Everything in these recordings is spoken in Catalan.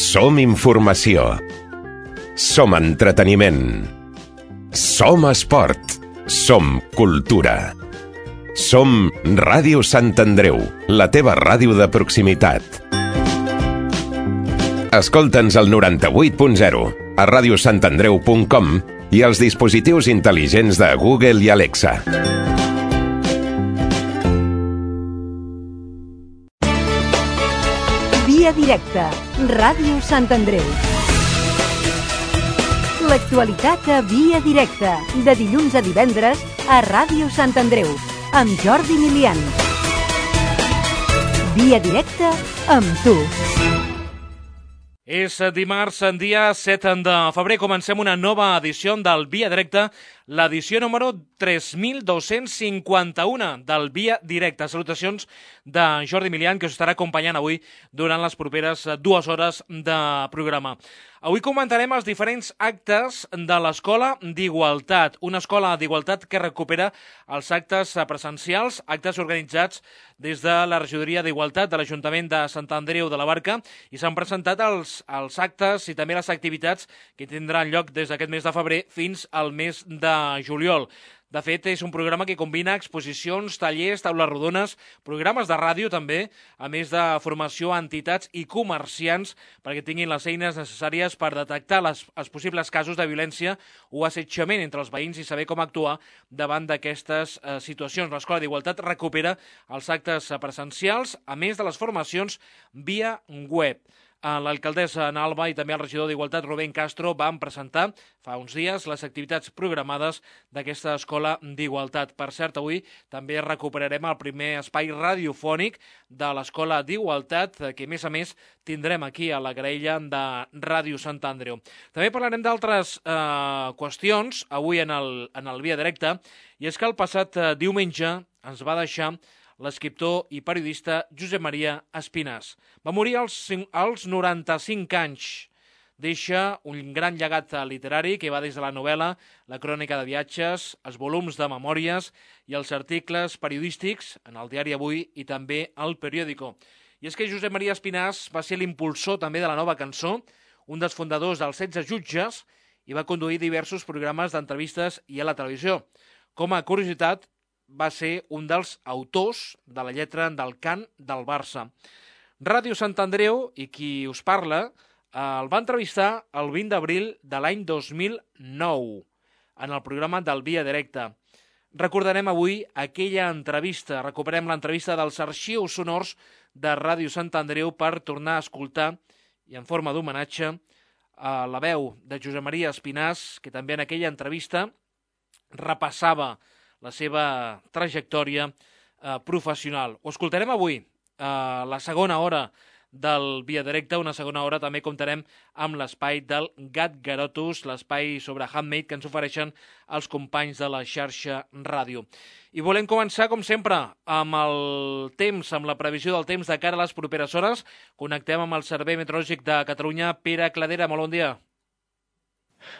Som informació. Som entreteniment. Som esport. Som cultura. Som Ràdio Sant Andreu, la teva ràdio de proximitat. Escolta'ns al 98.0, a radiosantandreu.com i als dispositius intel·ligents de Google i Alexa. Via directa, Ràdio Sant Andreu. L'actualitat a Via directa, de dilluns a divendres a Ràdio Sant Andreu, amb Jordi Milian. Via directa amb tu. És dimarts, dia 7 de febrer. Comencem una nova edició del Via Directe, l'edició número 3251 del Via Directe. Salutacions de Jordi Milian, que us estarà acompanyant avui durant les properes 2 hores de programa. Avui comentarem els diferents actes de l'Escola d'Igualtat, una escola d'igualtat que recupera els actes presencials, actes organitzats des de la Regidoria d'Igualtat de l'Ajuntament de Sant Andreu de la Barca, i s'han presentat els actes i també les activitats que tindran lloc des d'aquest mes de febrer fins al mes de juliol. De fet, és un programa que combina exposicions, tallers, taules rodones, programes de ràdio també, a més de formació a entitats i comerciants perquè tinguin les eines necessàries per detectar els possibles casos de violència o assetjament entre els veïns i saber com actuar davant d'aquestes situacions. L'Escola d'Igualtat recupera els actes presencials, a més de les formacions via web. L'alcaldessa Ana Alba i també el regidor d'Igualtat, Rubén Castro, van presentar fa uns dies les activitats programades d'aquesta escola d'igualtat. Per cert, avui també recuperarem el primer espai radiofònic de l'escola d'igualtat, que a més tindrem aquí a la graella de Ràdio Sant Andreu. També parlarem d'altres qüestions avui en el Via Directe, i és que el passat diumenge ens va deixar l'escriptor i periodista Josep Maria Espinàs. Va morir als 95 anys. Deixa un gran llegat literari que va des de la novel·la, la crònica de viatges, els volums de memòries i els articles periodístics en el diari Avui i també al periòdico. I és que Josep Maria Espinàs va ser l'impulsor també de la nova cançó, un dels fundadors dels 16 jutges, i va conduir diversos programes d'entrevistes i a la televisió. Com a curiositat, va ser un dels autors de la lletra del cant del Barça. Ràdio Sant Andreu, i qui us parla, el va entrevistar el 20 d'abril de l'any 2009 en el programa del Via Directe. Recordarem avui aquella entrevista, recuperem l'entrevista dels arxius sonors de Ràdio Sant Andreu per tornar a escoltar, i en forma d'homenatge, la veu de Josep Maria Espinàs, que també en aquella entrevista repassava la seva trajectòria professional. Ho escoltarem avui, la segona hora del Via Directe, una segona hora també comptarem amb l'espai del Gat Garotus, l'espai sobre handmade que ens ofereixen els companys de la xarxa ràdio. I volem començar, com sempre, amb el temps, amb la previsió del temps de cara a les properes hores. Connectem amb el Servei Meteorològic de Catalunya. Pere Cladera, molt bon dia.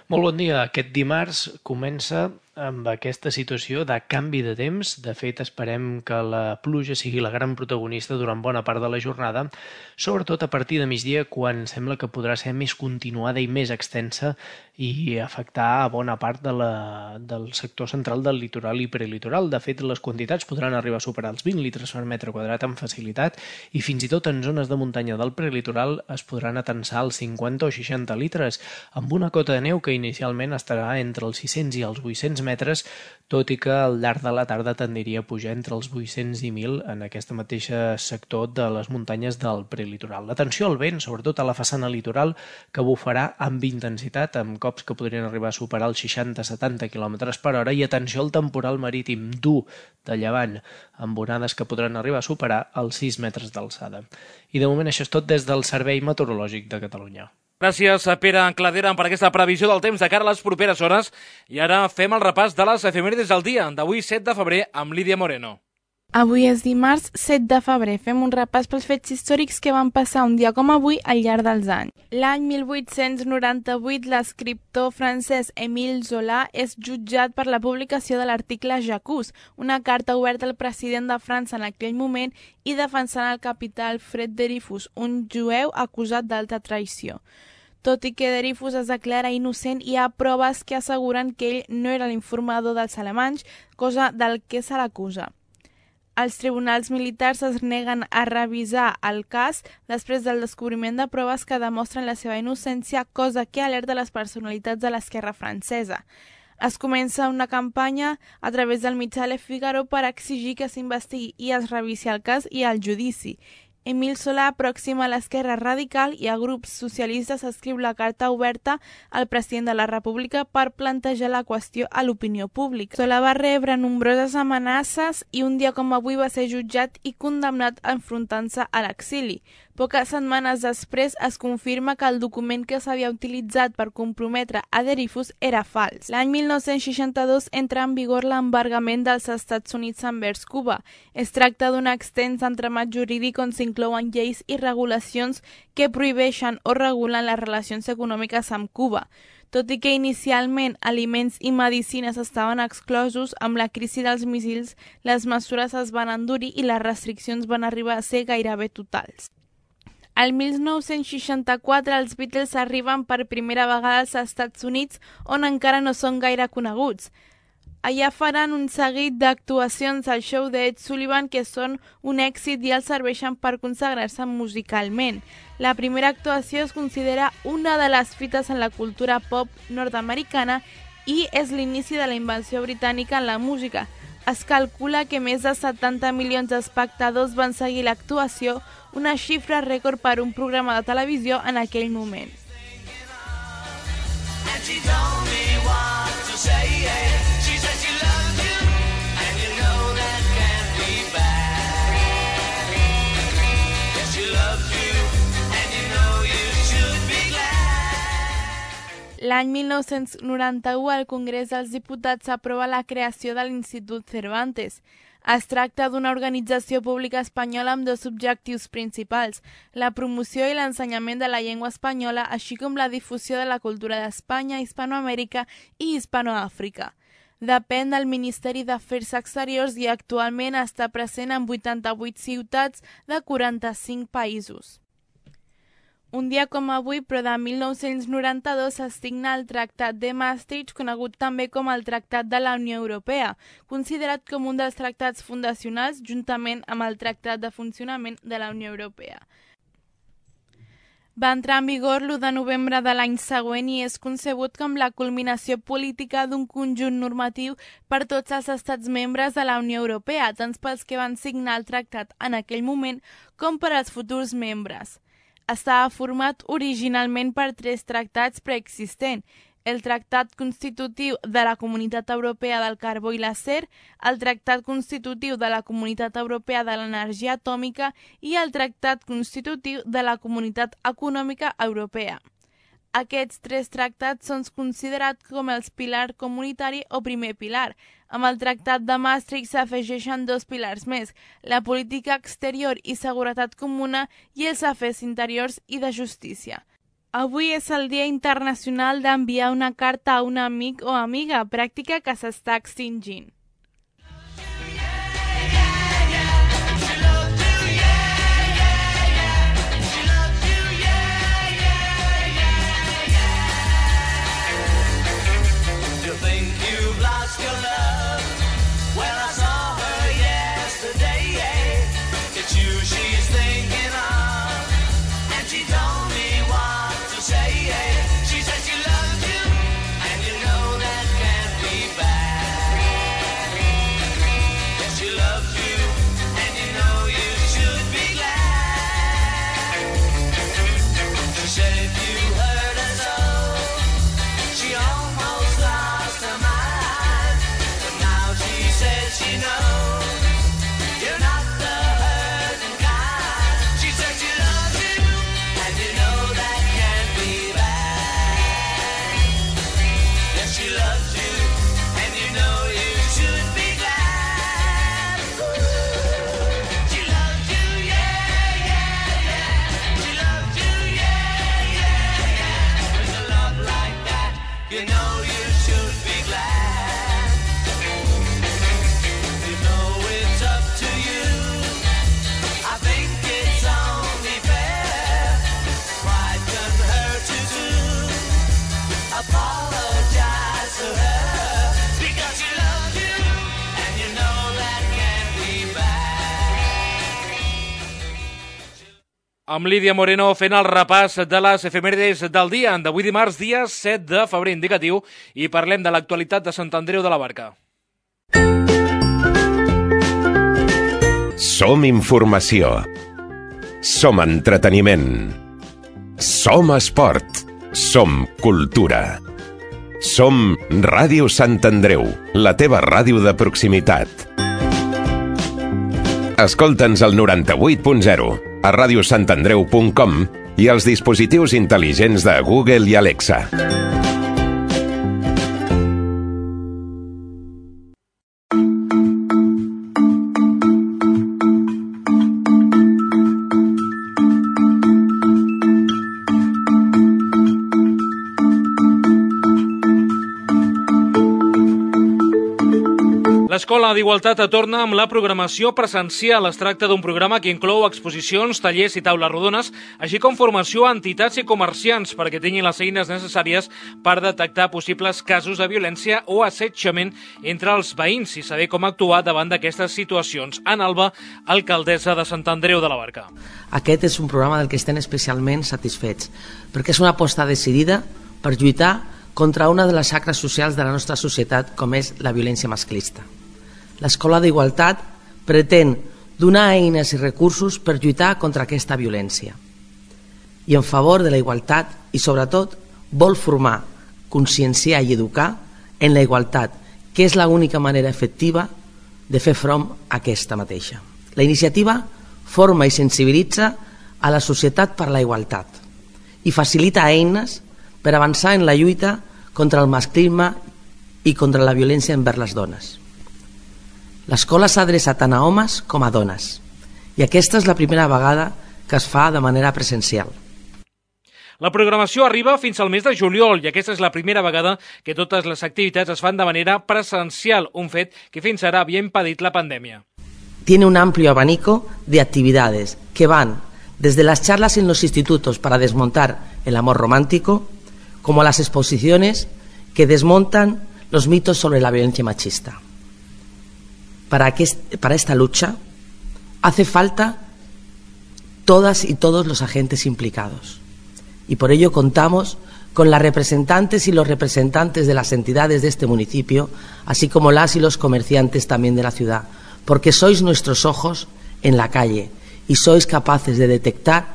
Molt bon dia. Aquest dimarts comença amb aquesta situació de canvi de temps. De fet, esperem que la pluja sigui la gran protagonista durant bona part de la jornada, sobretot a partir de migdia, quan sembla que podrà ser més continuada i més extensa i afectar a bona part del sector central del litoral i prelitoral. De fet, les quantitats podran arribar a superar els 20 litres per metre quadrat amb facilitat, i fins i tot en zones de muntanya del prelitoral es podran atensar els 50 o 60 litres, amb una cota de neu que inicialment estarà entre els 600 i els 800 metres, tot i que al llarg de la tarda tendiria a pujar entre els 800 i 1.000 en aquest mateix sector de les muntanyes del prelitoral. L'atenció al vent, sobretot a la façana litoral, que bufarà amb intensitat, amb cops que podrien arribar a superar els 60-70 km per hora, i atenció al temporal marítim dur de llevant, amb onades que podran arribar a superar els 6 metres d'alçada. I de moment això és tot des del Servei Meteorològic de Catalunya. Gràcies a Pere Cladera per aquesta previsió del temps de cara a les properes hores. I ara fem el repàs de les efemèrides del dia d'avui 7 de febrer amb Lídia Moreno. Avui és dimarts 7 de febrer. Fem un repàs pels fets històrics que van passar un dia com avui al llarg dels anys. L'any 1898, l'escriptor francès Émile Zola és jutjat per la publicació de l'article J'accuse, una carta oberta al president de França en aquell moment i defensant el capità Alfred Dreyfus, un jueu acusat d'alta traïció. Tot i que Dreyfus es declara innocent, hi ha proves que asseguren que ell no era l'informador dels alemanys, cosa del que se l'acusa. Els tribunals militars es neguen a revisar el cas després del descobriment de proves que demostren la seva innocència, cosa que alerta les personalitats de l'esquerra francesa. Es comença una campanya a través del mitjà Le Figaro per exigir que s'investigui i es revisi el cas i el judici. Émile Zola aproxima a l'esquerra radical i a grups socialistes escriu la carta oberta al president de la República per plantejar la qüestió a l'opinió pública. Zola va rebre nombroses amenaces i un dia com avui va ser jutjat i condemnat enfrontant-se a l'exili. Poques setmanes després es confirma que el document que s'havia utilitzat per comprometre a Dreyfus era fals. L'any 1962 entra en vigor l'embargament dels Estats Units envers Cuba. Es tracta d'un extens entramat jurídic on s'inclouen lleis i regulacions que prohibeixen o regulen les relacions econòmiques amb Cuba. Tot i que inicialment aliments i medicines estaven exclosos, amb la crisi dels míssils les mesures es van endurir i les restriccions van arribar a ser gairebé totals. Al 1964 els Beatles arriben per primera vegada als Estats Units, on encara no són gaire coneguts. Allà faran un seguit d'actuacions al show d'Ed Sullivan que són un èxit i els serveixen per consagrar-se musicalment. La primera actuació es considera una de les fites en la cultura pop nord-americana i és l'inici de la invenció britànica en la música. Es calcula que més de 70 milions d'espectadors van seguir l'actuació, una xifra rècord per un programa de televisió en aquell moment. L'any 1991, el Congrés dels Diputats aprova la creació de l'Institut Cervantes. Es tracta d'una organització pública espanyola amb dos objectius principals, la promoció i l'ensenyament de la llengua espanyola, així com la difusió de la cultura d'Espanya, Hispanoamèrica i Hispanoàfrica. Depèn del Ministeri d'Afers Exteriors i actualment està present en 88 ciutats de 45 països. Un dia com avui, però de 1992, es signa el Tractat de Maastricht, conegut també com el Tractat de la Unió Europea, considerat com un dels tractats fundacionals juntament amb el Tractat de Funcionament de la Unió Europea. Va entrar en vigor l'1 de novembre de l'any següent i és concebut com la culminació política d'un conjunt normatiu per tots els estats membres de la Unió Europea, tant pels que van signar el tractat en aquell moment com per als futurs membres. Estava format originalment per 3 tractats preexistents, el Tractat Constitutiu de la Comunitat Europea del Carbó i l'Acer, el Tractat Constitutiu de la Comunitat Europea de l'Energia Atòmica i el Tractat Constitutiu de la Comunitat Econòmica Europea. Aquests 3 tractats són considerats com els pilars comunitari o primer pilar. Amb el Tractat de Maastricht s'afegeixen 2 pilars més, la política exterior i seguretat comuna i els afers interiors i de justícia. Avui és el Dia Internacional d'enviar una carta a un amic o amiga, pràctica que s'està extingint. Amb Lídia Moreno fent el repàs de les efemèrides del dia d'avui dimarts, dia 7 de febrer indicatiu, i parlem de l'actualitat de Sant Andreu de la Barca. Som informació. Som entreteniment. Som esport. Som cultura. Som Ràdio Sant Andreu, la teva ràdio de proximitat. Escolta'ns al 98.0, a radiosantandreu.com i als dispositius intel·ligents de Google i Alexa. L'Escola d'Igualtat torna amb la programació presencial. Es tracta d'un programa que inclou exposicions, tallers i taules rodones, així com formació a entitats i comerciants perquè tinguin les eines necessàries per detectar possibles casos de violència o assetjament entre els veïns i saber com actuar davant d'aquestes situacions. Anna Alba, alcaldessa de Sant Andreu de la Barca. Aquest és un programa del que estem especialment satisfets, perquè és una aposta decidida per lluitar contra una de les xacres socials de la nostra societat, com és la violència masclista. L'Escola d'Igualtat pretén donar eines i recursos per lluitar contra aquesta violència i en favor de la igualtat i, sobretot, vol formar, conscienciar i educar en la igualtat, que és l'única manera efectiva de fer front a aquesta mateixa. La iniciativa forma i sensibilitza a la societat per la igualtat i facilita eines per avançar en la lluita contra el masclisme i contra la violència envers les dones. L'escola s'adreça tant a homes com a dones i aquesta és la primera vegada que es fa de manera presencial. La programació arriba fins al mes de juliol i aquesta és la primera vegada que totes les activitats es fan de manera presencial, un fet que fins ara havia impedit la pandèmia. Tiene un amplio abanico de actividades que van desde las charlas en los institutos para desmontar el amor romántico como a las exposiciones que desmontan los mitos sobre la violencia machista. Para esta lucha hace falta todas y todos los agentes implicados y por ello contamos con las representantes y los representantes de las entidades de este municipio, así como las y los comerciantes también de la ciudad, porque sois nuestros ojos en la calle y sois capaces de detectar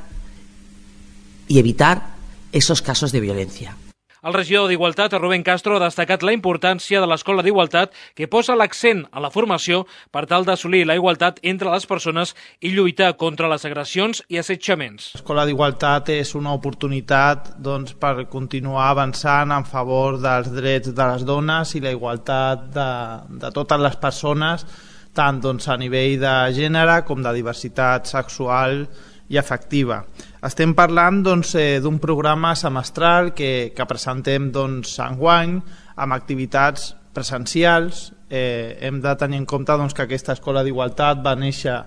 y evitar esos casos de violencia. El regidor d'Igualtat, Rubén Castro, ha destacat la importància de l'Escola d'Igualtat que posa l'accent a la formació per tal d'assolir la igualtat entre les persones i lluitar contra les agressions i assetjaments. L'Escola d'Igualtat és una oportunitat per continuar avançant en favor dels drets de les dones i la igualtat de totes les persones, tant a nivell de gènere com de diversitat sexual i afectiva. Estem parlant d'un programa semestral que presentem enguany amb activitats presencials. Hem de tenir en compte que aquesta Escola d'Igualtat va néixer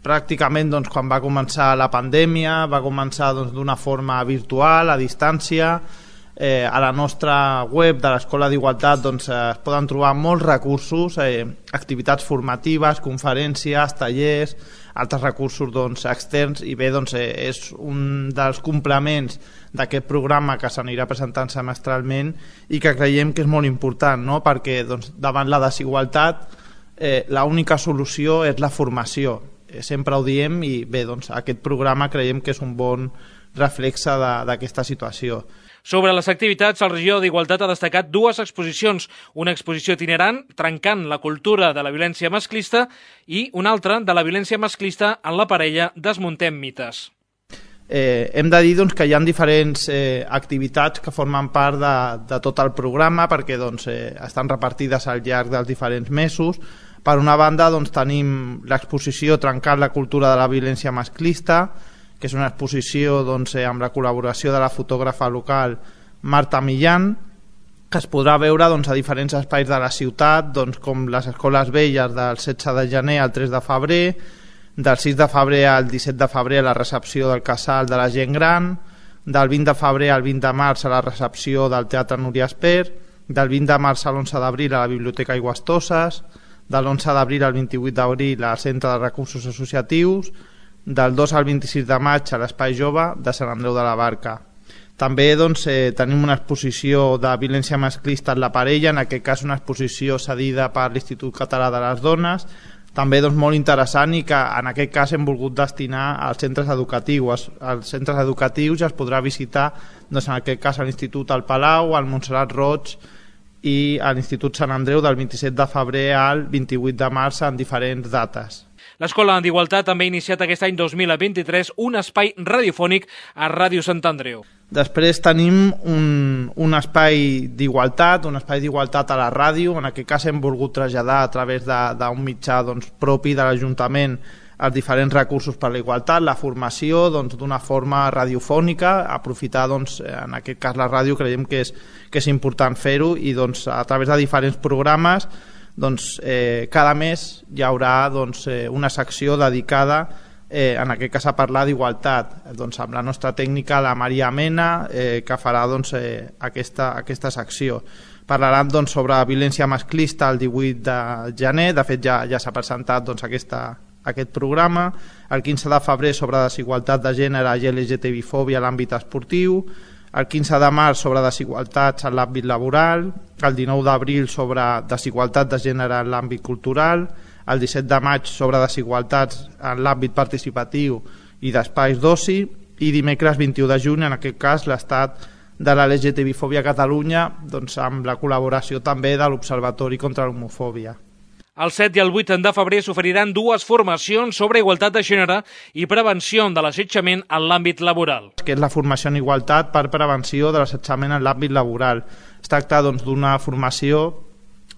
pràcticament quan va començar la pandèmia, va començar d'una forma virtual, a distància. A la nostra web de l'Escola d'Igualtat es poden trobar molts recursos, activitats formatives, conferències, tallers, altres recursos externs i bé, és un dels complements d'aquest programa que s'anirà presentant semestralment i que creiem que és molt important, no? Perquè davant la desigualtat l'única solució és la formació, sempre ho diem i bé, aquest programa creiem que és un bon reflexe d'aquesta situació. Sobre les activitats, el regidor d'Igualtat ha destacat dues exposicions, una exposició itinerant, trencant la cultura de la violència masclista, i una altra de la violència masclista en la parella, desmuntem mites. Hem de dir que hi ha diferents activitats que formen part de tot el programa perquè estan repartides al llarg dels diferents mesos. Per una banda tenim l'exposició Trencant la cultura de la violència masclista, que és una exposició amb la col·laboració de la fotògrafa local Marta Millán, que es podrà veure a diferents espais de la ciutat, com les escoles velles del 16 de gener al 3 de febrer, del 6 de febrer al 17 de febrer a la recepció del casal de la gent gran, del 20 de febrer al 20 de març a la recepció del Teatre Núria Esper, del 20 de març a l'11 d'abril a la Biblioteca Aigües Toses, de l'11 d'abril al 28 d'abril al Centre de Recursos Associatius, del 2 al 26 de maig a l'Espai Jove de Sant Andreu de la Barca. També tenim una exposició de violència masclista en la parella, en aquest cas una exposició cedida per l'Institut Català de les Dones, també molt interessant i que en aquest cas hem volgut destinar als centres educatius. Als centres educatius ja es podrà visitar en aquest cas a l'Institut al Palau, al Montserrat Roig i a l'Institut Sant Andreu del 27 de febrer al 28 de març en diferents dates. L'Escola d'Igualtat també ha iniciat aquest any 2023 un espai radiofònic a Ràdio Sant Andreu. Després tenim un espai d'igualtat, a la ràdio. En aquest cas hem volgut traslladar a través d'un mitjà propi de l'Ajuntament els diferents recursos per a la igualtat, la formació d'una forma radiofònica, aprofitar en aquest cas la ràdio, creiem que és important fer-ho, i a través de diferents programes cada mes hi haurà una secció dedicada en aquest cas a parlar d'igualtat, amb la nostra tècnica, la Maria Mena, que farà aquesta secció. Parlaran sobre violència masclista el 18 de gener, de fet ja s'ha presentat aquest programa, el 15 de febrer sobre desigualtat de gènere i LGTBI-fòbia a l'àmbit esportiu, el 15 de març sobre desigualtats en l'àmbit laboral, el 19 d'abril sobre desigualtat de gènere en l'àmbit cultural, el 17 de maig sobre desigualtats en l'àmbit participatiu i d'espais d'oci, i dimecres 21 de juny, en aquest cas, l'estat de la LGTBI-fòbia a Catalunya, amb la col·laboració també de l'Observatori contra l'Homofòbia. El 7 i el 8 de febrer s'oferiran dues formacions sobre igualtat de gènere i prevenció de l'assetjament en l'àmbit laboral. Que és la formació en igualtat per prevenció de l'assetjament en l'àmbit laboral. Es tracta d'una formació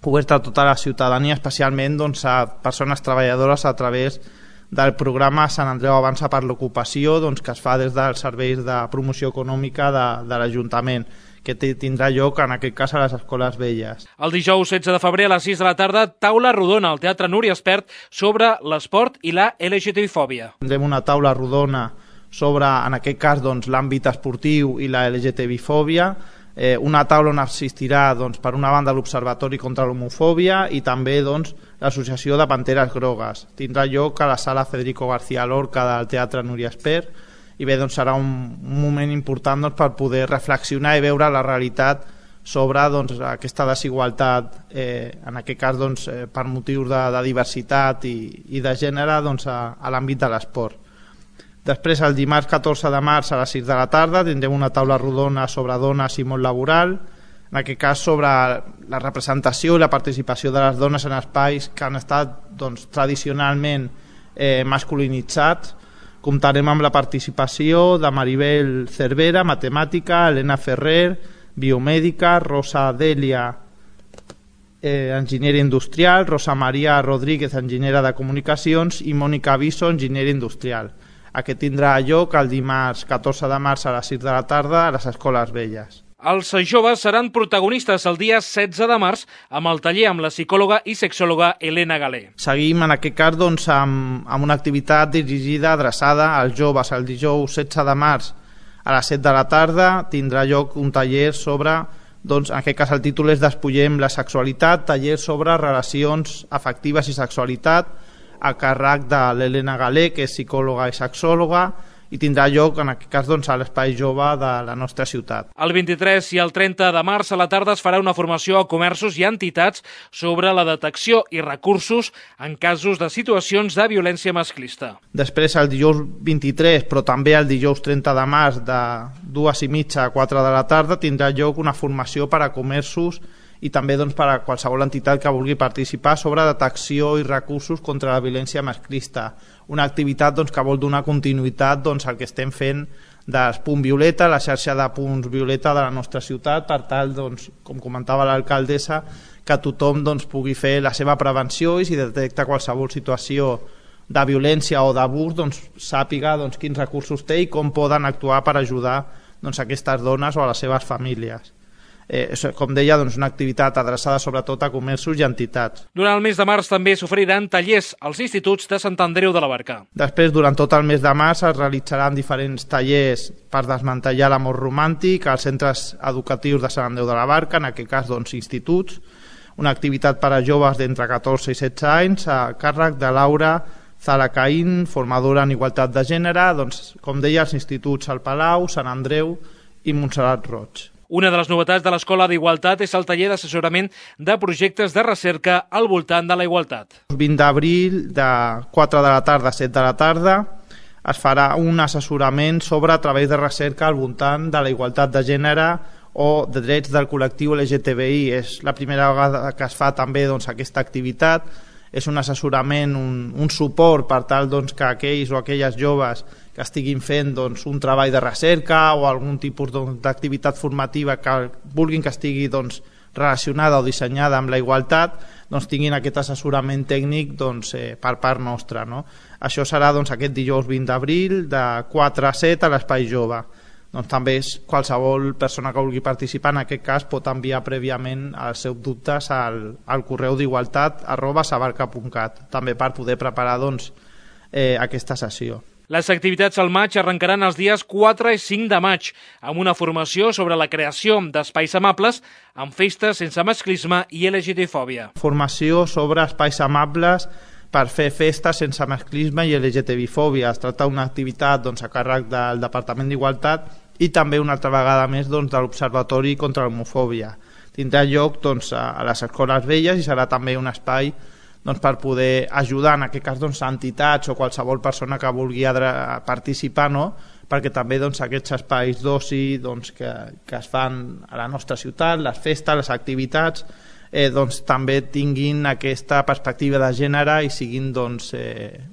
oberta a tota la ciutadania, especialment a persones treballadores a través del programa Sant Andreu Avança per l'Ocupació, que es fa des dels serveis de promoció econòmica de l'Ajuntament, que tindrà lloc en aquest cas a les escoles velles. El dijous 16 de febrer a les 6 de la tarda, taula rodona al Teatre Núria Espert sobre l'esport i la LGTBI-fòbia. Tindrem una taula rodona sobre, en aquest cas, l'àmbit esportiu i la LGTBI-fòbia, una taula on assistirà, per una banda, l'Observatori contra l'Homofòbia i també l'Associació de Panteres Grogues. Tindrà lloc a la sala Federico García Lorca del Teatre Núria Espert, i bé, serà un moment important per poder reflexionar i veure la realitat sobre aquesta desigualtat, en aquest cas per motius de diversitat i de gènere a l'àmbit de l'esport. Després, el dimarts 14 de març a les 6 de la tarda tindrem una taula rodona sobre dones i món laboral, en aquest cas sobre la representació i la participació de les dones en espais que han estat tradicionalment masculinitzats. Comptarem amb la participació de Maribel Cervera, matemàtica, Helena Ferrer, biomèdica, Rosa Delia, enginyera industrial, Rosa Maria Rodríguez, enginyera de comunicacions, i Mònica Viso, enginyera industrial. Aquest tindrà lloc el dimarts 14 de març a les 6 de la tarda a les escoles velles. Els joves seran protagonistes el dia 16 de març amb el taller amb la psicòloga i sexòloga Helena Galé. Seguim en aquest cas amb una activitat dirigida, adreçada als joves. El dijous 16 de març a les 7 de la tarda tindrà lloc un taller sobre, en aquest cas el títol és Despullem la sexualitat, taller sobre relacions afectives i sexualitat, a càrrec de l'Helena Galé, que és psicòloga i sexòloga, i tindrà lloc, en aquest cas, a l'Espai Jove de la nostra ciutat. El 23 i el 30 de març a la tarda es farà una formació a comerços i entitats sobre la detecció i recursos en casos de situacions de violència masclista. Després, el dijous 23, però també el dijous 30 de març, de 2:30 a 4 de la tarda, tindrà lloc una formació per a comerços i també per a qualsevol entitat que vulgui participar sobre detecció i recursos contra la violència masclista. Una activitat que vol donar continuïtat al que estem fent dels Punt Violeta, la xarxa de punts Violeta de la nostra ciutat, per tal, com comentava l'alcaldessa, que tothom pugui fer la seva prevenció i si detecta qualsevol situació de violència o d'abús, sàpiga quins recursos té i com poden actuar per ajudar aquestes dones o a les seves famílies. Com deia, una activitat adreçada sobretot a comerços i entitats. Durant el mes de març també s'oferiran tallers als instituts de Sant Andreu de la Barca. Després, durant tot el mes de març, es realitzaran diferents tallers per desmantellar l'amor romàntic als centres educatius de Sant Andreu de la Barca, en aquest cas, instituts, una activitat per a joves d'entre 14 i 16 anys, a càrrec de Laura Zara Caín, formadora en igualtat de gènere, doncs, com deia, els instituts El Palau, Sant Andreu i Montserrat Roig. Una de les novetats de l'Escola d'Igualtat és el taller d'assessorament de projectes de recerca al voltant de la igualtat. El 20 d'abril, de 4 de la tarda a 7 de la tarda, es farà un assessorament sobre treballs de recerca al voltant de la igualtat de gènere o de drets del col·lectiu LGTBI. És la primera vegada que es fa també aquesta activitat. És un assessorament, un suport per tal que aquells o aquelles joves que estiguin fent un treball de recerca o algun tipus d'activitat formativa que vulguin que estigui relacionada o dissenyada amb la igualtat, tinguin aquest assessorament tècnic per part nostra. No? Això serà aquest dijous 20 d'abril de 4 a 7 a l'Espai Jove. També qualsevol persona que vulgui participar en aquest cas pot enviar prèviament els seus dubtes al correu d'igualtat@sabarca.cat, també per poder preparar aquesta sessió. Les activitats al maig arrencaran els dies 4 i 5 de maig, amb una formació sobre la creació d'espais amables amb festes sense masclisme i LGTB-fòbia. Formació sobre espais amables per fer festes sense masclisme i LGTB-fòbia. Es tracta d'una activitat a càrrec del Departament d'Igualtat i també una altra vegada més de l'Observatori contra l'Homofòbia. Tindrà lloc a les escoles velles i serà també un espai per poder ajudar, en aquest cas, entitats o qualsevol persona que vulgui participar, no? Perquè també aquests espais d'oci que es fan a la nostra ciutat, les festes, les activitats, també tinguin aquesta perspectiva de gènere i siguin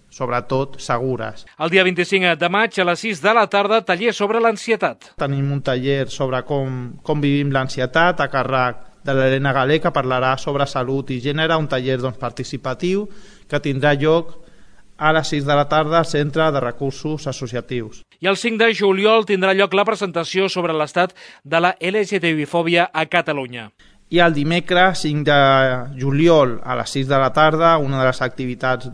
sobretot segures. El dia 25 de maig a les 6 de la tarda, taller sobre l'ansietat. Tenim un taller sobre com vivim l'ansietat a càrrec de l'Helena Galé, que parlarà sobre salut i gènere, un taller participatiu que tindrà lloc a les 6 de la tarda al Centre de Recursos Associatius. I el 5 de juliol tindrà lloc la presentació sobre l'estat de la LGTB-fòbia a Catalunya. I el dimecres 5 de juliol a les 6 de la tarda, una de les activitats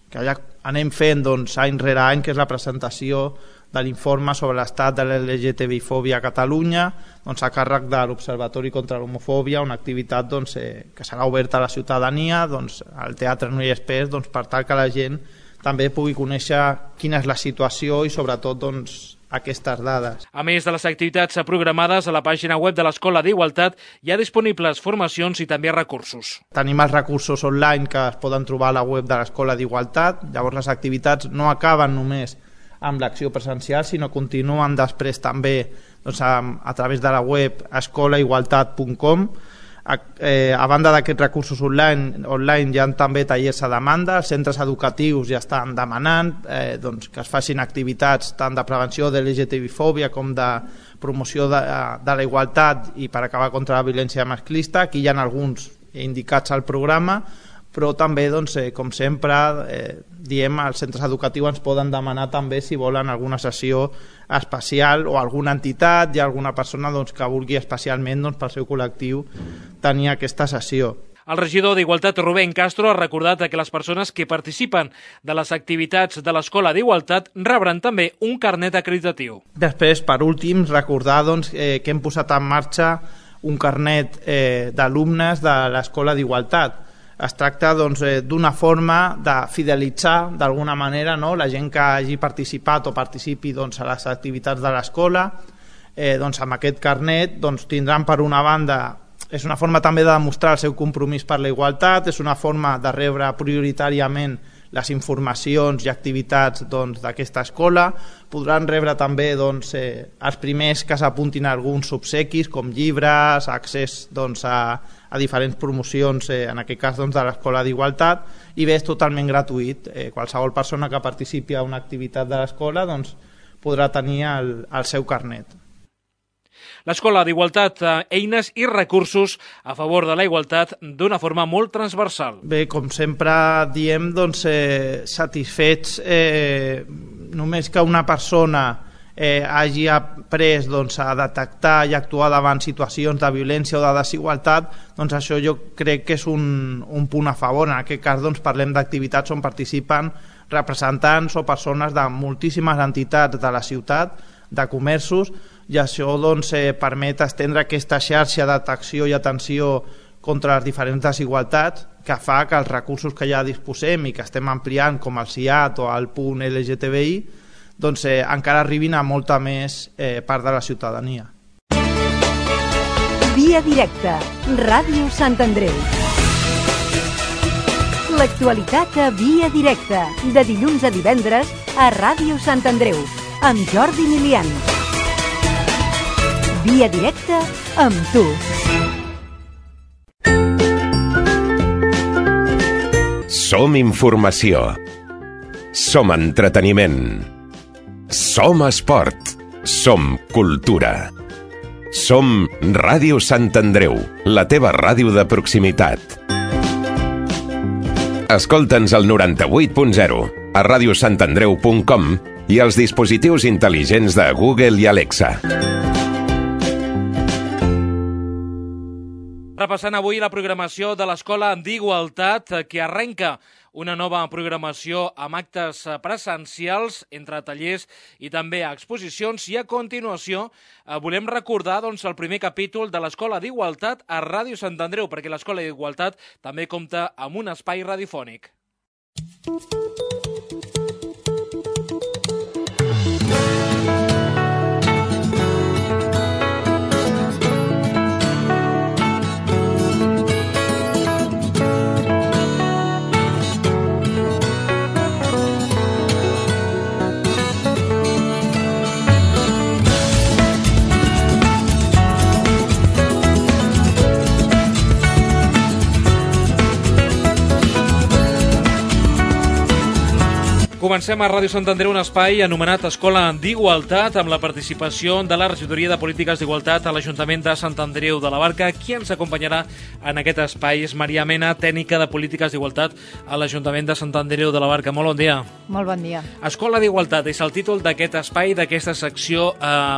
que ja anem fent any rere any, que és la presentació de l'informe sobre l'estat de l'LGTB-fòbia a Catalunya, a càrrec de l'Observatori contra l'Homofòbia, una activitat que serà oberta a la ciutadania, al Teatre No hi és pes, per tal que la gent també pugui conèixer quina és la situació i sobretot aquestes dades. A més de les activitats programades, a la pàgina web de l'Escola d'Igualtat hi ha disponibles formacions i també recursos. Tenim els recursos online que es poden trobar a la web de l'Escola d'Igualtat. Llavors les activitats no acaben només amb l'acció presencial, sinó continuen després també a través de la web escolaigualtat.com. A banda d'aquests recursos online hi ha també tallers a demanda. Els centres educatius ja estan demanant que es facin activitats tant de prevenció de l'LGTB-fòbia com de promoció de la igualtat i per acabar contra la violència masclista. Aquí hi ha alguns indicats al programa, però també, com sempre, diem, els centres educatius ens poden demanar també si volen alguna sessió especial o alguna entitat i alguna persona que vulgui especialment pel seu col·lectiu tenir aquesta sessió. El regidor d'Igualtat, Rubén Castro, ha recordat que les persones que participen de les activitats de l'Escola d'Igualtat rebran també un carnet acreditatiu. Després, per últim, recordar que hem posat en marxa un carnet d'alumnes de l'Escola d'Igualtat. Es tracta d'una forma de fidelitzar d'alguna manera la gent que hagi participat o participi a les activitats de l'escola. Amb aquest carnet tindran, per una banda, és una forma també de demostrar el seu compromís per la igualtat, és una forma de rebre prioritàriament les informacions i activitats d'aquesta escola. Podran rebre també els primers que s'apuntin a alguns obsequis com llibres, accés a diferents promocions, en aquest cas de l'Escola d'Igualtat, i bé, és totalment gratuït. Qualsevol persona que participi a una activitat de l'escola podrà tenir el seu carnet. L'Escola d'Igualtat, eines i recursos a favor de la igualtat d'una forma molt transversal. Bé, com sempre diem, satisfets només que una persona hagi après a detectar i actuar davant situacions de violència o de desigualtat, això jo crec que és un punt a favor. En aquest cas parlem d'activitats on participen representants o persones de moltíssimes entitats de la ciutat, de comerços, i això permet estendre aquesta xarxa de detecció i atenció contra les diferents desigualtats, que fa que els recursos que ja disposem i que estem ampliant, com el CIAT o el punt LGTBI, doncs encara arribin a molta més part de la ciutadania. Via directa, Ràdio Sant Andreu. L'actualitat a Via directa, de dilluns a divendres a Ràdio Sant Andreu, amb Jordi Milian. Via directa amb tu. Som informació. Som entreteniment. Som esport. Som cultura. Som Ràdio Sant Andreu, la teva ràdio de proximitat. Escolta'ns al 98.0, a radiosantandreu.com i als dispositius intel·ligents de Google i Alexa. Repassant avui la programació de l'Escola d'Igualtat, que arrenca una nova programació amb actes presencials, entre tallers i també exposicions. I a continuació volem recordar el primer capítol de l'Escola d'Igualtat a Ràdio Sant Andreu, perquè l'Escola d'Igualtat també compta amb un espai radiofònic. Comencem a Ràdio Sant Andreu un espai anomenat Escola d'Igualtat amb la participació de la Regidoria de Polítiques d'Igualtat a l'Ajuntament de Sant Andreu de la Barca. Qui ens acompanyarà en aquest espai és Maria Mena, tècnica de Polítiques d'Igualtat a l'Ajuntament de Sant Andreu de la Barca. Molt bon dia. Molt bon dia. Escola d'Igualtat és el títol d'aquest espai, d'aquesta secció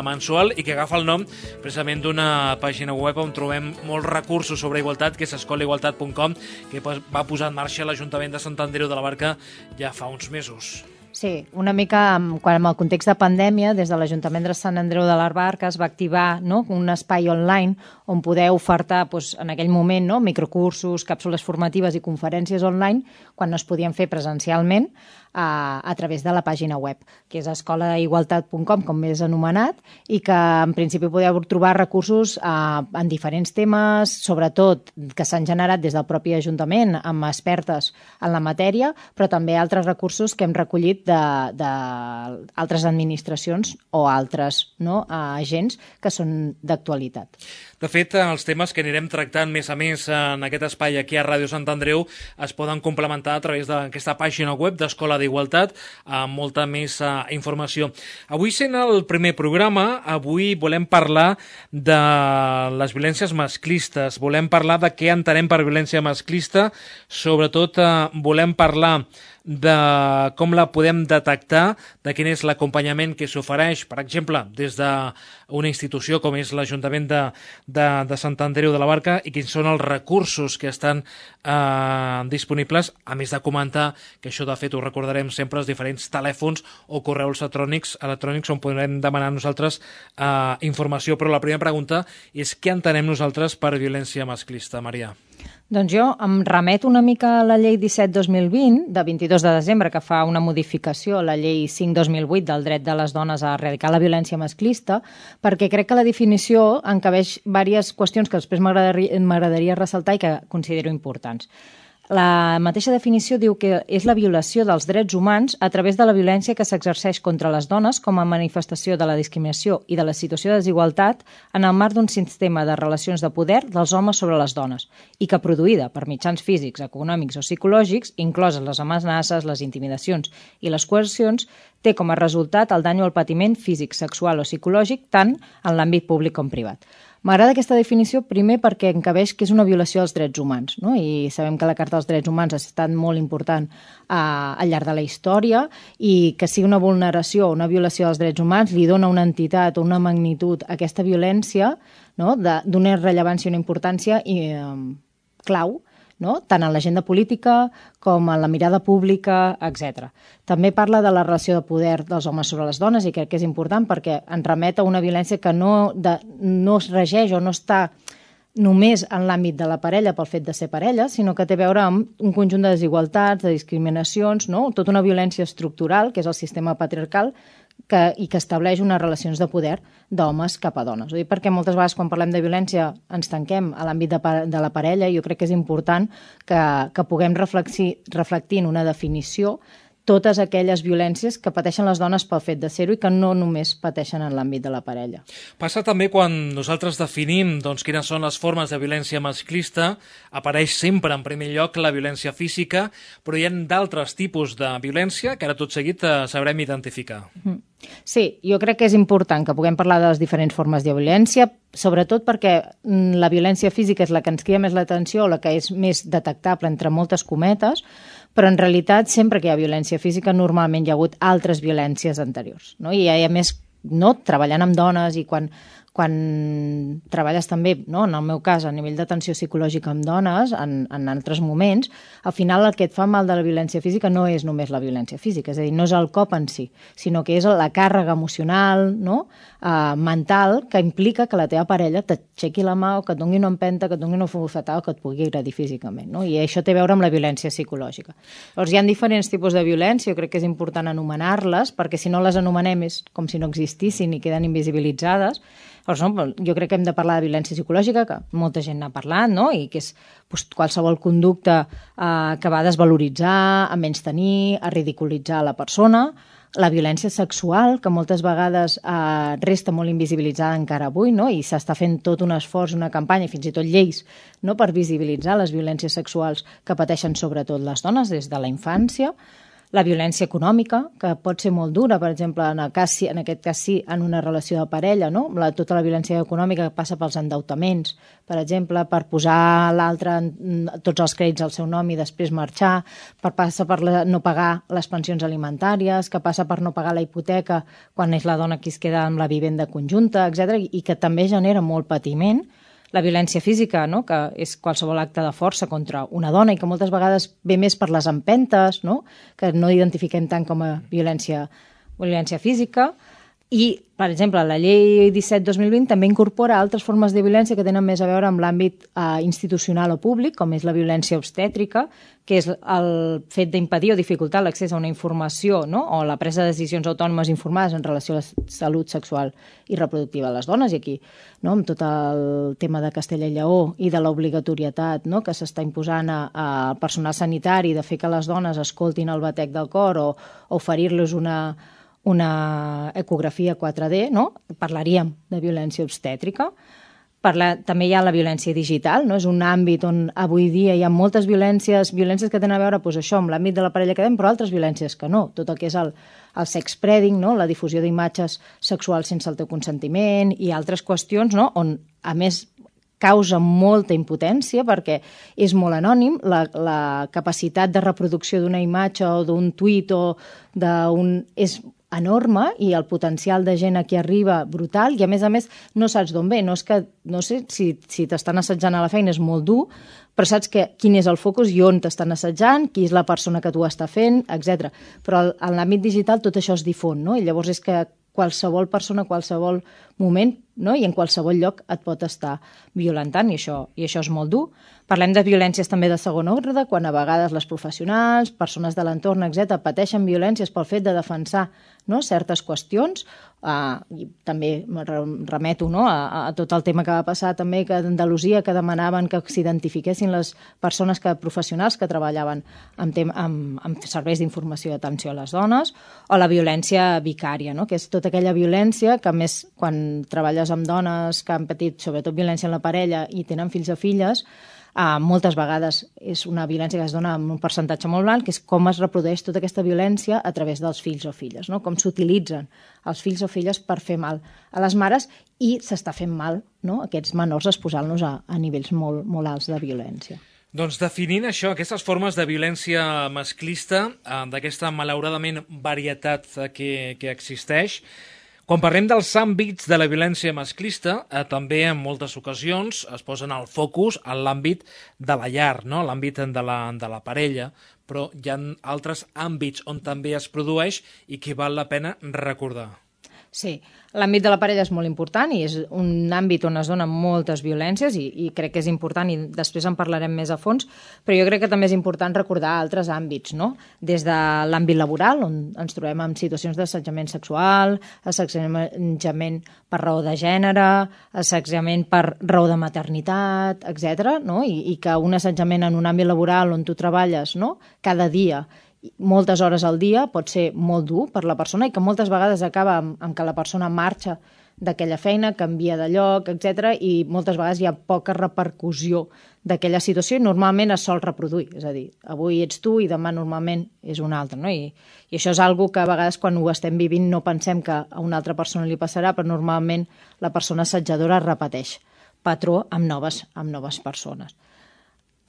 mensual i que agafa el nom precisament d'una pàgina web on trobem molts recursos sobre igualtat, que és escolaigualtat.com, que va posar en marxa l'Ajuntament de Sant Andreu de la Barca ja fa uns mesos. Sí, una mica quan amb el context de pandèmia, des de l'Ajuntament de Sant Andreu de la Barca es va activar un espai online on poder ofertar en aquell moment microcursos, càpsules formatives i conferències online quan no es podien fer presencialment a través de la pàgina web, que és escolaigualtat.com, com més anomenat, i que en principi podeu trobar recursos en diferents temes, sobretot que s'han generat des del propi Ajuntament amb expertes en la matèria, però també altres recursos que hem recollit d'altres administracions o altres agents que són d'actualitat. De fet, els temes que anirem tractant més a més en aquest espai aquí a Ràdio Sant Andreu es poden complementar a través d'aquesta pàgina web d'Escola d'Igualtat amb molta més informació. Avui, sent el primer programa, avui volem parlar de les violències masclistes, volem parlar de què entenem per violència masclista, sobretot volem parlar de com la podem detectar, de quin és l'acompanyament que s'ofereix, per exemple, des d'una institució com és l'Ajuntament de Sant Andreu de la Barca, i quins són els recursos que estan disponibles, a més de comentar que això, de fet, ho recordarem sempre, els diferents telèfons o correus electrònics on podrem demanar nosaltres informació. Però la primera pregunta és què entenem nosaltres per violència masclista, Maria? Doncs jo em remeto una mica a la llei 17-2020, de 22 de desembre, que fa una modificació a la llei 5-2008 del dret de les dones a erradicar la violència masclista, perquè crec que la definició encabeix diverses qüestions que després m'agradaria ressaltar i que considero importants. La mateixa definició diu que és la violació dels drets humans a través de la violència que s'exerceix contra les dones com a manifestació de la discriminació i de la situació de desigualtat en el marc d'un sistema de relacions de poder dels homes sobre les dones i que, produïda per mitjans físics, econòmics o psicològics, incloses les amenaces, les intimidacions i les coercions, té com a resultat el dany o el patiment físic, sexual o psicològic tant en l'àmbit públic com privat. M'agrada aquesta definició, primer perquè encabeix que és una violació dels drets humans, no? I sabem que la Carta dels Drets Humans ha estat molt important al llarg de la història i que sigui una vulneració o una violació dels drets humans li dona una entitat o una magnitud a aquesta violència, no? D'una rellevància i una importància clau, no? Tant en l'agenda política com en la mirada pública, etc. També parla de la relació de poder dels homes sobre les dones i crec que és important perquè ens remet a una violència que no es regeix o no està només en l'àmbit de la parella pel fet de ser parella, sinó que té a veure amb un conjunt de desigualtats, de discriminacions, no? Tota una violència estructural, que és el sistema patriarcal, i que estableix unes relacions de poder d'homes cap a dones. Ho dic perquè moltes vegades quan parlem de violència ens tanquem a l'àmbit de la parella i jo crec que és important que puguem reflectir en una definició totes aquelles violències que pateixen les dones pel fet de ser-ho i que no només pateixen en l'àmbit de la parella. Passa també quan nosaltres definim quines són les formes de violència masclista, apareix sempre en primer lloc la violència física, però hi ha d'altres tipus de violència que ara tot seguit sabrem identificar. Sí, jo crec que és important que puguem parlar de les diferents formes de violència, sobretot perquè la violència física és la que ens crida més l'atenció, la que és més detectable entre moltes cometes, però en realitat sempre que hi ha violència física normalment hi ha hagut altres violències anteriors, no? I a més, no, treballant amb dones i quan treballes també, no, en el meu cas, a nivell d'atenció psicològica amb dones, en altres moments, al final el que et fa mal de la violència física no és només la violència física, és a dir, no és el cop en si, sinó que és la càrrega emocional, no? Mental, que implica que la teva parella t'aixequi la mà o que et doni una empenta, que et doni una bufetada o que et pugui agredir físicament, no? I això té a veure amb la violència psicològica. Llavors, hi ha diferents tipus de violència, jo crec que és important anomenar-les, perquè si no les anomenem és com si no existissin i queden invisibilitzades. Llavors, no, jo crec que hem de parlar de violència psicològica, que molta gent n'ha parlat, no? I que és qualsevol conducta que va a desvaloritzar, a menystenir, a ridiculitzar la persona. La violència sexual, que moltes vegades resta molt invisibilitzada encara avui, no? I s'està fent tot un esforç, una campanya, i fins i tot lleis, no? Per visibilitzar les violències sexuals que pateixen sobretot les dones des de la infància. La violència econòmica, que pot ser molt dura, per exemple, en aquest cas sí, en una relació de parella, no? Tota la violència econòmica que passa pels endeutaments, per exemple, per posar l'altre tots els crèdits al seu nom i després marxar, passa per no pagar les pensions alimentàries, que passa per no pagar la hipoteca quan és la dona qui es queda amb la vivenda conjunta, etc., i que també genera molt patiment. La violència física, no? Que és qualsevol acte de força contra una dona i que moltes vegades ve més per les empentes, no? Que no identifiquem tant com a violència física. I, per exemple, la llei 17-2020 també incorpora altres formes de violència que tenen més a veure amb l'àmbit institucional o públic, com és la violència obstètrica, que és el fet d'impedir o dificultar l'accés a una informació, no? O la presa de decisions autònomes informades en relació a la salut sexual i reproductiva de les dones. I aquí, no? Amb tot el tema de Castella i Lleó i de l'obligatorietat, no? Que s'està imposant al personal sanitari de fer que les dones escoltin el batec del cor o oferir-los una ecografia 4D, no? Parlaríem de violència obstètrica. També hi ha la violència digital, no? És un àmbit on avui dia hi ha moltes violències que tenen a veure això, amb l'àmbit de la parella que dèiem, però altres violències que no. Tot el que és el sex-spreading, no? La difusió d'imatges sexuals sense el teu consentiment i altres qüestions, no? On, a més, causa molta impotència perquè és molt anònim, la capacitat de reproducció d'una imatge o d'un tuit o és enorme i el potencial de gent a qui arriba brutal i a més no saps d'on ve, no sé si t'estan assetjant a la feina és molt dur, però saps quin és el focus i on t'estan assetjant, qui és la persona que t'ho està fent, etc. Però en l'àmbit digital tot això es difon, no? I llavors és que qualsevol persona, qualsevol moment, no? I en qualsevol lloc et pot estar violentant i això és molt dur. Parlem de violències també de segon ordre, quan a vegades les professionals, persones de l'entorn, etc., pateixen violències pel fet de defensar, no? Certes qüestions. I també remeto, no? a tot el tema que va passar també que d'Andalusia, que demanaven que s'identifiquessin les persones professionals que treballaven amb serveis d'informació i atenció a les dones, o la violència vicària, no? Que és tota aquella violència que, a més, quan treballes amb dones que han patit sobretot violència en la parella i tenen fills o filles, moltes vegades és una violència que es dona amb un percentatge molt alt, que és com es reprodueix tota aquesta violència a través dels fills o filles, no? Com s'utilitzen els fills o filles per fer mal a les mares i s'està fent mal, no? Aquests menors exposant-los a nivells molt, molt alts de violència. Doncs definint això, aquestes formes de violència masclista, d'aquesta malauradament varietat que existeix, quan parlem dels àmbits de la violència masclista, també en moltes ocasions es posen el focus en l'àmbit de la llar, no? L'àmbit de la parella, però hi ha altres àmbits on també es produeix i que val la pena recordar. Sí, l'àmbit de la parella és molt important i és un àmbit on es donen moltes violències i crec que és important i després en parlarem més a fons, però jo crec que també és important recordar altres àmbits, no? Des de l'àmbit laboral, on ens trobem en situacions d'assetjament sexual, assetjament per raó de gènere, assetjament per raó de maternitat, etc. No? I que un assetjament en un àmbit laboral on tu treballes, no? Cada dia, moltes hores al dia, pot ser molt dur per la persona i que moltes vegades acaba amb que la persona marxa d'aquella feina, canvia de lloc, etc. I moltes vegades hi ha poca repercussió d'aquella situació i normalment es sol reproduir. És a dir, avui ets tu i demà normalment és un altre. No? I això és algo que a vegades quan ho estem vivint no pensem que a una altra persona li passarà, però normalment la persona assetjadora repeteix patró amb noves persones.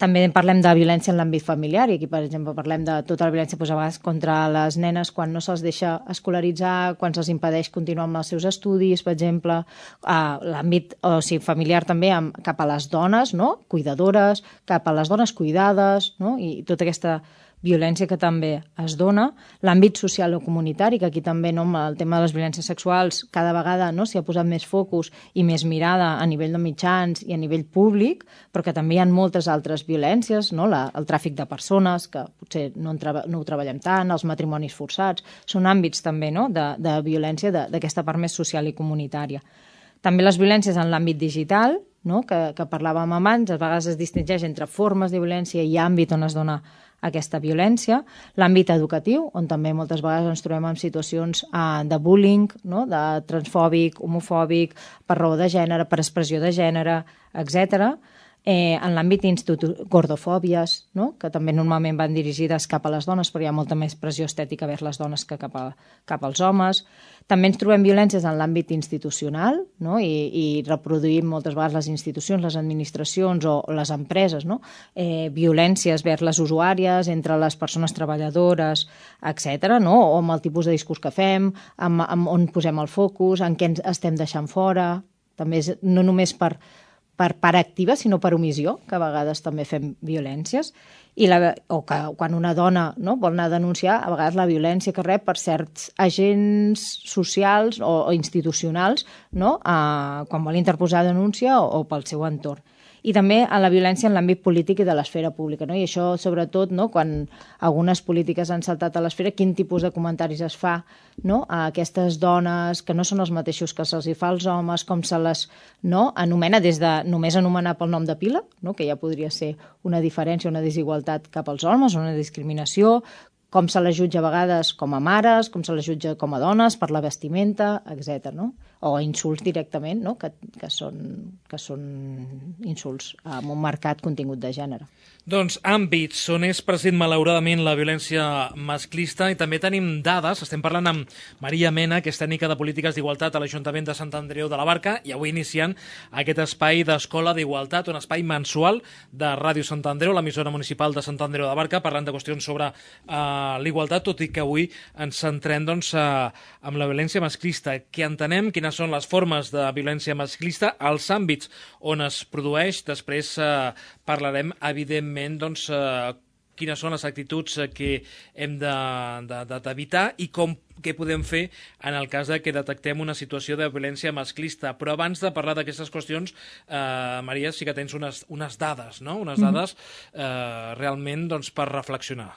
També parlem de violència en l'àmbit familiar i aquí, per exemple, parlem de tota la violència a vegades contra les nenes quan no se'ls deixa escolaritzar, quan se'ls impedeix continuar amb els seus estudis, per exemple, l'àmbit familiar també cap a les dones, no? Cuidadores, cap a les dones cuidades, no? I tota aquesta violència que també es dona, l'àmbit social o comunitari, que aquí també no, el tema de les violències sexuals cada vegada no, s'hi ha posat més focus i més mirada a nivell de mitjans i a nivell públic, però que també hi ha moltes altres violències, no? El tràfic de persones, que potser no ho treballem tant, els matrimonis forçats, són àmbits també no, de violència d'aquesta part més social i comunitària. També les violències en l'àmbit digital, no? que parlàvem abans, a vegades es distingeix entre formes de violència i àmbit on es dona aquesta violència, l'àmbit educatiu, on també moltes vegades ens trobem en situacions de bullying, no? De transfòbic, homofòbic, per raó de gènere, per expressió de gènere, etc. En l'àmbit gordofòbies, no? Que també normalment van dirigides cap a les dones, però hi ha molta més pressió estètica vers les dones que cap als homes. També ens trobem violències en l'àmbit institucional, no? I reproduïm moltes vegades les institucions, les administracions o les empreses, no? Violències vers les usuàries, entre les persones treballadores, etc. No? O amb el tipus de discurs que fem, amb on posem el focus, en què ens estem deixant fora. També és no només per part activa, sinó per omissió, que a vegades també fem violències, o que quan una dona no, vol anar a denunciar, a vegades la violència que rep per certs agents socials o institucionals, no, quan vol interposar denúncia o pel seu entorn. I també en la violència en l'àmbit polític i de l'esfera pública. No? I això, sobretot, no? Quan algunes polítiques han saltat a l'esfera, quin tipus de comentaris es fa no? A aquestes dones que no són els mateixos que se'ls fa als homes, com se les no? Anomena des de només anomenar pel nom de pila, no? Que ja podria ser una diferència, una desigualtat cap als homes, una discriminació, com se les jutja a vegades com a mares, com se les jutja com a dones, per la vestimenta, etc. No? O insults directament, no? que són insults amb un marcat contingut de gènere. Doncs àmbits on és present malauradament la violència masclista i també tenim dades, estem parlant amb Maria Mena, que és tècnica de polítiques d'igualtat a l'Ajuntament de Sant Andreu de la Barca i avui iniciant aquest espai d'Escola d'Igualtat, un espai mensual de Ràdio Sant Andreu, l'emissora municipal de Sant Andreu de la Barca, parlant de qüestions sobre l'igualtat, tot i que avui ens centrem doncs, amb la violència masclista, que entenem quines són les formes de violència masclista, els àmbits on es produeix, després parlarem evidentment doncs, quines són les actituds que hem d'evitar i què podem fer en el cas de que detectem una situació de violència masclista. Però abans de parlar d'aquestes qüestions, Maria, sí que tens unes dades, no? Unes dades realment doncs, per reflexionar.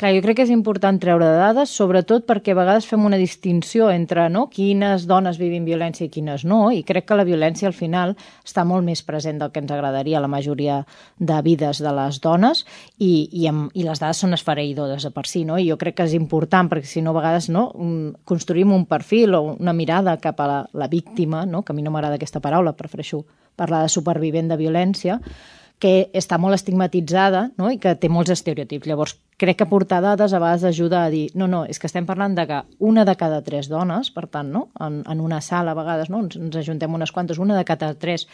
Clar, jo crec que és important treure dades, sobretot perquè a vegades fem una distinció entre no, quines dones vivim violència i quines no, i crec que la violència al final està molt més present del que ens agradaria a la majoria de vides de les dones i les dades són esfereïdores per si, no? I jo crec que és important perquè si no a vegades no, construïm un perfil o una mirada cap a la víctima, no? Que a mi no m'agrada aquesta paraula, prefereixo parlar de supervivent de violència, que està molt estigmatitzada no? I que té molts estereotips. Llavors, crec que portar dades a vegades ajuda a dir no, és que estem parlant de que una de cada 3 dones, per tant, no? En una sala a vegades no? Ens ajuntem unes quantes, una de cada 3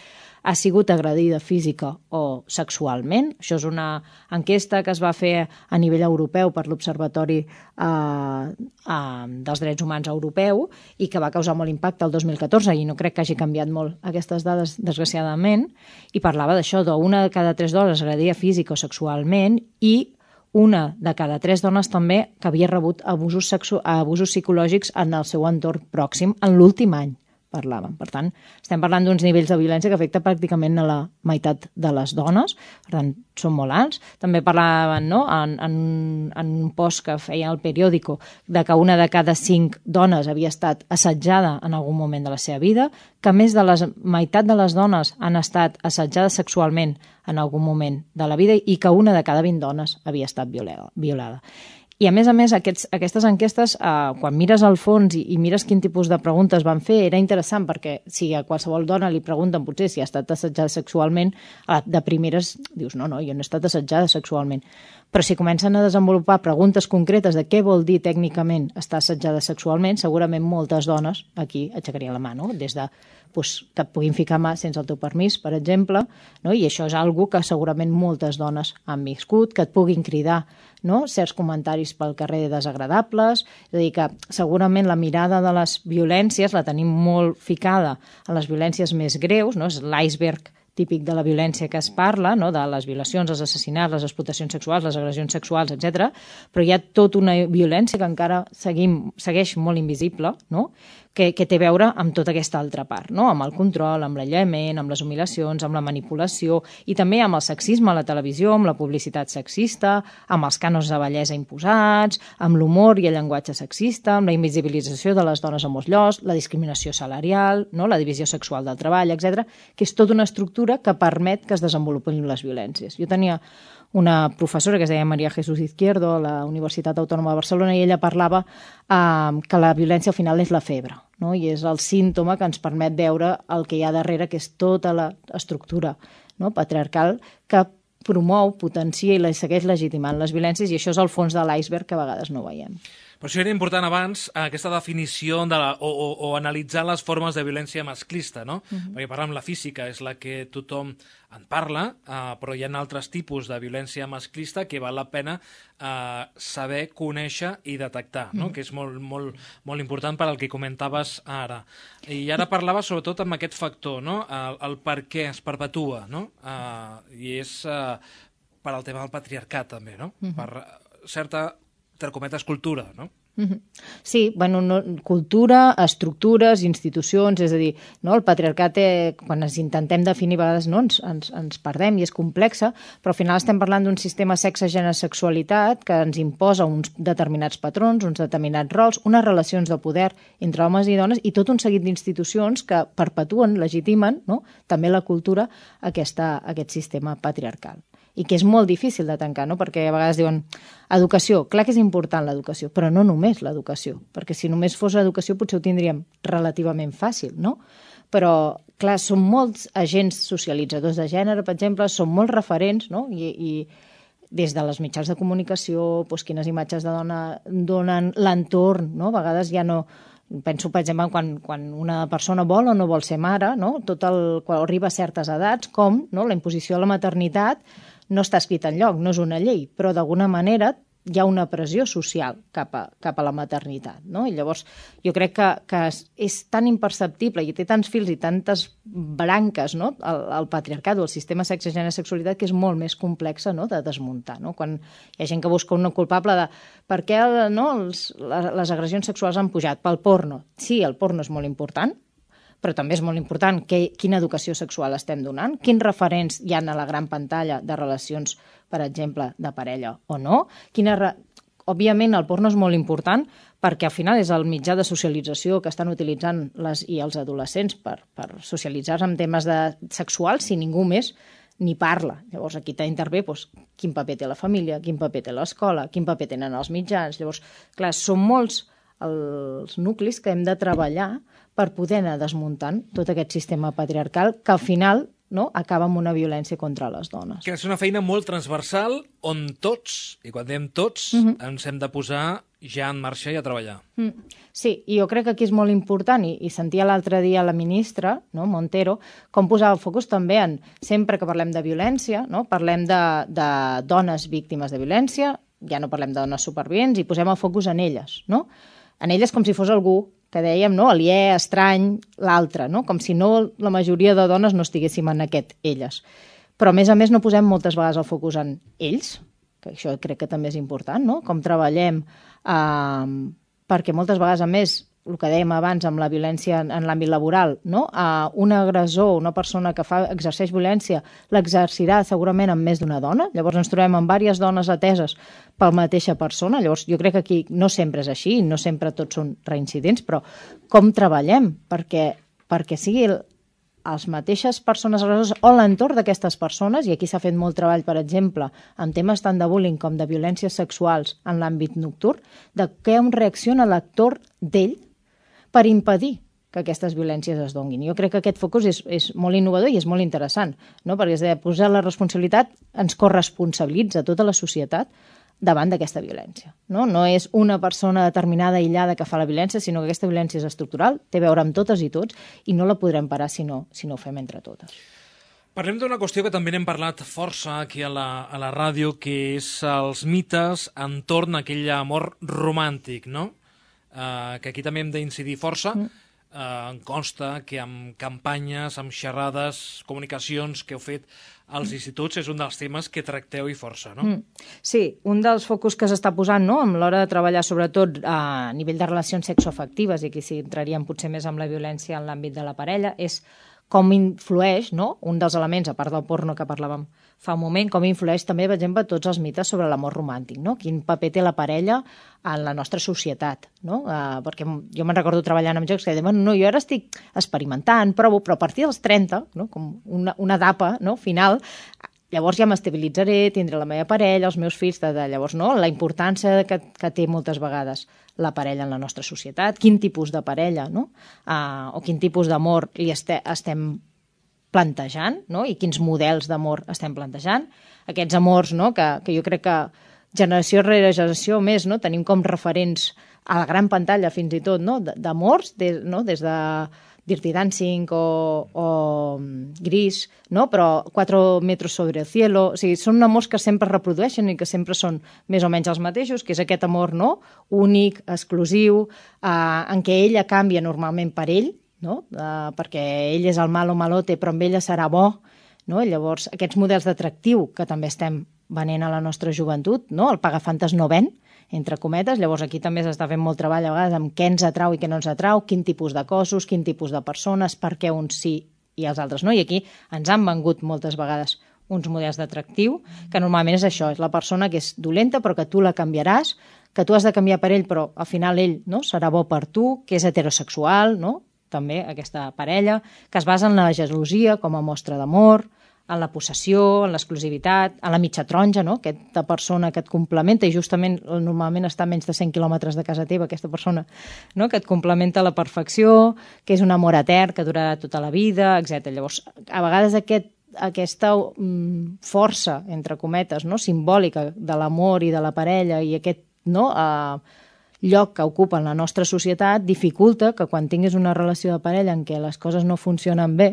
ha sigut agredida física o sexualment. Això és una enquesta que es va fer a nivell europeu per l'Observatori dels Drets Humans Europeu i que va causar molt impacte el 2014 i no crec que hagi canviat molt aquestes dades, desgraciadament, i parlava d'això, d'una de cada 3 dones agredida física o sexualment i una de cada 3 dones també que havia rebut abusos psicològics en el seu entorn pròxim en l'últim any, parlàvem. Per tant, estem parlant d'uns nivells de violència que afecta pràcticament a la meitat de les dones, per tant, són molt alts. També parlaven, no?, en un post que feia el periòdico de que una de cada 5 dones havia estat assetjada en algun moment de la seva vida, que més de la meitat de les dones han estat assetjades sexualment en algun moment de la vida i que una de cada 20 dones havia estat violada. I a més, aquestes enquestes, quan mires al fons i mires quin tipus de preguntes van fer, era interessant perquè si a qualsevol dona li pregunten potser si ha estat assetjada sexualment, de primeres dius, no, jo no he estat assetjada sexualment. Però si comencen a desenvolupar preguntes concretes de què vol dir tècnicament estar assetjada sexualment, segurament moltes dones aquí aixecarien la mà, no? Des de que et puguin ficar mà sense el teu permís, per exemple, no? I això és algo que segurament moltes dones han viscut, que et puguin cridar, no?, certs comentaris pel carrer desagradables, és a dir, que segurament la mirada de les violències la tenim molt ficada a les violències més greus, no?, és l'iceberg típic de la violència que es parla, no?, de les violacions, els assassinats, les explotacions sexuals, les agressions sexuals, etc. Però hi ha tota una violència que encara segueix molt invisible, no?, que té a veure amb tota aquesta altra part, no?, amb el control, amb l'aïllament, amb les humiliacions, amb la manipulació i també amb el sexisme a la televisió, amb la publicitat sexista, amb els cànons de bellesa imposats, amb l'humor i el llenguatge sexista, amb la invisibilització de les dones a molts llocs, la discriminació salarial, no?, la divisió sexual del treball, etc., que és tota una estructura que permet que es desenvolupin les violències. Jo tenia una professora que es deia María Jesús Izquierdo a la Universitat Autònoma de Barcelona i ella parlava que la violència al final és la febre, no? I és el símptoma que ens permet veure el que hi ha darrere, que és tota l'estructura, no?, patriarcal que promou, potencia i segueix legitimant les violències, i això és el fons de l'iceberg que a vegades no veiem. Per això era important abans aquesta definició o analitzar les formes de violència masclista, no? Perquè parlar amb la física és la que tothom en parla, però hi ha altres tipus de violència masclista que val la pena saber, conèixer i detectar, no? Que és molt, molt, molt important per al que comentaves ara. I ara parlava sobretot amb aquest factor, no?, el per què es perpetua, no? I és per al tema del patriarcat també, no? Per certa, entre cometes, cultura, no? Sí, bueno, cultura, estructures, institucions, és a dir, no, el patriarcat, quan ens intentem definir, a vegades no, ens perdem i és complexa, però al final estem parlant d'un sistema sexe-gènere-sexualitat que ens imposa uns determinats patrons, uns determinats rols, unes relacions de poder entre homes i dones i tot un seguit d'institucions que perpetuen, legitimen, no?, també la cultura, aquest sistema patriarcal. I que és molt difícil de tancar, no?, perquè a vegades diuen educació, clar que és important l'educació, però no només l'educació, perquè si només fos l'educació potser ho tindríem relativament fàcil, no? Però, clar, són molts agents socialitzadors de gènere, per exemple, són molts referents, no?, i des de les mitjans de comunicació, doncs, quines imatges de dona donen l'entorn, no?, a vegades ja no... Penso, per exemple, quan una persona vol o no vol ser mare, no?, quan arriba a certes edats, com, no?, la imposició de la maternitat no està escrit enlloc, no és una llei, però d'alguna manera hi ha una pressió social cap a la maternitat, no? I llavors jo crec que és tan imperceptible i té tants fils i tantes branques, no?, el patriarcat o el sistema sexe-gènere-sexualitat, que és molt més complexa, no?, de desmuntar, no? Quan hi ha gent que busca un culpable de per què, no, les agressions sexuals han pujat pel porno. Sí, el porno és molt important, però també és molt important quina educació sexual estem donant, quins referents hi ha a la gran pantalla de relacions, per exemple, de parella o no. Òbviament, el porno és molt important perquè al final és el mitjà de socialització que estan utilitzant i els adolescents per socialitzar en temes sexuals si ningú més ni parla. Llavors, aquí t'intervé quin paper té la família, quin paper té l'escola, quin paper tenen els mitjans. Llavors, clar, són molts els nuclis que hem de treballar per poder anar desmuntant tot aquest sistema patriarcal que al final, no, acaba amb una violència contra les dones. Que és una feina molt transversal on tots, i quan diem tots, ens hem de posar ja en marxa i a treballar. Sí, i jo crec que aquí és molt important, i sentia l'altre dia la ministra, no, Montero, com posava el focus també en, sempre que parlem de violència, no, parlem de dones víctimes de violència, ja no parlem de dones supervivents, i posem el focus en elles, no? En elles com si fos algú que dèiem, no, aliè, estrany, l'altre, no? Com si no la majoria de dones no estiguéssim en aquest elles. Però, a més no posem moltes vegades el focus en ells, que això crec que també és important, no? Com treballem, perquè moltes vegades, a més, el que dèiem abans amb la violència en l'àmbit laboral, no? Un agressor, una persona que exerceix violència, l'exercirà segurament amb més d'una dona, llavors ens trobem amb diverses dones ateses per la mateixa persona, llavors jo crec que aquí no sempre és així, no sempre tots són reincidents, però com treballem perquè sigui les mateixes persones agressores o l'entorn d'aquestes persones, i aquí s'ha fet molt treball, per exemple, en temes tant de bullying com de violències sexuals en l'àmbit nocturn, de com reacciona l'actor d'ell per impedir que aquestes violències es donguin. Jo crec que aquest focus és molt innovador i és molt interessant, no? Perquè és de posar la responsabilitat, ens corresponsabilitza tota la societat davant d'aquesta violència. No és una persona determinada, aïllada, que fa la violència, sinó que aquesta violència és estructural, té a veure amb totes i tots, i no la podrem parar si no ho fem entre totes. Parlem d'una qüestió que també n'hem parlat força aquí a la ràdio, que és els mites entorn a aquell amor romàntic, no? Que aquí també hem d'incidir força. Em consta que amb campanyes, amb xerrades, comunicacions que heu fet als instituts és un dels temes que tracteu i força, no? Sí, un dels focus que s'està posant, no?, amb l'hora de treballar sobretot a nivell de relacions sexoafectives, i aquí sí entraríem potser més amb la violència en l'àmbit de la parella, és com influeix, no?, un dels elements, a part del porno que parlàvem fa un moment, com influeix també, per exemple, tots els mites sobre l'amor romàntic, no? Quin paper té la parella en la nostra societat, no? Perquè jo me'n recordo treballant amb jocs que deien, no, jo ara estic experimentant, provo, però a partir dels 30, no?, com una etapa, no?, final, llavors ja m'estabilitzaré, tindré la meva parella, els meus fills, llavors, no?, la importància que té moltes vegades la parella en la nostra societat, quin tipus de parella, no?, o quin tipus d'amor li estem plantejant, no?, i quins models d'amor estem plantejant. Aquests amors, no?, que jo crec que generació rere generació més, no?, tenim com referents a la gran pantalla fins i tot, no?, d'amors, no?, des de Dirty Dancing o Gris, no?, però 4 metros sobre el cielo, o sigui, són amors que sempre reprodueixen i que sempre són més o menys els mateixos, que és aquest amor, no?, únic, exclusiu, en què ella canvia normalment per ell, no?, perquè ell és el malo malote, però amb ella serà bo, no?, llavors aquests models d'atractiu que també estem venent a la nostra joventut, no?, el pagafantes no ven, entre cometes, llavors aquí també s'està fent molt treball a vegades amb què ens atrau i què no ens atrau, quin tipus de cossos, quin tipus de persones, per què uns sí i els altres no, i aquí ens han vengut moltes vegades uns models d'atractiu, que normalment és això, és la persona que és dolenta però que tu la canviaràs, que tu has de canviar per ell però al final ell, no?, serà bo per tu, que és heterosexual, no?, també aquesta parella, que es basa en la gelosia com a mostra d'amor, en la possessió, en l'exclusivitat, en la mitja taronja, no?, aquesta persona que et complementa i justament normalment està a menys de 100 quilòmetres de casa teva, aquesta persona, no?, que et complementa a la perfecció, que és un amor etern, que durarà tota la vida, etc. Llavors, a vegades aquesta força, entre cometes, no?, simbòlica de l'amor i de la parella i aquest, no?, lloc que ocupa en la nostra societat dificulta que quan tinguis una relació de parella en què les coses no funcionen bé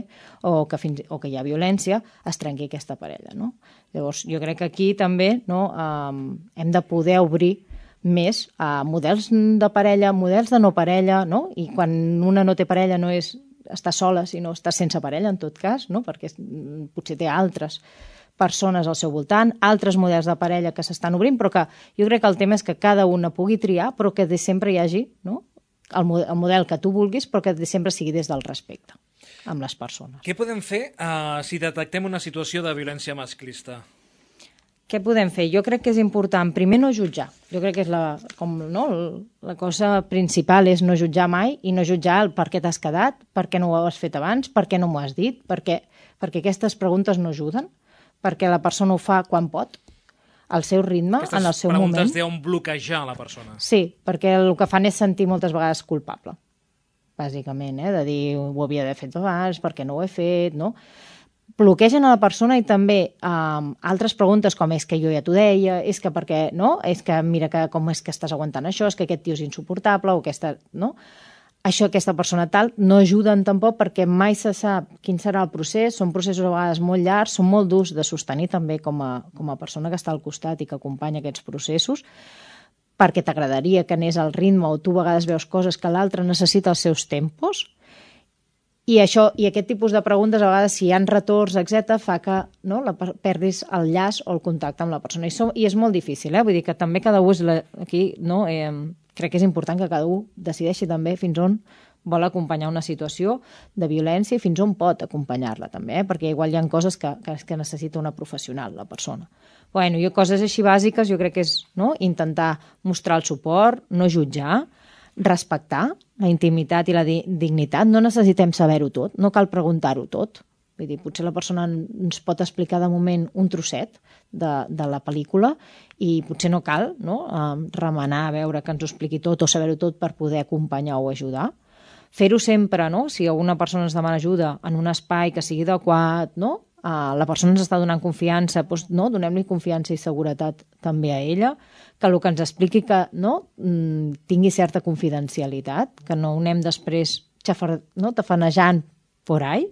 o que hi ha violència, es trenqui aquesta parella, no? Llavors, jo crec que aquí també, no, hem de poder obrir més a models de parella, models de no parella, no? I quan una no té parella no és estar sola, sinó estar sense parella, en tot cas, no? Perquè potser té altres persones al seu voltant, altres models de parella que s'estan obrint, però que jo crec que el tema és que cada una pugui triar, però que sempre hi hagi, no?, el model que tu vulguis, però que sempre sigui des del respecte amb les persones. Què podem fer si detectem una situació de violència masclista? Què podem fer? Jo crec que és important, primer, no jutjar. Jo crec que és la cosa principal és no jutjar mai i no jutjar el per què t'has quedat, per què no ho has fet abans, per què no m'ho has dit, perquè aquestes preguntes no ajuden, perquè la persona ho fa quan pot, al seu ritme, en el seu moment. Aquestes preguntes deuen bloquejar la persona. Sí, perquè el que fan és sentir moltes vegades culpable, bàsicament, de dir ho havia d'haver fet abans, per què no ho he fet, no? Bloquegen a la persona i també altres preguntes com és que jo ja t'ho deia, és que perquè, no? És que mira com és que estàs aguantant això, és que aquest tio és insuportable, o aquesta, no? Això, aquesta persona tal, no ajuden tampoc perquè mai se sap quin serà el procés, són processos a vegades molt llargs, són molt durs de sostenir també com a persona que està al costat i que acompanya aquests processos, perquè t'agradaria que anés al ritme o tu a vegades veus coses que l'altre necessita els seus tempos I aquest tipus de preguntes, a vegades, si hi ha retorns, etc., fa que perdis el llaç o el contacte amb la persona. I és molt difícil, vull dir que també cada un aquí, crec que és important que cada un decideixi també fins on vol acompanyar una situació de violència i fins on pot acompanyar-la també, perquè igual hi ha coses que necessita una professional, la persona. Bueno, coses així bàsiques, jo crec que és intentar mostrar el suport, no jutjar, respectar la intimitat i la dignitat. No necessitem saber-ho tot, no cal preguntar-ho tot. Vull dir, potser la persona ens pot explicar de moment un trosset de la pel·lícula i potser no cal remenar a veure que ens ho expliqui tot o saber-ho tot per poder acompanyar o ajudar. Fer-ho sempre, si alguna persona ens demana ajuda en un espai que sigui adequat, la persona ens està donant confiança, doncs donem-li confiança i seguretat també a ella, que el que ens expliqui que tingui certa confidencialitat, que no ho anem després tafanejant por ahí,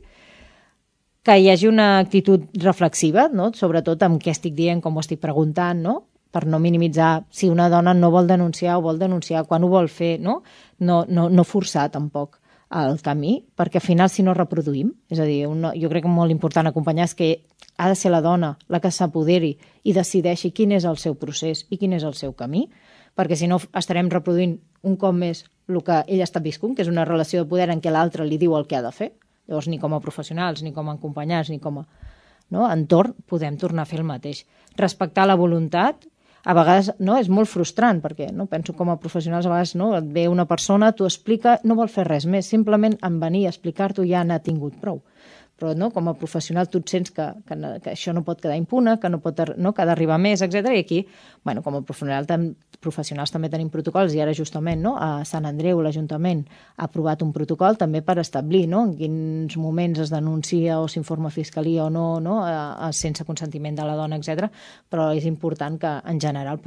que hi hagi una actitud reflexiva, sobretot amb què estic dient, com ho estic preguntant, per no minimitzar si una dona no vol denunciar o vol denunciar, quan ho vol fer, no forçar tampoc el camí, perquè al final si no reproduïm, és a dir, jo crec que molt important acompanyar és que ha de ser la dona la que s'apoderi i decideixi quin és el seu procés i quin és el seu camí, perquè si no estarem reproduint un cop més el que ella està viscut, que és una relació de poder en què l'altre li diu el que ha de fer. Llavors, ni com a professionals, ni com a acompanyants, ni com a entorn, podem tornar a fer el mateix. Respectar la voluntat, a vegades és molt frustrant, perquè penso com a professionals, a vegades et ve una persona, t'ho explica, no vol fer res més, simplement en venir a explicar-t'ho ja n'ha tingut prou. Però com a professional tu et sents que això no pot quedar impune, que ha d'arribar més, etc. I aquí, com a professionals també tenim protocols, i ara justament a Sant Andreu l'Ajuntament ha aprovat un protocol també per establir en quins moments es denuncia o s'informa a Fiscalia o no, sense consentiment de la dona, etc. Però és important que en general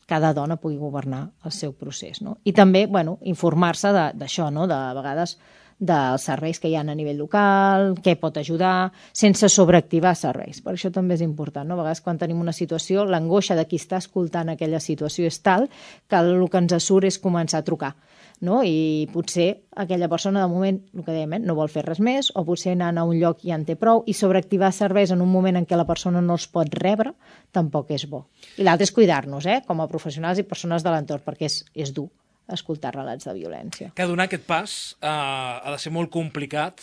cada dona pugui governar el seu procés. I també informar-se d'això, de vegades dels serveis que hi ha a nivell local, què pot ajudar, sense sobreactivar serveis. Per això també és important. A vegades quan tenim una situació, l'angoixa de qui està escoltant aquella situació és tal que el que ens surt és començar a trucar. I potser aquella persona de moment, el que dèiem, no vol fer res més, o potser anant a un lloc ja en té prou, i sobreactivar serveis en un moment en què la persona no els pot rebre tampoc és bo. I l'altre és cuidar-nos, com a professionals i persones de l'entorn, perquè és dur escoltar relats de violència. Que donar aquest pas ha de ser molt complicat.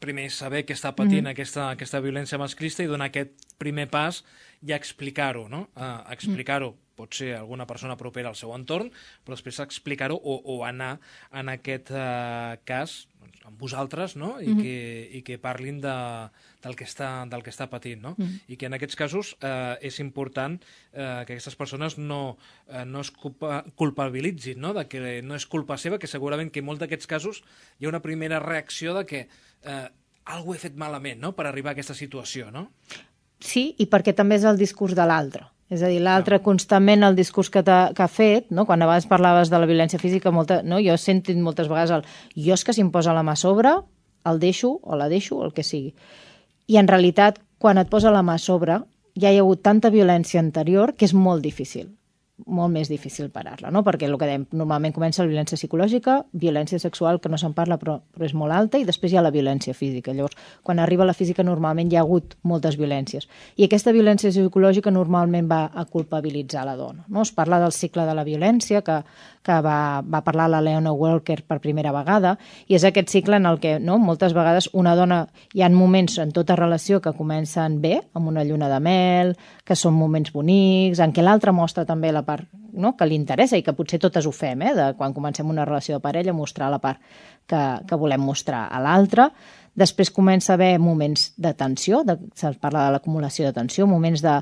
Primer saber què està patint aquesta violència masclista i donar aquest primer pas i explicar-ho, explicar-ho. Pot ser alguna persona propera al seu entorn, però després explicar-ho o anar en aquest cas amb vosaltres, i que parlin del que està patint. I que en aquests casos és important que aquestes persones no es culpabilitzin, de que no és culpa seva, que segurament que en molts d'aquests casos hi ha una primera reacció de que alguna cosa he fet malament per arribar a aquesta situació, no? Sí, i perquè també és el discurs de l'altre. És a dir, l'altre constantment el discurs que ha fet, quan abans parlaves de la violència física, jo he sentit moltes vegades jo és que si em posa la mà a sobre, el deixo o la deixo, el que sigui. I en realitat, quan et posa la mà a sobre, ja hi ha hagut tanta violència anterior que és molt difícil. Molt més difícil parar-la, perquè el que dèiem, normalment comença la violència psicològica, violència sexual, que no se'n parla però és molt alta, i després hi ha la violència física. Llavors, quan arriba la física normalment hi ha hagut moltes violències. I aquesta violència psicològica normalment va a culpabilitzar la dona. Es parla del cicle de la violència, que va parlar la Leona Walker per primera vegada, i és aquest cicle en el que moltes vegades una dona, hi ha moments en tota relació que comencen bé, amb una lluna de mel, que són moments bonics, en què l'altre mostra també la part que li interessa i que potser totes ho fem, de quan comencem una relació de parella, mostrar la part que volem mostrar a l'altre. Després comença a haver moments de tensió, se'ls parla de l'acumulació de tensió, moments de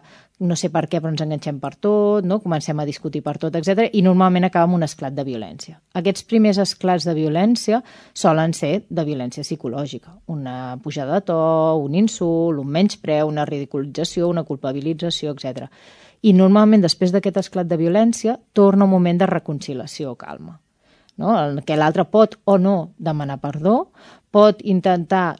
no sé per què però ens enganxem per tot, comencem a discutir per tot, etc. I normalment acaba amb un esclat de violència. Aquests primers esclats de violència solen ser de violència psicològica, una pujada de to, un insult, un menyspreu, una ridiculització, una culpabilització, etc. I normalment després d'aquest esclat de violència torna un moment de reconciliació o calma. no? Que l'altre pot o no demanar perdó, pot intentar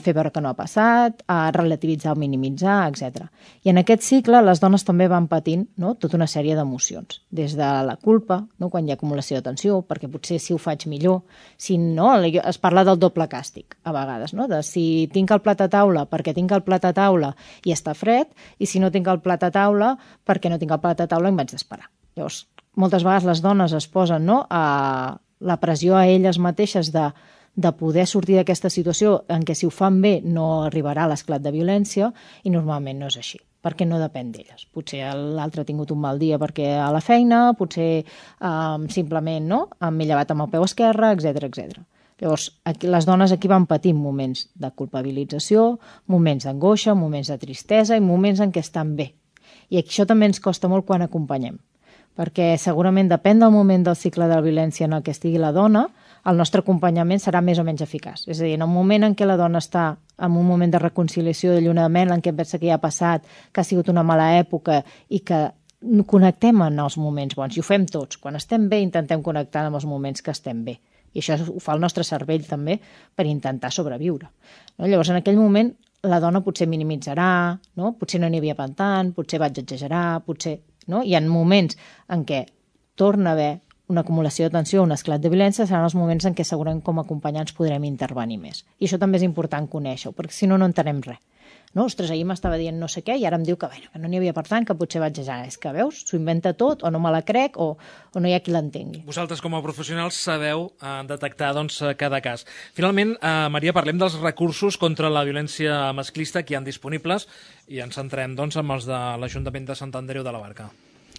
fer veure que no ha passat, relativitzar o minimitzar, etc. I en aquest cicle les dones també van patint tota una sèrie d'emocions, des de la culpa, quan hi ha acumulació de tensió, perquè potser si ho faig millor, si no, es parla del doble càstig a vegades, de si tinc el plat a taula perquè tinc el plat a taula i està fred, i si no tinc el plat a taula perquè no tinc el plat a taula i em vaig d'esperar. Llavors, moltes vegades les dones es posen a la pressió a elles mateixes de poder sortir d'aquesta situació en què si ho fan bé no arribarà a l'esclat de violència, i normalment no és així, perquè no depèn d'elles. Potser l'altre ha tingut un mal dia perquè a la feina, potser simplement m'he llevat amb el peu esquerre, etc. Llavors, les dones aquí van patint moments de culpabilització, moments d'angoixa, moments de tristesa i moments en què estan bé. I això també ens costa molt quan acompanyem, perquè segurament depèn del moment del cicle de la violència en el que estigui la dona, el nostre acompanyament serà més o menys eficaç. És a dir, en un moment en què la dona està en un moment de reconciliació, de llunament, en què pensa que ja ha passat, que ha sigut una mala època i que connectem en els moments bons, i ho fem tots. Quan estem bé intentem connectar amb els moments que estem bé. I això ho fa el nostre cervell també per intentar sobreviure. Llavors, en aquell moment, la dona potser minimitzarà, potser no n'hi havia tant, potser vaig exagerar, potser... Hi ha moments en què torna a haver una acumulació de tensió, un esclat de violència, seran els moments en què segurament com a acompanyants podrem intervenir més. I això també és important conèixer-ho, perquè si no, no entenem res. Ostres, ahir m'estava dient no sé què i ara em diu que no n'hi havia per tant, que potser vaig exagerar. És que, veus, s'ho inventa tot, o no me la crec, o no hi ha qui l'entengui. Vosaltres, com a professionals, sabeu detectar cada cas. Finalment, Maria, parlem dels recursos contra la violència masclista que hi ha disponibles i ens centrem amb els de l'Ajuntament de Sant Andreu de la Barca.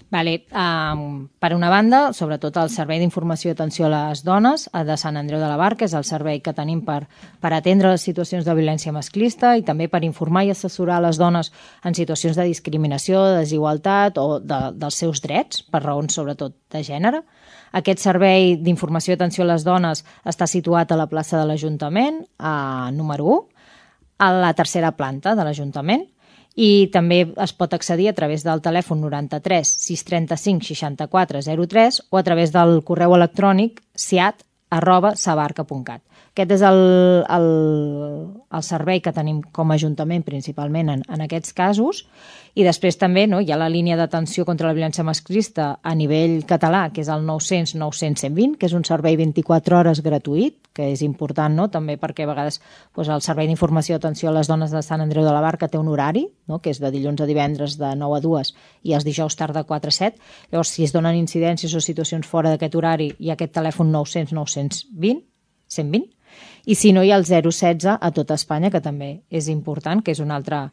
Vale. Per una banda, sobretot el Servei d'Informació i Atenció a les Dones de Sant Andreu de la Barca és el servei que tenim per atendre les situacions de violència masclista i també per informar i assessorar les dones en situacions de discriminació, de desigualtat o dels seus drets, per raons sobretot de gènere. Aquest servei d'informació i atenció a les dones està situat a la plaça de l'Ajuntament, número 1, a la tercera planta de l'Ajuntament, i també es pot accedir a través del telèfon 93 635 64 03 o a través del correu electrònic siat@sabarca.cat. Aquest és el servei que tenim com a Ajuntament principalment en aquests casos, i després també hi ha la línia d'atenció contra la violència masclista a nivell català, que és el 900 900 120, que és un servei 24 hores gratuït, que és important també perquè a vegades el Servei d'Informació i Atenció a les Dones de Sant Andreu de la Barca té un horari, que és de dilluns a divendres de 9 a 2 i els dijous tard de 4 a 7. Llavors, si es donen incidències o situacions fora d'aquest horari, hi ha aquest telèfon 900 920 120, i si no hi ha el 016 a tota Espanya, que també és important, que és un altre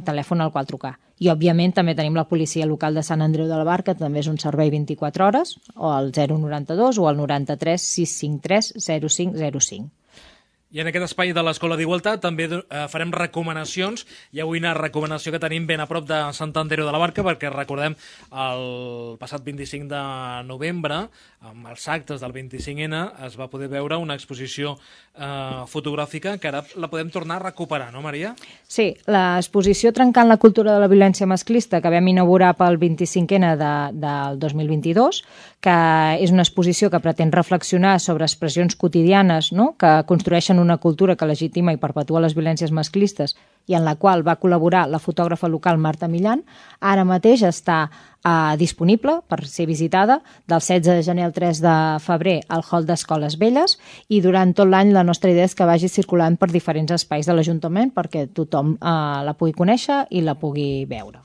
telèfon al qual trucar. I, òbviament, també tenim la policia local de Sant Andreu de la Barca, que també és un servei 24 hores, o el 092 o el 93 653 0505. I en aquest espai de l'Escola d'Igualtat també farem recomanacions. Hi ha avui una recomanació que tenim ben a prop de Sant Andreu de la Barca, perquè recordem el passat 25 de novembre, amb els actes del 25N, es va poder veure una exposició fotogràfica que ara la podem tornar a recuperar, no, Maria? Sí, l'exposició Trencant la cultura de la violència masclista que vam inaugurar pel 25N del 2022, que és una exposició que pretén reflexionar sobre expressions quotidianes que construeixen una cultura que legitima i perpetua les violències masclistes i en la qual va col·laborar la fotògrafa local Marta Millán. Ara mateix està disponible per ser visitada del 16 de gener al 3 de febrer al hall d'Escoles Velles, i durant tot l'any la nostra idea és que vagi circulant per diferents espais de l'Ajuntament perquè tothom la pugui conèixer i la pugui veure.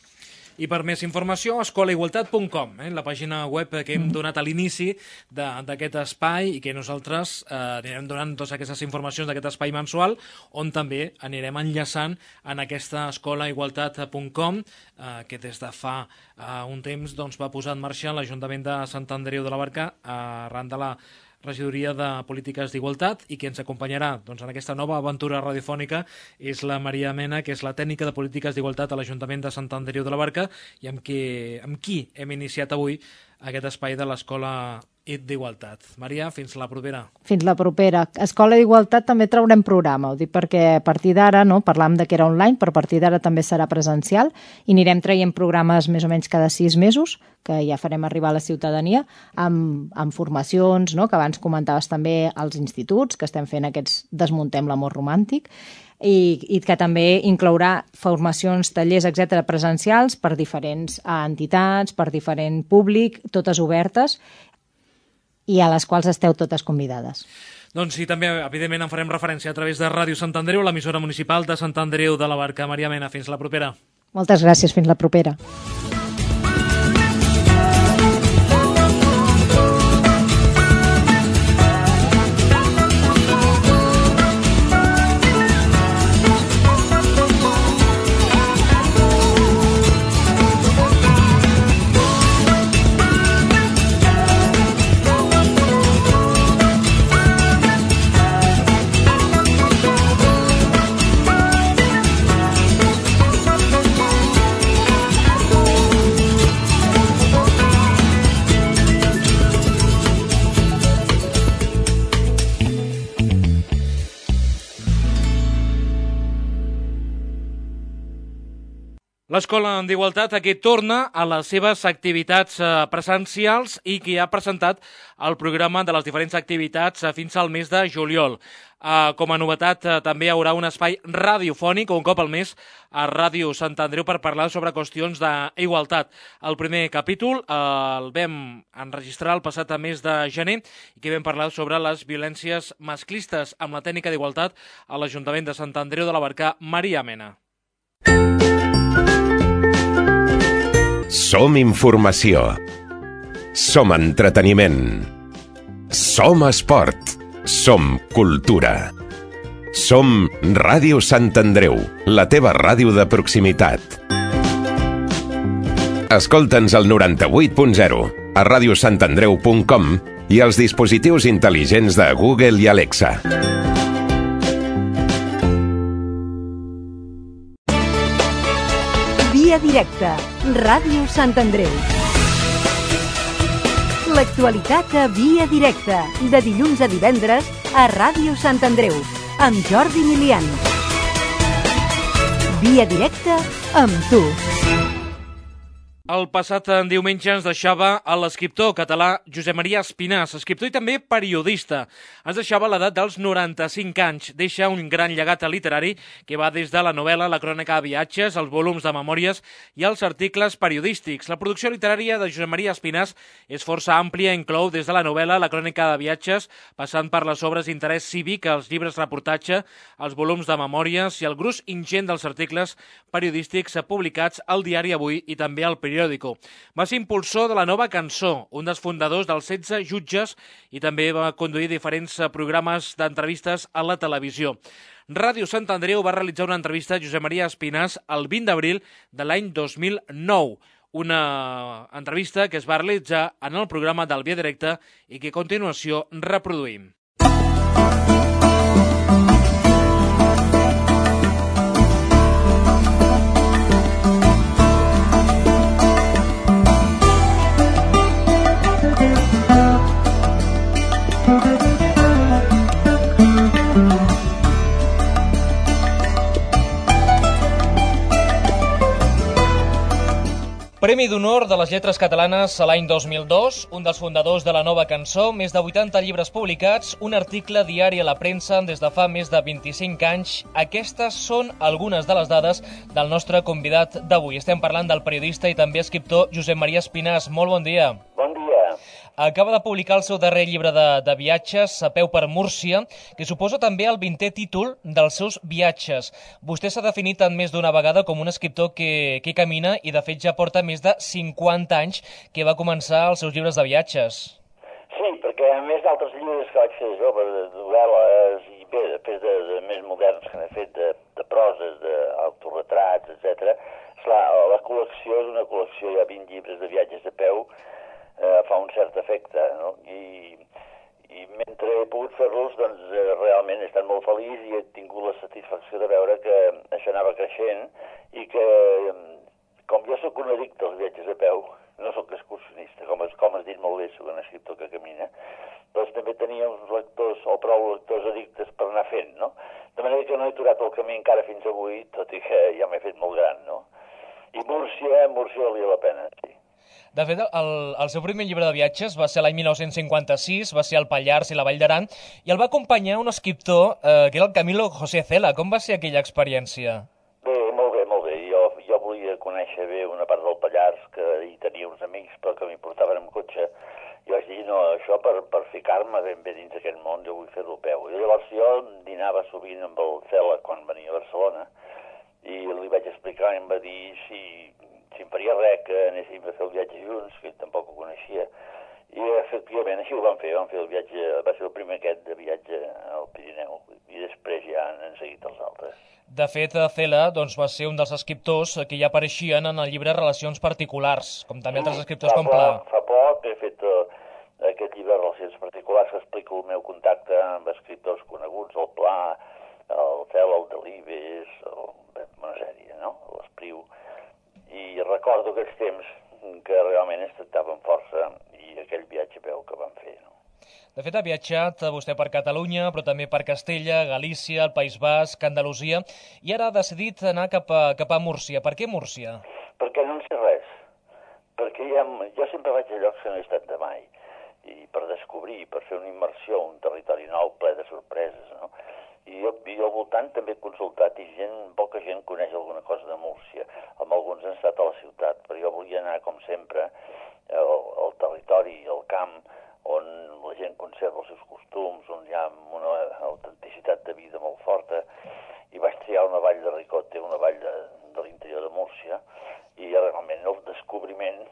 I per més informació, escolaigualtat.com, la pàgina web que hem donat a l'inici d'aquest espai i que nosaltres anirem donant totes aquestes informacions d'aquest espai mensual, on també anirem enllaçant en aquesta escolaigualtat.com que des de fa un temps va posar en marxa l'Ajuntament de Sant Andreu de la Barca arran de la Regidoria de Polítiques d'Igualtat, i que ens acompanyarà en aquesta nova aventura radiofònica és la Maria Mena, que és la tècnica de Polítiques d'Igualtat a l'Ajuntament de Sant Andreu de la Barca, i amb qui hem iniciat avui aquest espai de l'Escola i d'Igualtat. Maria, fins la propera. Fins la propera. Escola d'Igualtat també traurem programa, ho dic perquè a partir d'ara, no, parlàvem de que era online, però a partir d'ara també serà presencial i anirem traient programes més o menys cada 6 mesos, que ja farem arribar a la ciutadania, amb formacions, no, que abans comentaves també als instituts, que estem fent aquests Desmuntem l'amor romàntic, i que també inclourà formacions, tallers, etc presencials per diferents entitats, per diferent públic, totes obertes, i a les quals esteu totes convidades. Doncs sí, també, evidentment, en farem referència a través de Ràdio Sant Andreu, l'emissora municipal de Sant Andreu de la Barca. Maria Mena, fins la propera. Moltes gràcies, fins la propera. L'Escola d'Igualtat aquí torna a les seves activitats presencials i que ha presentat el programa de les diferents activitats fins al mes de juliol. Com a novetat, també hi haurà un espai radiofònic un cop al mes a Ràdio Sant Andreu per parlar sobre qüestions d'igualtat. El primer capítol el vam enregistrar el passat mes de gener i que vam parlar sobre les violències masclistes amb la tècnica d'igualtat a l'Ajuntament de Sant Andreu de la Barca, Maria Mena. Som informació. Som entreteniment. Som esport. Som cultura. Som Ràdio Sant Andreu, la teva ràdio de proximitat. Escolta'ns al 98.0, a radiosantandreu.com i als dispositius intel·ligents de Google i Alexa. Via directa, Ràdio Sant Andreu. L'actualitat a Via directa, de dilluns a divendres a Ràdio Sant Andreu, amb Jordi Milian. Via directa amb tu. El passat diumenge ens deixava l'escriptor català Josep Maria Espinàs, escriptor i també periodista. Ens deixava a l'edat dels 95 anys. Deixa un gran llegat literari que va des de la novel·la, la crònica de viatges, els volums de memòries i els articles periodístics. La producció literària de Josep Maria Espinàs és força àmplia, inclou des de la novel·la, la crònica de viatges, passant per les obres d'interès cívic, els llibres reportatge, els volums de memòries i el gruix ingent dels articles periodístics publicats al diari Avui i també al periòdico. Va ser impulsor de la Nova Cançó, un dels fundadors dels 16 jutges i també va conduir diferents programes d'entrevistes a la televisió. Ràdio Sant Andreu va realitzar una entrevista a Josep Maria Espinàs el 20 d'abril de l'any 2009. Una entrevista que es va realitzar en el programa del Via Directa i que a continuació reproduïm. Premi d'Honor de les Lletres Catalanes a l'any 2002, un dels fundadors de la Nova Cançó, més de 80 llibres publicats, un article diari a la premsa des de fa més de 25 anys. Aquestes són algunes de les dades del nostre convidat d'avui. Estem parlant del periodista i també escriptor Josep Maria Espinàs. Molt bon dia. Bon dia. Acaba de publicar el seu darrer llibre de viatges, A peu per Múrcia, que suposa també el 20è títol dels seus viatges. Vostè s'ha definit en més d'una vegada com un escriptor que camina i de fet ja porta més de 50 anys que va començar els seus llibres de viatges. Sí, perquè a més d'altres llibres que vaig fer jo, de novel·les i bé, després de més moderns que n'he fet de proses, d'autoretrats, etc. La col·lecció és una col·lecció, hi ha 20 llibres de viatges a peu, fa un cert efecte, no? I mentre he pogut fer-los, doncs realment he estat molt feliç i he tingut la satisfacció de veure que això anava creixent i que, com jo sóc un addicte als viatges a peu, no soc excursionista, com has dit molt bé, soc un escriptor que camina, doncs també tenia uns lectors o prou lectors addictes per anar fent, no? De manera que no he aturat el camí encara fins avui, tot i que ja m'he fet molt gran, no? I Múrcia valia la pena, sí. De fet, el seu primer llibre de viatges va ser l'any 1956, va ser el Pallars i la Vall d'Aran, i el va acompanyar un escriptor que era el Camilo José Cela. Com va ser aquella experiència? Bé, molt bé, molt bé. Jo volia conèixer bé una part del Pallars, que hi tenia uns amics, però que m'hi portaven amb cotxe. I vaig dir, no, això per ficar-me ben bé dins d'aquest món, jo vull fer-lo a peu. I llavors jo dinava sovint amb el Cela quan venia a Barcelona, i li vaig explicar, i em va dir si em faria res que anéssim a fer el viatge junts, que ell tampoc ho coneixia. I efectivament així ho vam fer el viatge, va ser el primer aquest de viatge al Pirineu, i després ja han seguit els altres. De fet, Cela doncs, va ser un dels escriptors que ja apareixien en el llibre Relacions Particulars, com també altres escriptors com Pla. Fa poc he fet aquest llibre Relacions Particulars que explico el meu contacte amb escriptors coneguts, el Pla, el Cela, el Delibes, una sèrie, no? L'Espriu. I recordo aquells temps que realment es tractaven força i aquell viatge a peu que vam fer, no? De fet, ha viatjat vostè per Catalunya, però també per Castella, Galícia, el País Basc, Andalusia, i ara ha decidit anar cap a Múrcia. Per què Múrcia? Perquè no en sé res. Perquè jo sempre vaig a llocs que no he estat de mai. I per descobrir, per fer una immersió, un territori nou, ple de sorpreses, no? I jo al voltant també he consultat i poca gent coneix alguna cosa de Múrcia. Amb alguns han estat a la ciutat, però jo volia anar, com sempre, al territori, al camp, on la gent conserva els seus costums, on hi ha una autenticitat de vida molt forta, i vaig triar una vall de Ricote, una vall de l'interior de Múrcia, i realment el descobriment,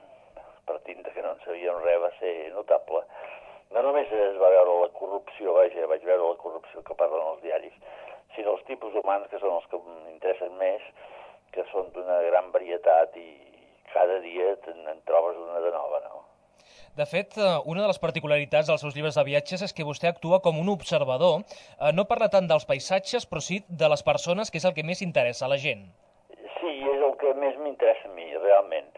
partint de que no en sabíem res, va ser notable. No només es va veure la corrupció, vaig veure la corrupció que parlen els diaris, sinó els tipus humans, que són els que m'interessen més, que són d'una gran varietat i cada dia en trobes una de nova, no? De fet, una de les particularitats dels seus llibres de viatges és que vostè actua com un observador. No parla tant dels paisatges, però sí de les persones, que és el que més interessa a la gent. Sí, és el que més m'interessa a mi, realment.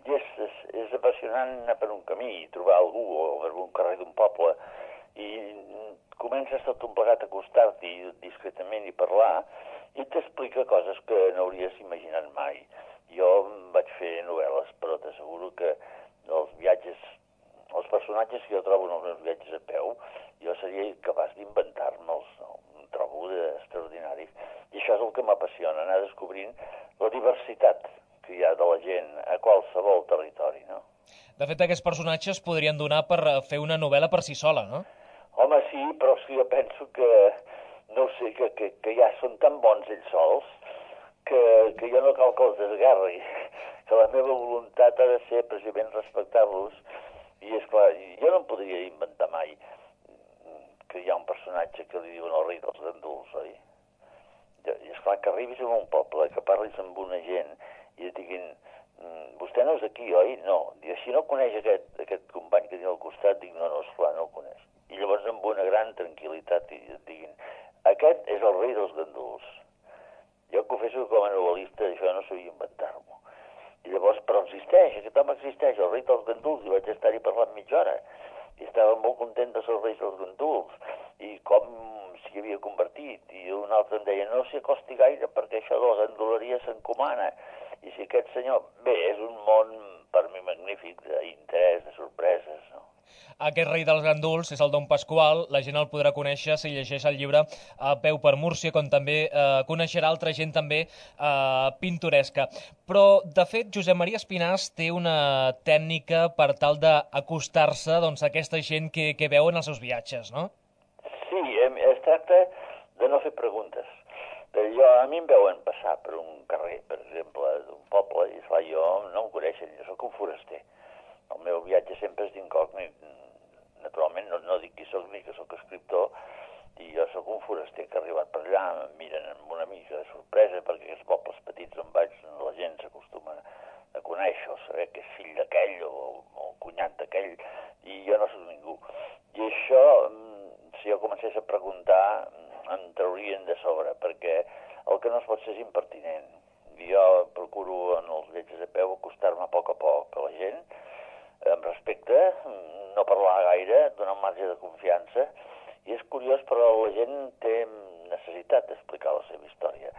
És apassionant anar per un camí i trobar algú o per un carrer d'un poble i comences tot un plegat a acostar-t'hi discretament i parlar i t'explica coses que no hauries imaginat mai. Jo vaig fer novel·les, però t'asseguro que els personatges que jo trobo en els meus viatges a peu, jo seria capaç d'inventar-me'ls, no? Em trobo extraordinaris. I això és el que m'apassiona, anar descobrint la diversitat que hi ha de la gent a qualsevol territori, no? De fet, aquests personatges podrien donar per fer una novel·la per si sola, no? Home, sí, però jo penso que, no sé, que ja són tan bons ells sols que jo no cal que els desgarri, que la meva voluntat ha de ser precisament respectar-los, i esclar, jo no em podria inventar mai que hi ha un personatge que li diuen el rei dels ganduls, oi? I esclar, que arribis a un poble, que parlis amb una gent i et diguin, vostè no és d'aquí, oi? No. I si no coneix aquest company que tinc al costat, dic, no, esclar, no el coneix. I llavors amb una gran tranquil·litat et diguin, aquest és el rei dels ganduls. Jo confesso que com a novel·lista això no sabia inventar-m'ho. I llavors, però existeix, aquest home existeix, el rei dels ganduls, i vaig estar-hi parlant mitja hora. I estava molt content de ser el rei dels ganduls, i com s'hi havia convertit. I un altre em deia, no s'hi acosti gaire perquè això de la ganduleria s'encomana. I si aquest senyor... Bé, és un món per mi magnífic d'interès, de sorpreses, no? Aquest rei dels ganduls és el Don Pasqual, la gent el podrà conèixer si llegeix el llibre A peu per Múrcia, com també coneixerà altra gent també pintoresca. Però, de fet, Josep Maria Espinàs té una tècnica per tal d'acostar-se a aquesta gent que veu en els seus viatges, no? Sí, es tracta de no fer preguntes. A mi em veuen passar per un carrer, per exemple, d'un poble, i esclar, jo no em coneixen, jo sóc un foraster. El meu viatge sempre és d'incògnit. Naturalment no dic qui sóc ni que sóc escriptor, i jo sóc un foraster que ha arribat per allà, em miren amb una mica de sorpresa, perquè aquests pobles petits on vaig la gent s'acostuma a conèixer o saber que és fill d'aquell o cunyat d'aquell, i jo no sóc ningú. I això, si jo comencés a preguntar, em traurien de sobre, perquè el que no es pot ser és impertinent. jo procuro en els viatges a peu acostar-me a poc a la gent, amb respecte, no parlar gaire, donar un marge de confiança, i és curiós, però la gent té necessitat d'explicar la seva història.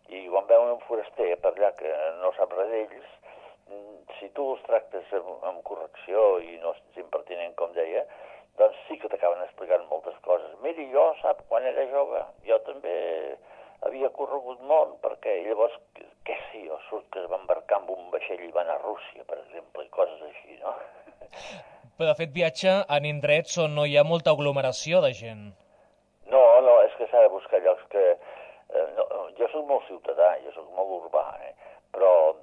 I quan veuen un foraster per allà que no sap res d'ells, si tu els tractes amb correcció i no ets impertinent, com deia, doncs sí que t'acaben explicant moltes coses. Miri, jo, sap, quan era jove, jo també havia corregut molt, perquè llavors, què sé jo, surt que es va embarcar amb un vaixell i va anar a Rússia, per exemple, i coses així, no? Però, de fet, viatja en indrets on no hi ha molta aglomeració de gent. No, és que s'ha de buscar llocs que... jo soc molt ciutadà, jo soc molt urbà, però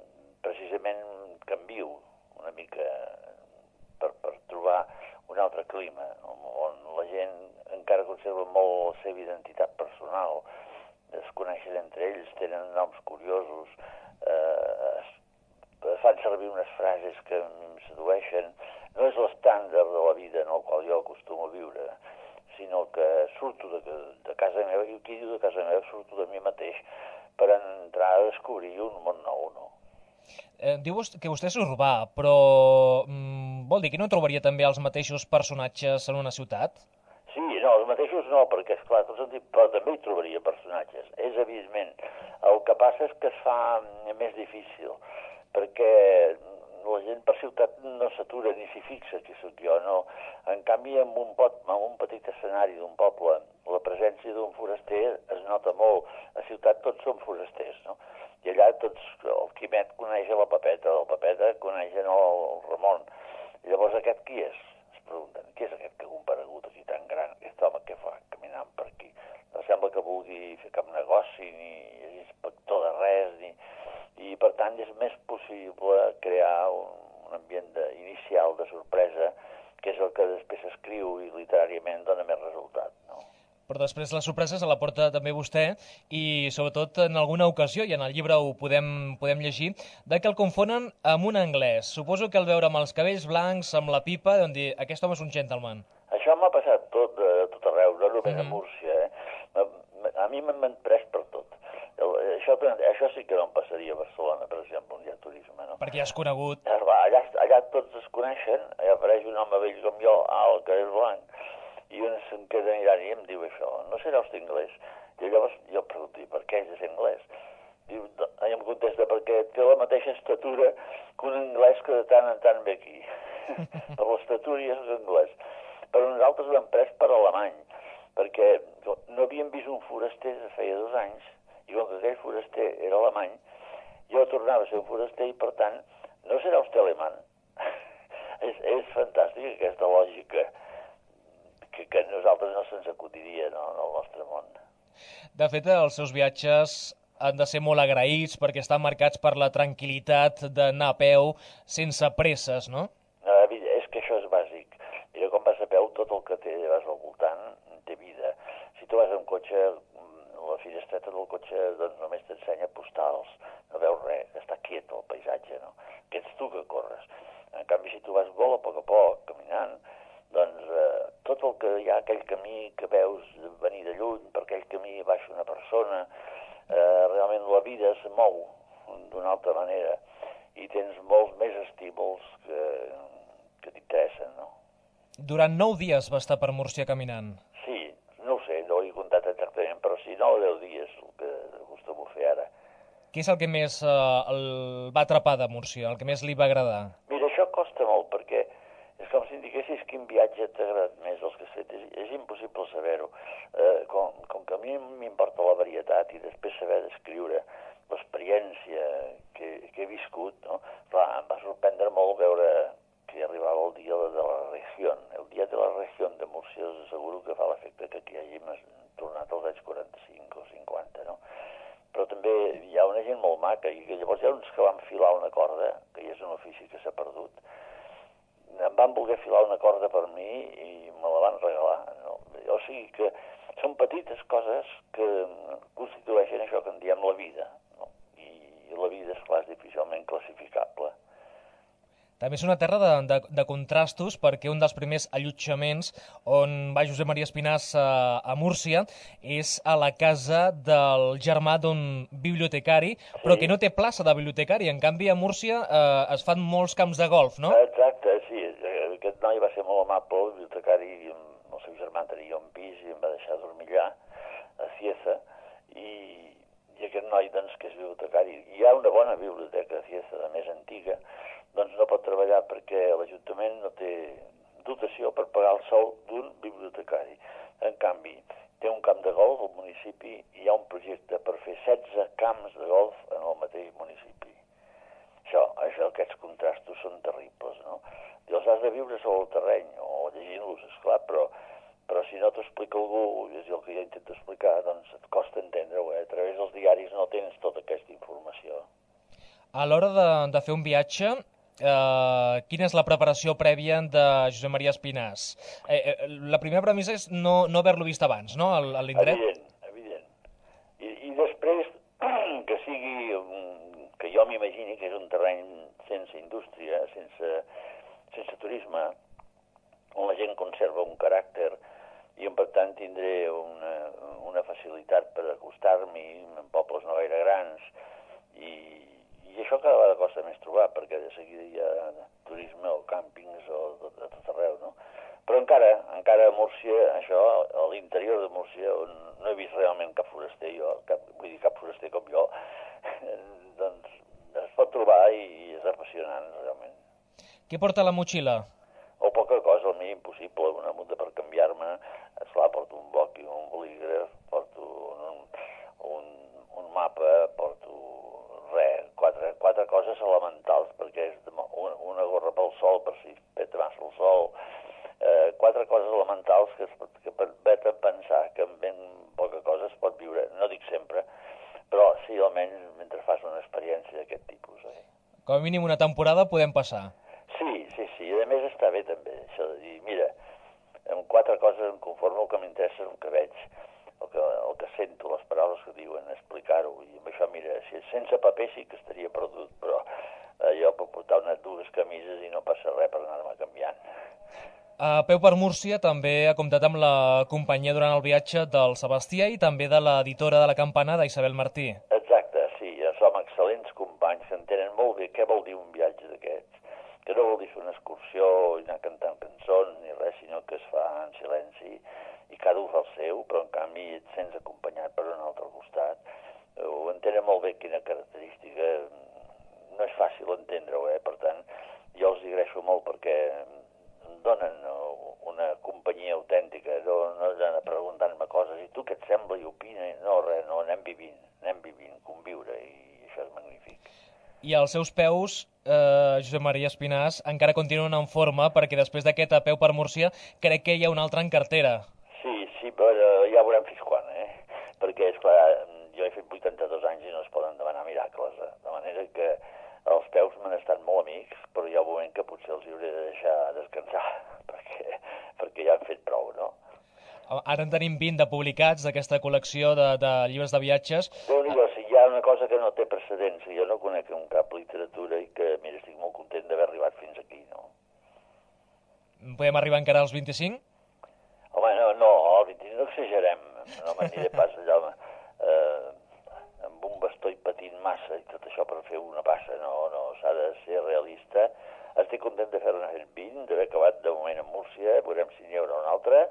precisament canvio una mica per trobar un altre clima, on la gent encara conserva molt la seva identitat personal, es coneixen entre ells, tenen noms curiosos, fan servir unes frases que em sedueixen. No és l'estàndard de la vida en el qual jo acostumo a viure, sinó que surto de casa meva, i qui diu de casa meva, surto de mi mateix per entrar a descobrir un món nou, no? Diu que vostè és urbà, però vol dir que no trobaria també els mateixos personatges en una ciutat? Sí, no, els mateixos no, perquè, esclar, però també hi trobaria personatges, és evidentment. El que passa és que es fa més difícil, perquè la gent per ciutat no s'atura ni s'hi fixa qui sóc jo, no. En canvi, en un petit escenari d'un poble, la presència d'un foraster es nota molt. A ciutat tots som forasters, no? I allà tots, el Quimet coneix a la Pepeta coneix el Ramon. Llavors aquest qui és? Es pregunten, qui és aquest que ha comparegut aquí tan gran? Aquest home què fa caminant per aquí? No sembla que vulgui fer cap negoci, ni és inspector de res, i per tant és més possible crear un ambient inicial de sorpresa, que és el que després s'escriu i literàriament dona més resultat, no? Però després la sorpresa se la porta també vostè i sobretot en alguna ocasió, i en el llibre ho podem llegir, de que el confonen amb un anglès. Suposo que al veure amb els cabells blancs, amb la pipa, deuen dir, aquest home és un gentleman. Això m'ha passat tot arreu, no només a Múrcia. A mi m'han pres per tot. Això sí que no em passaria a Barcelona, per exemple, on hi ha turisme, no? Perquè ja és conegut. Allà tots es coneixen, allà apareix un home vell com jo, alt, que és blanc, i un se'n queda mirant i em diu això, no serà vostè anglès? I llavors jo pregunto, per què és anglès? I em contesta, perquè té la mateixa estatura que un anglès que de tant en tant ve aquí. Per l'estatura ja és anglès. Però nosaltres ho hem pres per alemany, perquè no havíem vist un foraster de feia 2 anys, i com que aquell foraster era alemany, jo tornava a ser un foraster i, per tant, no serà vostè alemany. És fantàstic aquesta lògica que a nosaltres no se'ns acudiria en el nostre món. De fet, els seus viatges han de ser molt agraïts perquè estan marcats per la tranquil·litat d'anar a peu sense presses, no? És que això és bàsic. Mira, quan vas a peu, tot el que vas al voltant té vida. Si tu vas amb cotxe, la finestreta del cotxe doncs, només t'ensenya postals, no veus res, està quiet el paisatge, no? Que ets tu que corres. En canvi, si tu vas molt a poc, caminant, doncs tot el que hi ha, aquell camí que veus venir de lluny, per aquell camí baixa una persona, realment la vida es mou d'una altra manera i tens molts més estímuls que t'interessen, no? Durant 9 dies va estar per Múrcia caminant. Sí, no ho sé, no ho he comptat exactament, però sí, 9 o 10 dies, el que acostumo a fer ara. Què és el que més el va atrapar de Múrcia, el que més li va agradar? Mira, això costa molt, perquè és com si indiquessis quin viatge t'ha agradat més dels que has fet. És impossible saber-ho. Com que a mi m'importa la varietat i després saber descriure l'experiència que he viscut, no? Clar, em va sorprendre molt veure que arribava el dia de la regió. El dia de la regió de Múrcia us asseguro que fa l'efecte que aquí hàgim tornat als anys 45 o 50, no? Però també hi ha una gent molt maca i llavors hi ha uns que van filar una corda, que ja és un ofici que s'ha perdut. Em van voler filar una corda per mi i me la van regalar, no? O sigui que són petites coses que constitueixen això que en diem la vida, no? I la vida, esclar, és difícilment classificable. També és una terra de contrastos, perquè un dels primers allotjaments on va Josep Maria Espinàs a Múrcia és a la casa del germà d'un bibliotecari, però que no té plaça de bibliotecari. En canvi, a Múrcia es fan molts camps de golf, no? Exacte, sí. Aquest noi va ser molt amable, el bibliotecari, el seu germà tenia un pis i em va deixar dormir allà, a Cieza, i aquest noi, doncs, que és bibliotecari, hi ha una bona biblioteca a Cieza, de més antiga, doncs no pot treballar perquè l'Ajuntament no té dotació per pagar el sou d'un bibliotecari. En canvi, té un camp de golf al municipi i hi ha un projecte per fer 16 camps de golf en el mateix municipi. Aquests contrastos són terribles, no? I els has de viure sobre el terreny o llegint-los, esclar, però si no t'ho explica algú, és el que jo intento explicar, doncs et costa entendre-ho. A través dels diaris no tens tota aquesta informació. A l'hora de fer un viatge, quina és la preparació prèvia de Josep Maria Espinàs? La primera premissa és no haver-lo vist abans, no?, a l'indret? Evident. I després que sigui, que jo m'imagini que és un terreny sense indústria, sense turisme, on la gent conserva un caràcter i per tant tindré una facilitat per acostar-m'hi en pobles no gaire grans i això cada vegada costa més trobar, perquè de seguida hi ha turisme o càmpings o de tot arreu, no? Però encara a Múrcia, això, a l'interior de Múrcia, on no he vist realment cap foraster cap foraster com jo, doncs es pot trobar i és apassionant, realment. Què porta a la motxilla? O poca cosa, al mínim possible, una muda per canviar-me, esclar, porto un bloc i un bolígraf, porto un mapa, porto quatre coses elementals, perquè és una gorra pel sol, per si peta massa el sol, quatre coses elementals que vet a pensar que amb ben poca cosa es pot viure, no dic sempre, però sí, almenys mentre fas una experiència d'aquest tipus. Com a mínim una temporada podem passar. Sí, i a més està bé també, això de dir, mira, amb quatre coses em conformo, el que m'interessa és el que veig, el que sento, les paraules que diuen, explicar-ho, i amb això, mira, si sense paper sí que estaria perdut, però jo puc portar dues camises i no passa res per anar-me canviant. A Peu per Múrcia també ha comptat amb la companyia durant el viatge del Sebastià i també de l'editora de La Campana, d'Isabel Martí. Exacte, sí, som excel·lents companys que entenen molt bé què vol dir un viatge d'aquests, que no vol dir fer una excursió i anar cantant cançons ni res, sinó que es fa en silenci i cada un fa el seu, però en canvi et sents acompanyat per un altre costat. Ho entenen molt bé quina característica, no és fàcil entendre-ho, per tant, jo els agraeixo molt perquè em donen una companyia autèntica, no han preguntant-me coses, i tu què et sembla i opina? No, res, no, anem vivint, conviure, i això és magnífic. I als seus peus, Josep Maria Espinàs, encara continuen en forma, perquè després d'aquest A Peu per Múrcia crec que hi ha un altre en cartera. Sí, però ja veurem fins quan, perquè, esclar, jo he fet 82 anys i no es poden demanar miracles, de manera que els peus m'han estat molt amics, però hi ha un moment que potser els hauré de deixar descansar, perquè ja han fet prou, no? Ara en tenim 20 de publicats d'aquesta col·lecció de llibres de viatges. Déu-n'hi-do, si hi ha una cosa que no té precedents, jo no conec en cap literatura i que, mira, estic molt content d'haver arribat fins aquí, no? Podem arribar encara als 25? Home, no, al 25 no exagerem, no m'aniré pas allà amb un bastó i patint massa i tot això per fer una passa, no, s'ha de ser realista. Estic content de fer-ne 20, d'haver acabat de moment a Múrcia, veurem si n'hi haurà un altre,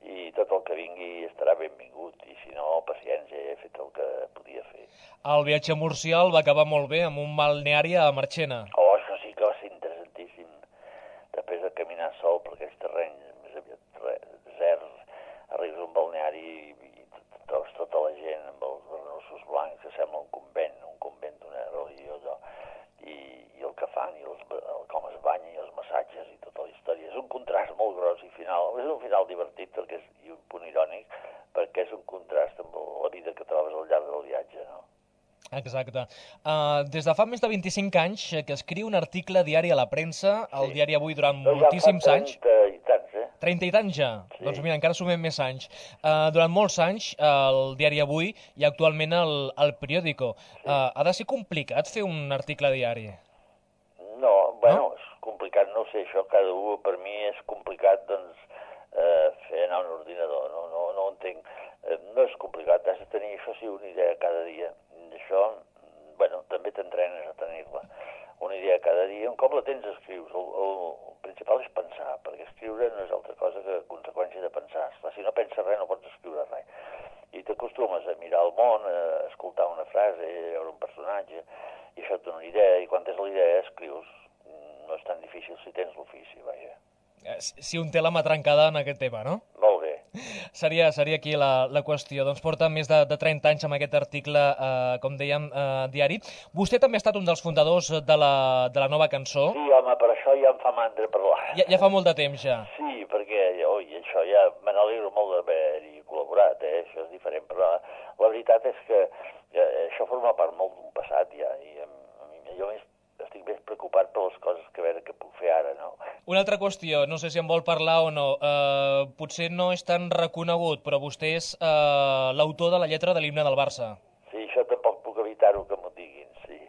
i tot el que vingui estarà benvingut, i si no, paciència, he fet el que podia fer. El viatge a Múrcia el va acabar molt bé, amb un balneari a Marchena. Oh, això sí que va ser interessantíssim. Després de caminar sol per aquells terrenys, més aviat deserts, arribes a un balneari i trobes tota la gent amb els barnossos blancs, que sembla un convent d'una religió, i el que fan, i com es banya, i els massatges, i tota la història. És un contrast molt gros i final. És un final divertit, perquè és un punt irònic, perquè és un contrast amb la vida que trobes al llarg del viatge, no? Exacte. Des de fa més de 25 anys que escriu un article diari a la premsa, al diari Avui, durant moltíssims anys. 30 i tants, 30 i tants ja? Sí. Doncs mira, encara sumem més anys. Durant molts anys, el diari Avui i actualment el periòdico. Ha de ser complicat fer un article diari? No, bueno, és sé, això cada un per mi és complicat, doncs, fer anar un ordinador, no ho entenc. No és complicat, has de tenir, això sí, una idea cada dia. Això, bueno, també t'entrenes a tenir-la. Una idea cada dia, com la tens escrius. El principal és pensar, perquè escriure no és altra cosa que conseqüència de pensar. Si no penses res, no pots escriure res. I t'acostumes a mirar el món, a escoltar una frase, a veure un personatge, i això et dona una idea, i quan tens la idea escrius. No és tan difícil si tens l'ofici, vaja. Si un té la mà trencada en aquest tema, no? Molt bé. Seria aquí la qüestió. Doncs porta més de 30 anys amb aquest article, com dèiem, diari. Vostè també ha estat un dels fundadors de la nova cançó. Sí, home, per això ja em fa mandra parlar. Ja fa molt de temps, ja. Sí, perquè això ja me n'alegro molt d'haver-hi col·laborat, això és diferent, però la veritat és que això forma part molt d'un passat ja, i jo estic més preocupat per les coses que veure què puc fer ara, no? Una altra qüestió, no sé si en vol parlar o no, potser no és tan reconegut, però vostè és l'autor de la lletra de l'himne del Barça. Sí, això tampoc puc evitar-ho que m'ho diguin, sí.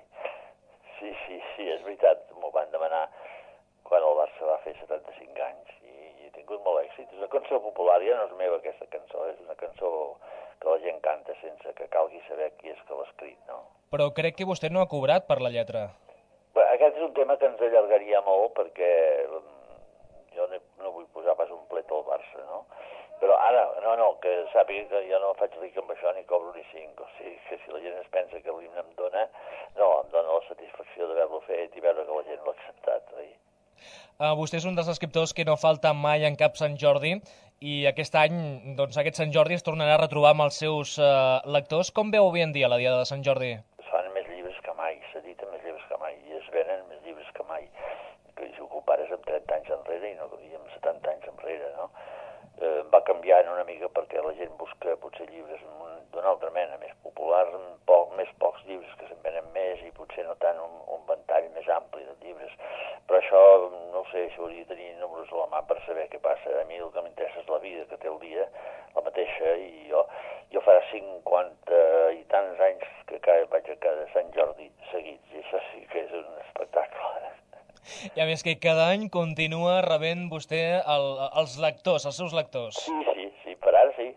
Sí, és veritat, m'ho van demanar quan el Barça va fer 75 anys i he tingut molt èxit. És una cançó popular, ja no és meva aquesta cançó, és una cançó que la gent canta sense que calgui saber qui és que l'ha escrit, no? Però crec que vostè no ha cobrat per la lletra. Aquest és un tema que ens allargaria molt perquè jo no vull posar pas un plet al Barça, no? Però ara, que sàpiga que jo no faig ric amb això ni cobro ni 5, o sigui que si la gent es pensa que l'himne em dona la satisfacció d'haver-lo fet i veure que la gent l'ha acceptat, oi? Vostè és un dels escriptors que no falta mai en cap Sant Jordi i aquest any, doncs aquest Sant Jordi es tornarà a retrobar amb els seus lectors. Com veu avui en dia la Diada de Sant Jordi? Es fan més llibres que mai, s'editen més llibres que mai i es venen més llibres que mai. Que si ho compares amb 30 anys enrere i amb 70 anys enrere, no? Va canviant una mica perquè la gent busca potser llibres d'una altra mena, més populars, més pocs llibres que se'n venen més i potser no tant un ventall més ampli de llibres. Però això, no sé, si hauria de tenir números a la mà per saber què passa. A mi el que m'interessa és la vida que té el dia, la mateixa, i jo farà 50 i tants anys que vaig a cada Sant Jordi seguits, i això sí que és un espectacle. I a més que cada any continua rebent vostè els lectors, els seus lectors. Sí, per ara sí,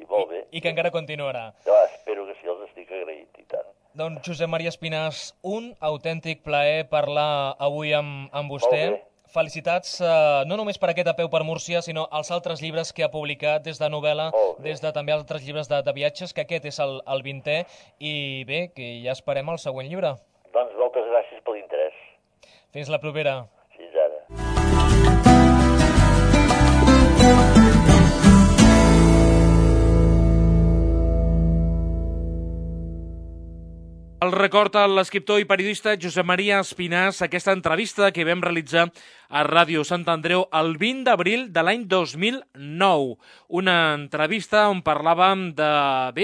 molt bé. I que encara continuarà. Espero que sí, els estic agraït, i tant. Doncs Josep Maria Espinàs, un autèntic plaer parlar avui amb vostè. Molt bé. Felicitats no només per aquest A peu per Múrcia, sinó els altres llibres que ha publicat des de novel·la, des de també altres llibres de viatges, que aquest és el 20è, i bé, que ja esperem el següent llibre. Doncs moltes gràcies per l'interès. Fins la propera. Fins ara. El recorda l'escriptor i periodista Josep Maria Espinàs aquesta entrevista que vam realitzar a Ràdio Sant Andreu el 20 d'abril de l'any 2009. Una entrevista on parlàvem de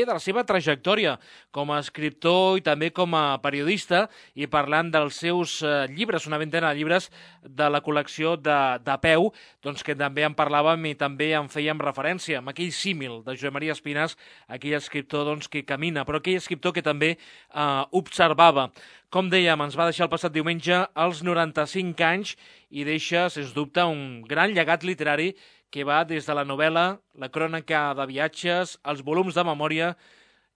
la seva trajectòria com a escriptor i també com a periodista i parlant dels seus llibres, una vintena de llibres de la col·lecció de Peu, doncs que també en parlàvem i també en fèiem referència amb aquell símil de Josep Maria Espinàs, aquell escriptor doncs, que camina, però aquell escriptor que també observava. Com dèiem, ens va deixar el passat diumenge als 95 anys i deixa, sens dubte, un gran llegat literari que va des de la novel·la, la crònica de viatges, els volums de memòria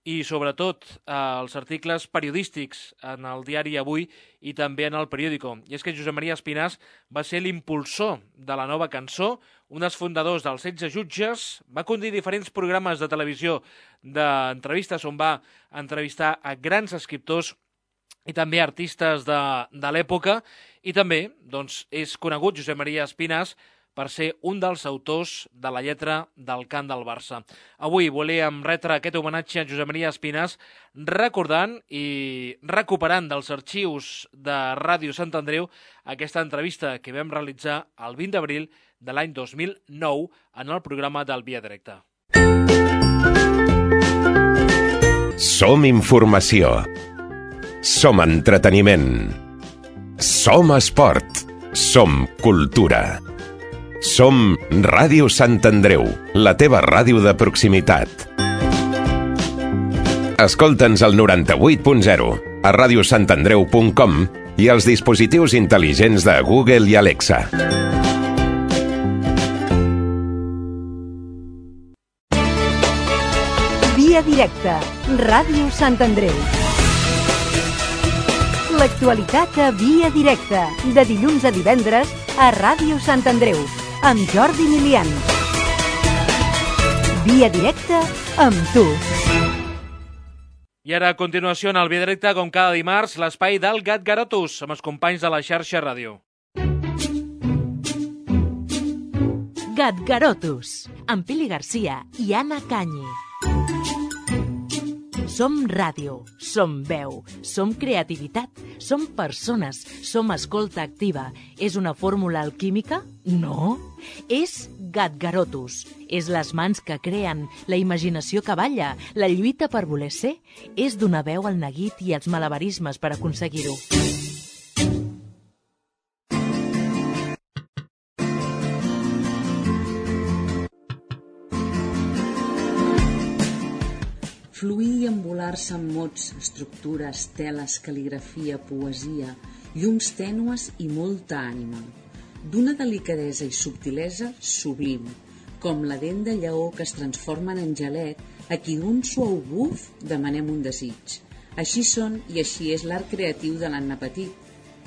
i, sobretot, els articles periodístics en el diari Avui i també en el periòdico. I és que Josep Maria Espinàs va ser l'impulsor de la nova cançó, un dels fundadors dels 16 jutges, va conduir diferents programes de televisió d'entrevistes on va entrevistar a grans escriptors i també artistes de l'època, i també doncs, és conegut Josep Maria Espinàs per ser un dels autors de la lletra del cant del Barça. Avui volíem retre aquest homenatge a Josep Maria Espinàs recordant i recuperant dels arxius de Ràdio Sant Andreu aquesta entrevista que vam realitzar el 20 d'abril de l'any 2009 en el programa del Via Directa. Som informació. Som entreteniment. Som esport. Som cultura. Som Ràdio Sant Andreu, la teva ràdio de proximitat. Escolta'ns al 98.0, a radiosantandreu.com i els dispositius intel·ligents de Google i Alexa. Via directa, Ràdio Sant Andreu. L'actualitat a Via directa, de dilluns a divendres a Ràdio Sant Andreu, amb Jordi Milian. Via directa amb tu. I ara, a continuació, en el Via Directe, com cada dimarts, l'espai del Gat Garotus, amb els companys de la xarxa ràdio. Gat Garotus, amb Pili Garcia i Anna Canyi. Som ràdio, som veu, som creativitat, som persones, som escolta activa. És una fórmula alquímica? No. És Gat Garotus. És les mans que creen, la imaginació que balla, la lluita per voler ser. És donar veu al neguit i els malabarismes per aconseguir-ho. Fluir i embolar-se amb mots, estructures, teles, cal·ligrafia, poesia, llums tènues i molta ànima. D'una delicadesa i subtilesa sublim, com la dent de lleó que es transforma en angelet a qui d'un suau buf demanem un desig. Així són i així és l'art creatiu de l'Anna Petit.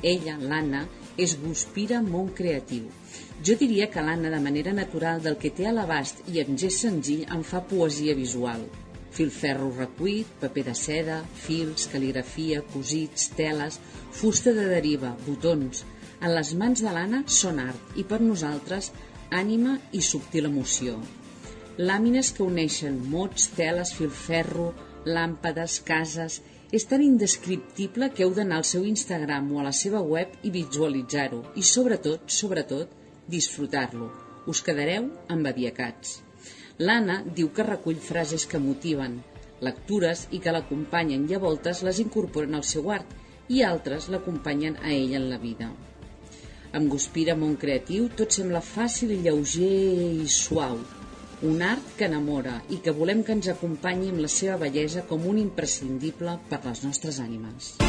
Ella, l'Anna, és Guspira Món Creatiu. Jo diria que l'Anna, de manera natural, del que té a l'abast i en gest senzill, en fa poesia visual. Filferro recuit, paper de seda, fils, cal·ligrafia, cosits, teles, fusta de deriva, botons. En les mans de l'Anna són art i per nosaltres ànima i subtil emoció. Làmines que uneixen mots, teles, filferro, làmpades, cases. És tan indescriptible que heu d'anar al seu Instagram o a la seva web i visualitzar-ho i sobretot, disfrutar-lo. Us quedareu embabiacats. L'Anna diu que recull frases que motiven, lectures i que l'acompanyen i a voltes les incorporen al seu art i altres l'acompanyen a ella en la vida. Amb Guspira Món Creatiu tot sembla fàcil i lleuger i suau, un art que enamora i que volem que ens acompanyi amb la seva bellesa com un imprescindible per les nostres ànimes.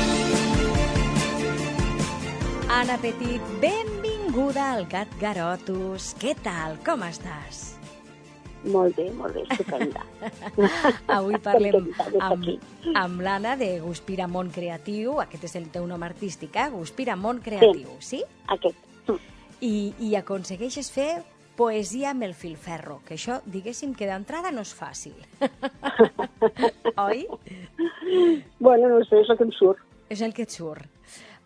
Anna Petit, benvinguda al Gat Garotus. Què tal? Com estàs? Molt bé, estupenda. Avui parlem amb l'Anna de Guspira Món Creatiu. Aquest és el teu nom artístic, Guspira Món Creatiu, sí? Aquest. I aconsegueixes fer poesia amb el filferro, que això, diguéssim, que d'entrada no és fàcil. Oi? Bueno, no sé, és el que em surt. És el que et surt.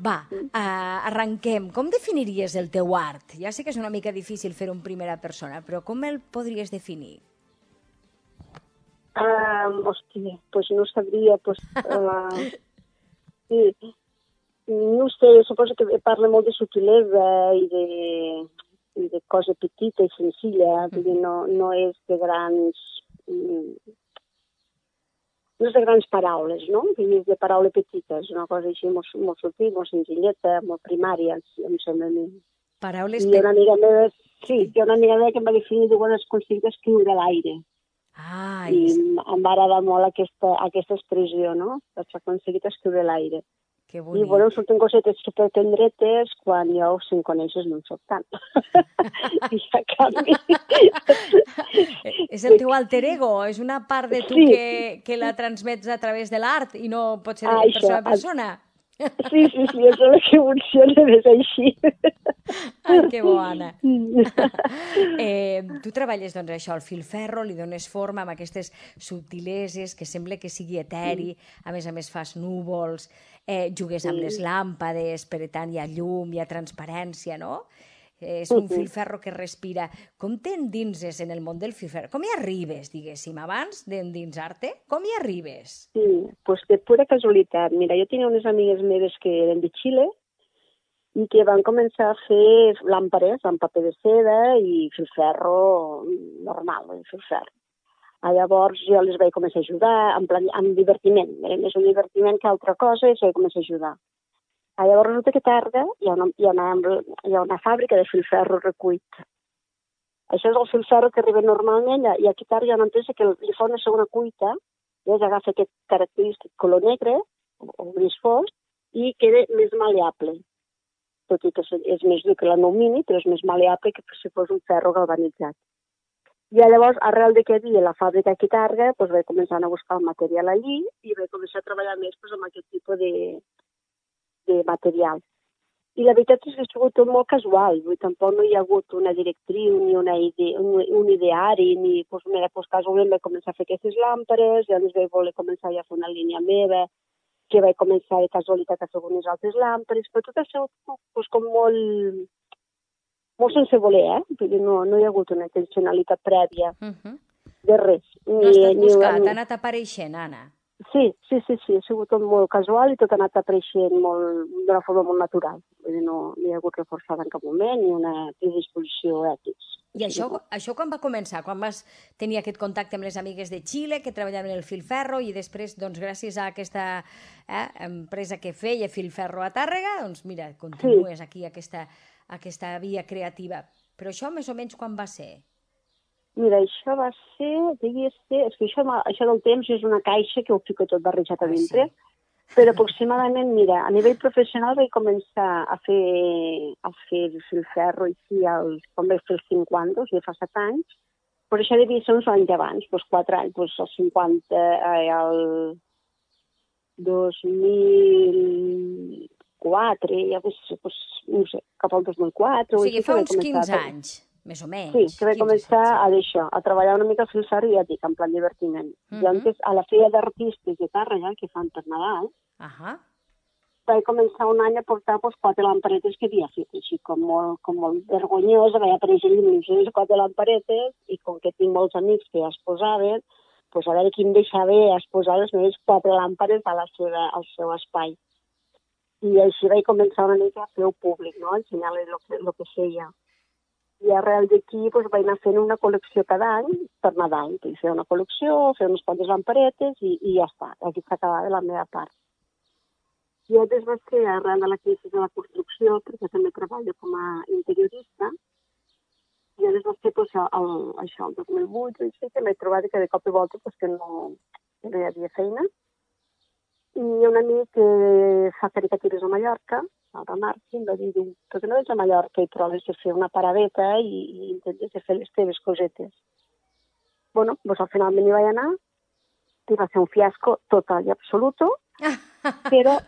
Va, arrenquem. Com definiries el teu art? Ja sé que és una mica difícil fer-ho en primera persona, però com el podries definir? Hòstia, doncs no sabria. Sí. No sé, suposo que parla molt de sutilesa i de cosa petita i senzilla, no és de grans... No és de grans paraules, no? És de paraules petites, una cosa així molt sutil, molt senzilleta, molt primària, em sembla a mi. Paraules petites. I una amiga meva, hi ha una amiga meva que em va definir de quan es aconseguit escriure a l'aire. I em va agradar molt aquesta expressió, no? Que s'ha aconseguit escriure a l'aire. Que bonic. I, bueno, surten cosetes supertendretes quan jo, si em coneixes, no en soc tant. I a canvi... És el teu alter ego? És una part de tu que la transmets a través de l'art i no pot ser de persona a persona? Sí, és el que funciona, és així. Ai, que bo, Anna. Tu treballes, doncs, això, el filferro, li dones forma amb aquestes subtileses que sembla que sigui eteri, a més fas núvols, jugues amb les làmpades, per tant hi ha llum, hi ha transparència, no? És un filferro que respira. Com t'endinses en el món del filferro? Com hi arribes, diguéssim, abans d'endinsar-te? Com hi arribes? Sí, doncs de pura casualitat. Mira, jo tenia unes amigues meves que eren de Xile i que van començar a fer làmpades amb paper de seda i filferro normal, filferro. Llavors jo les vaig començar a ajudar amb divertiment. Era més un divertiment que altra cosa i els vaig començar a ajudar. Llavors resulta que tarda hi ha una fàbrica de filferro recuit. Això és el filferro que arriba normalment i aquí tarda hi ha una empresa que li fa una segona cuita i agafa aquest característic color negre o gris fosc i queda més maleable. Tot i que és més dur que l'alumini, però és més maleable que si fos un ferro galvanitzat. I llavors, arrel de que havia la fàbrica aquí Targa, doncs vaig començar a buscar el material allí i vaig començar a treballar més amb aquest tipus de material. I la veritat és que ha sigut tot molt casual, tampoc no hi ha hagut una directriu ni un ideari, ni casualment vaig començar a fer aquestes làmperes, i llavors vaig voler començar ja a fer una línia meva, que vaig començar de casualitat a fer unes altres làmperes, però tot ha sigut com molt sense voler, Vull dir, no hi ha hagut una intencionalitat prèvia de res. No has estat buscat, ha anat apareixent, Anna. Sí, ha sigut tot molt casual i tot ha anat apareixent d'una forma molt natural. Vull dir, no hi ha hagut reforçada en cap moment ni una predisposició ètica. I això quan va començar? Quan vas tenir aquest contacte amb les amigues de Xile que treballaven el filferro i després, doncs, gràcies a aquesta empresa que feia filferro a Tàrrega, doncs mira, continues aquí aquesta via creativa. Però això més o menys quan va ser? Mira, això va ser, és que això del temps és una caixa que ho fico tot barrejat a dintre, però aproximadament, mira, a nivell professional vaig començar a fer filferro aquí quan vaig fer els 50, o sigui, fa 7 anys, però això devia ser uns anys abans, 4 anys, els 50, el 2004, ja no sé, cap al 2004... O sigui, fa uns 15 anys. Més o menys. Sí, que vaig començar a treballar una mica al filferro i ja dic, en plan divertiment. I antes, a la Fira d'Artistes de Tàrrega, que fan per Nadal, vaig començar un any a portar 4 lamperetes que havia fet, així com molt vergonyosa, vaig aparèixer les 4 lamperetes i com que tinc molts amics que ja es posaven, doncs a veure qui em deixa bé exposar les meves 4 làmperes al seu espai. I així vaig començar una mica a fer-ho públic, no? Ensenyar-li el que feia. I arrel d'aquí vaig anar fent una col·lecció cada any per Nadal. Vull fer una col·lecció, fer unes quantes lamperetes i ja està. Aquí s'acabava la meva part. I llavors va ser arrel de la crisi de la construcció, perquè també treballo com a interiorista, i llavors va ser això, el 2008, que m'he trobat que de cop i volta que no hi havia feina. I un amic que fa caricatures a Mallorca, el Marc, em va dir, per què no vens a Mallorca i proves de fer una paradeta i intentes de fer les teves cosetes? Bueno, doncs al final m'hi vaig anar, i va ser un fiasco total i absoluto, però...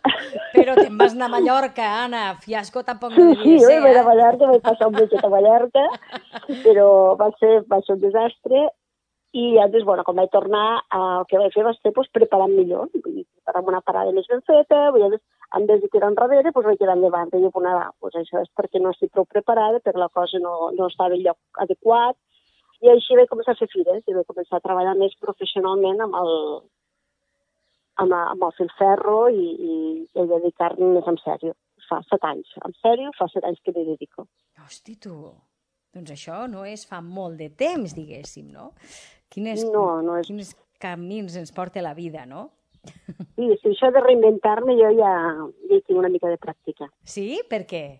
Però te'n vas anar a Mallorca, Anna, fiasco tampoc no devia ser, Sí, jo vaig anar a Mallorca, vaig passar un viatge a Mallorca, però va ser un desastre, i llavors, quan vaig tornar, el que vaig fer va ser preparar millor, preparar una parada més ben feta, en vez de tirar enrere, vaig tirar endavant, i això és perquè no estic prou preparada, però la cosa no estava en lloc adequat, i així vaig començar a fer fires, i vaig començar a treballar més professionalment amb el filferro i a dedicar-me més en sèrio. Fa 7 anys, en sèrio, fa 7 anys que m'hi dedico. Hosti, tu, doncs això no és fa molt de temps, diguéssim, no? Quins camins ens porta la vida, no? Sí, això de reinventar-me jo ja hi tinc una mica de pràctica. Sí? Per què?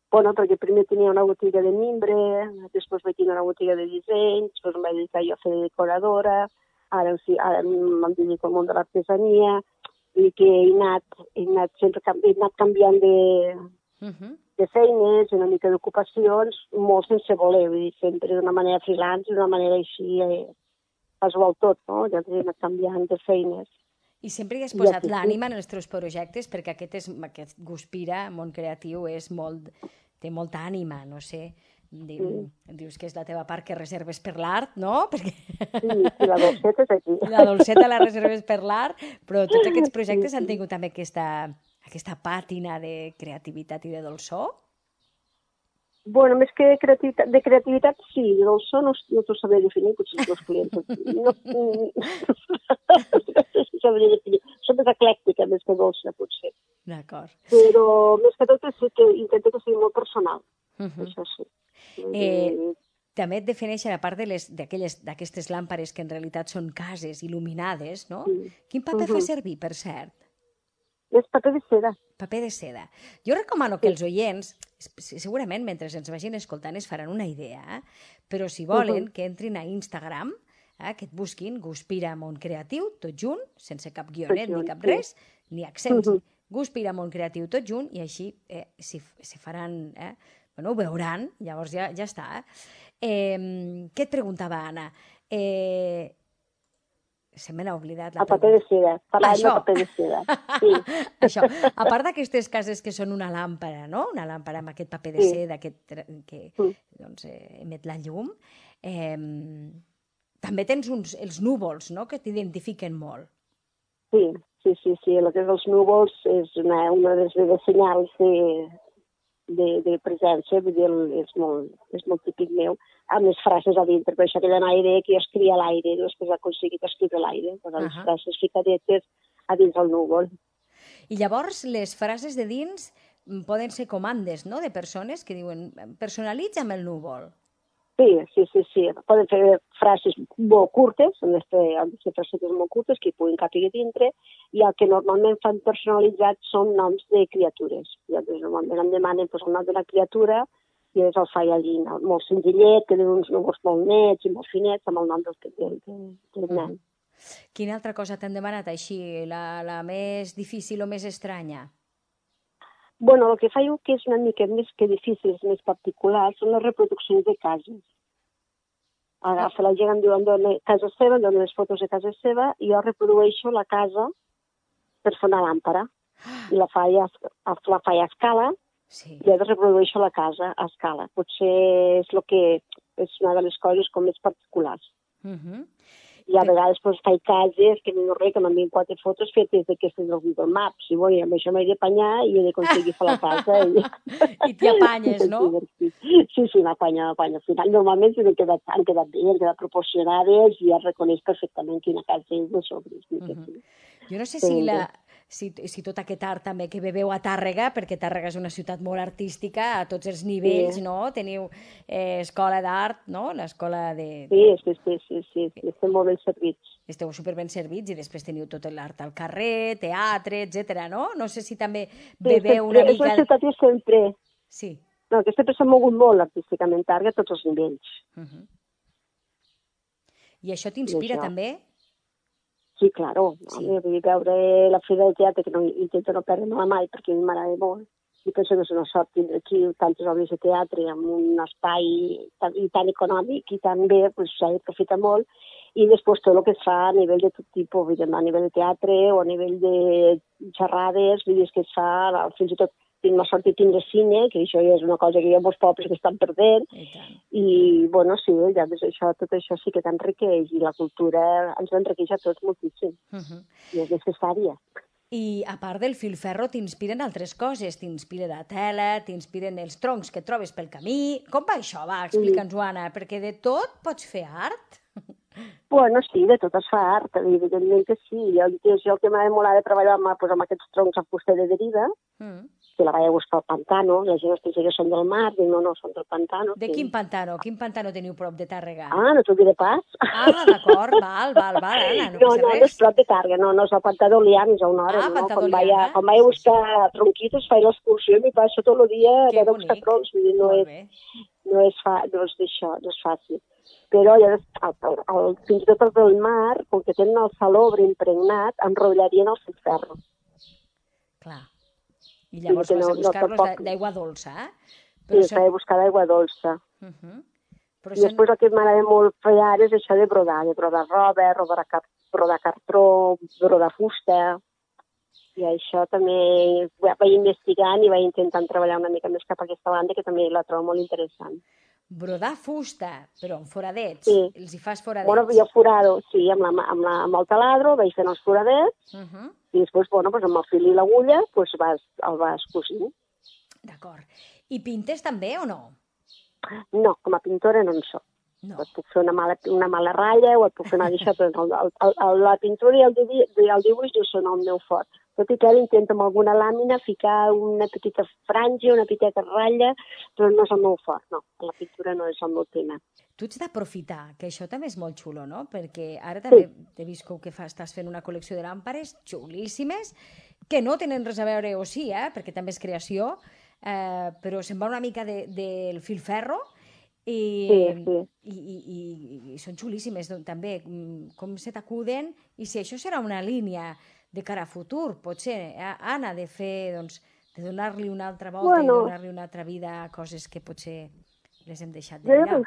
Bueno, perquè primer tenia una botiga de mimbre, després vaig tenir una botiga de disseny, després em vaig dedicar jo a fer de decoradora, ara em dedico al món de l'artesania, i que he anat canviant de feines, una mica d'ocupacions, molt sense voler, vull dir, sempre d'una manera freelance, d'una manera així casual tot, no? Ja he anat canviant de feines. I sempre hi has posat l'ànima en els teus projectes, perquè aquest Guspira, món creatiu, té molta ànima, no sé. Dius que és la teva part que reserves per l'art, no? Sí, la dolceta és aquí. La dolceta la reserves per l'art, però tots aquests projectes han tingut també aquesta pàtina de creativitat i de dolçor? Bueno, més que de creativitat, sí, de dolçor no t'ho sabré definir, potser els clients. No sabria definir. Som més eclèctica, més que dolça, potser. D'acord. Però més que tot sí que intento que sigui molt personal. Això sí. També et defineixen, a part d'aquestes làmpares que en realitat són cases il·luminades, no? Quin paper fa servir, per cert? És paper de seda. Paper de seda. Jo recomano que els oients, segurament mentre ens vagin escoltant es faran una idea, però si volen que entrin a Instagram, que et busquin Guspira Món Creatiu, tot junt, sense cap guionet ni cap res, ni accents, Guspira, món creatiu, tot junt, i així si faran... Bueno, ho veuran, llavors ja està. Què et preguntava, Anna? Se me n'ha oblidat la pregunta. El paper de seda, parlant de paper de seda. Sí. Això, a part d'aquestes cases que són una làmpara, no? Una làmpara amb aquest paper de seda que emet la llum, també tens els núvols, no?, que t'identifiquen molt. Sí. El que és els núvols és una de les senyals de presència, vull dir, és molt típic meu, amb les frases a dintre, per això queda en aire, que jo escrivia a l'aire, després he aconseguit escriure a l'aire, les frases ficadetes a dins del núvol. I llavors les frases de dins poden ser comandes, no?, de persones que diuen personalitza'm el núvol. Sí. Poden fer frases molt curtes, han de ser frases molt curtes que puguin capir dintre, i el que normalment fan personalitzat són noms de criatures. Normalment em demanen el nom de la criatura i el faig allí, molt senzillet, que tenen uns núvols molt nets i molt finets, amb el nom del nen. Quina altra cosa t'han demanat així, la més difícil o més estranya? Bueno, el que faig que és una mica més que difícil, més particular, són les reproduccions de cases. Agafa la gent, em diuen casa seva, em donen les fotos de casa seva, i jo reprodueixo la casa per fer una làmpara. I la faig a escala, i llavors reprodueixo la casa a escala. Potser és una de les coses com més particulars. I a vegades faig cases que no res, que m'envien 4 fotos fetes d'aquestes del Google Maps. I bueno, amb això m'he d'apanyar i he d'aconseguir fer la casa. I t'hi apanyes, no? Sí, m'apanyo. Al final, normalment han quedat bé, han quedat proporcionades i ja reconeix perfectament quina casa és de sobre. Jo no sé si tot aquest art també que veieu a Tàrrega, perquè Tàrrega és una ciutat molt artística a tots els nivells, no? Teniu escola d'art, no? L'escola de... Sí, estem molt ben servits. Esteu superben servits i després teniu tot l'art al carrer, teatre, etc. no? No sé si també veieu una mica... És una ciutat que sempre... Sí. No, que sempre s'ha mogut molt artísticament Tàrrega a tots els nivells. I això t'inspira també? Sí, claro. Vull veure la Fira de Teatre, que intento no perdre-me mai, perquè a mi m'agrada molt. I penso que és una sort tindre aquí tantes obres de teatre amb un espai tan econòmic i tan bé, s'ha d'aprofitar molt. I després tot el que es fa a nivell de tot tipus, a nivell de teatre o a nivell de xerrades, vull dir que es fa, fins i tot tinc la sort de tindre cine, que això ja és una cosa que hi ha molts pobles que estan perdent, i, bueno, sí, ja tot això sí que t'enriqueix, i la cultura ens enriqueix a tots moltíssim, i és necessària. I a part del filferro t'inspiren altres coses, t'inspira la tela, t'inspiren els troncs que trobes pel camí... Com va això? Va, explica'ns-ho, Anna, perquè de tot pots fer art? Bueno, sí, de tot es fa art, evidentment que sí. Jo el que m'ha demorat de treballar amb aquests troncs a fusta de deriva, que la vaig a buscar al pantano, la gent es pensa que són del mar, dic, no, són del pantano. De quin pantano? Quin pantano teniu prop de Tàrrega? Ah, no t'ho diré pas. Ah, d'acord, val, Anna, no passa res. No és prop de Tàrrega, no és el pantà d'Oliana, és a una hora. Quan vaig a buscar tronquitos, faig l'excursió i m'hi passo tot el dia a buscar troncs, vull dir, no és fàcil. Però fins i tot els del mar, com que tenen el salobre impregnat, enrotllarien el filferro. Clar. I llavors vas a buscar-los d'aigua dolça, Sí, vaig a buscar d'aigua dolça. I després el que m'agrada molt fer ara és això de brodar roba, brodar cartró, brodar fusta. I això també vaig investigant i vaig intentant treballar una mica més cap a aquesta banda, que també la trobo molt interessant. Brodar fusta, però amb foradets. Sí. Els hi fas foradets. Bueno, jo forado, sí, amb el taladro vaig fent els foradets i després, amb el fil i l'agulla, el vas cosint. D'acord. I pintes també o no? No, com a pintora no en soc. No. Et puc fer una mala ratlla o et puc fer una d'això, però la pintura i el dibuix no són el meu fort. Tot i que ara intento amb alguna làmina ficar una petita franja, una petita ratlla, però no és el meu fort, no. La pintura no és el meu tema. Tu ets d'aprofitar, que això també és molt xulo, no? Perquè ara també he vist que estàs fent una col·lecció de làmpares xulíssimes, que no tenen res a veure, o sí, perquè també és creació, però se'n va una mica del filferro, i són xulíssimes també, com se t'acuden, i si això serà una línia de cara a futur, potser, Anna, de fer, doncs, de donar-li una altra volta i donar-li una altra vida a coses que potser les hem deixat de mirar.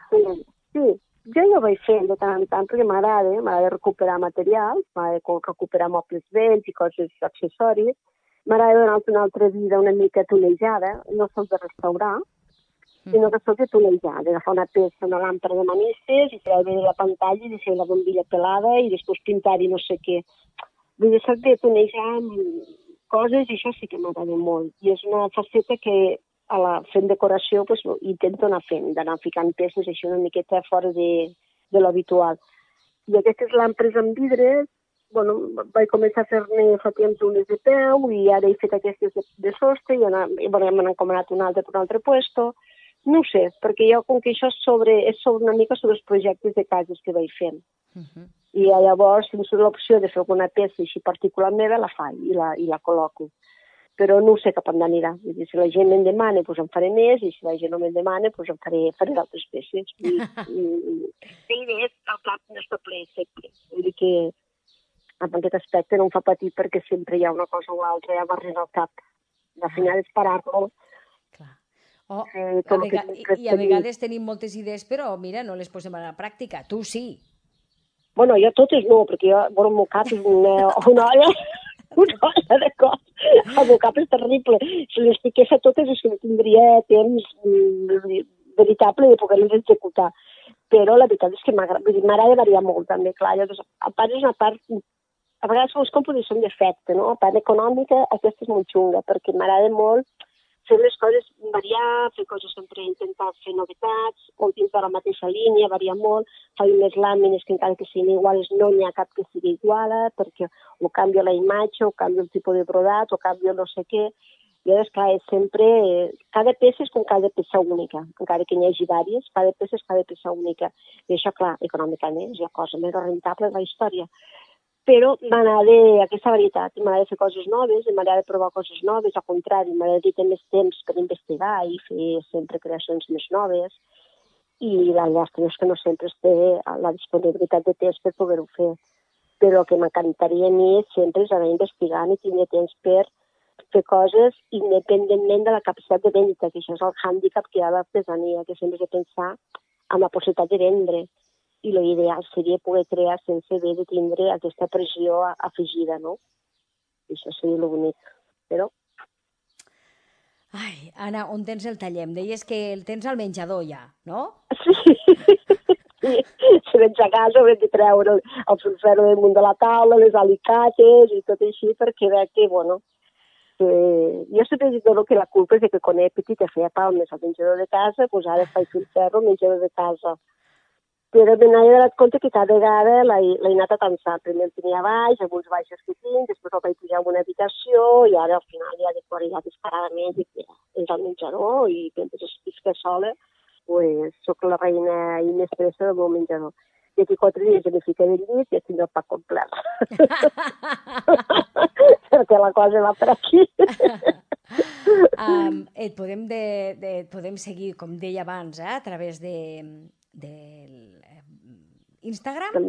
Sí, jo ja ho vaig fent de tant en tant perquè m'agrada recuperar material, m'agrada recuperar mobles vells i coses accessoris, m'agrada donar-te una altra vida una mica tunejada, no sols de restaurar, sinó que sols de tunejar, d'agafar una peça, una làmpara de manistes i treure la pantalla i deixar la bombilla pelada i després pintar-hi no sé què. Vull dir, de tunejar coses i això sí que m'agrada molt. I és una faceta que fent decoració intento anar fent, d'anar ficant peces així una miqueta fora de l'habitual. I aquestes làmperes amb vidre, vaig començar a fer-ne fa temps unes de peu i ara he fet aquestes de sostre i m'han encomanat un altre puesto. No ho sé, perquè jo com que això és una mica sobre els projectes de cases que vaig fent. I llavors, si em surt l'opció de fer alguna peça així particular meva, la faig i la col·loco. Però no sé cap on anirà. Si la gent me'n demana, em faré més, i si la gent no me'n demana, em faré d'altres peces. El cap no està ple sempre. Vull dir que en aquest aspecte no em fa patir perquè sempre hi ha una cosa o l'altra ja m'arriba al cap. Al final és parar-lo. I a vegades tenim moltes idees, però mira, no les posem a la pràctica. Tu sí. Bueno, jo totes no, perquè el meu cap és una olla de cos. El meu cap és terrible. Si les fiqués a totes és que no tindria temps veritable de poder-les executar. Però la veritat és que m'agrada variar molt, també, clar. A part és una part... A vegades les compres són d'efecte, no? A part econòmica, aquesta és molt xunga, perquè m'agrada molt fer les coses, variar, fer coses sempre, intentar fer novetats, o dins de la mateixa línia, variar molt, fer unes làmines que encara que siguin iguals no n'hi ha cap que sigui iguala, perquè o canvia la imatge, o canvia el tipus de brodat, o canvia no sé què. I llavors, clar, és sempre... Cada peça és com cada peça única, encara que n'hi hagi diverses, cada peça és cada peça única. I això, clar, econòmicament és la cosa més rentable de la història. Però m'agrada aquesta varietat, m'agrada fer coses noves, m'agrada provar coses noves, al contrari, m'agrada tenir més temps per investigar i fer sempre creacions més noves, i la llàstima és que no sempre es té la disponibilitat de temps per poder-ho fer. Però el que m'encantaria a mi sempre és anar investigant i tenir temps per fer coses independentment de la capacitat de venda, que això és el hàndicap que hi ha a l'artesania, que sempre has de pensar en la possibilitat de vendre. I l'ideal seria poder crear sense haver de tindre aquesta pressió afegida, no? I això seria l'únic, però... Ai, Anna, on tens el taller? Em deies que el tens al menjador ja, no? Sí. Si vens a casa haurem de treure el filferro damunt de la taula, les alicates i tot així, perquè veig que, jo sempre dic que la culpa és que quan era petita feia palmes al menjador de casa, doncs ara faig filferro al menjador de casa. Però me n'he donat compte que cada vegada l'he anat atançant. Primer el tenia baix, amb uns baixos que tinc, després el vaig pujar en una habitació i ara al final ja descaradament és al menjador i mentre estic sola soc la reina i mestressa del meu menjador. D'aquí 4 dies ja m'hi ficaré al llit i ja tindré el pa complet. Perquè la cosa va per aquí. Et podem seguir, com deia abans, a través del Instagram,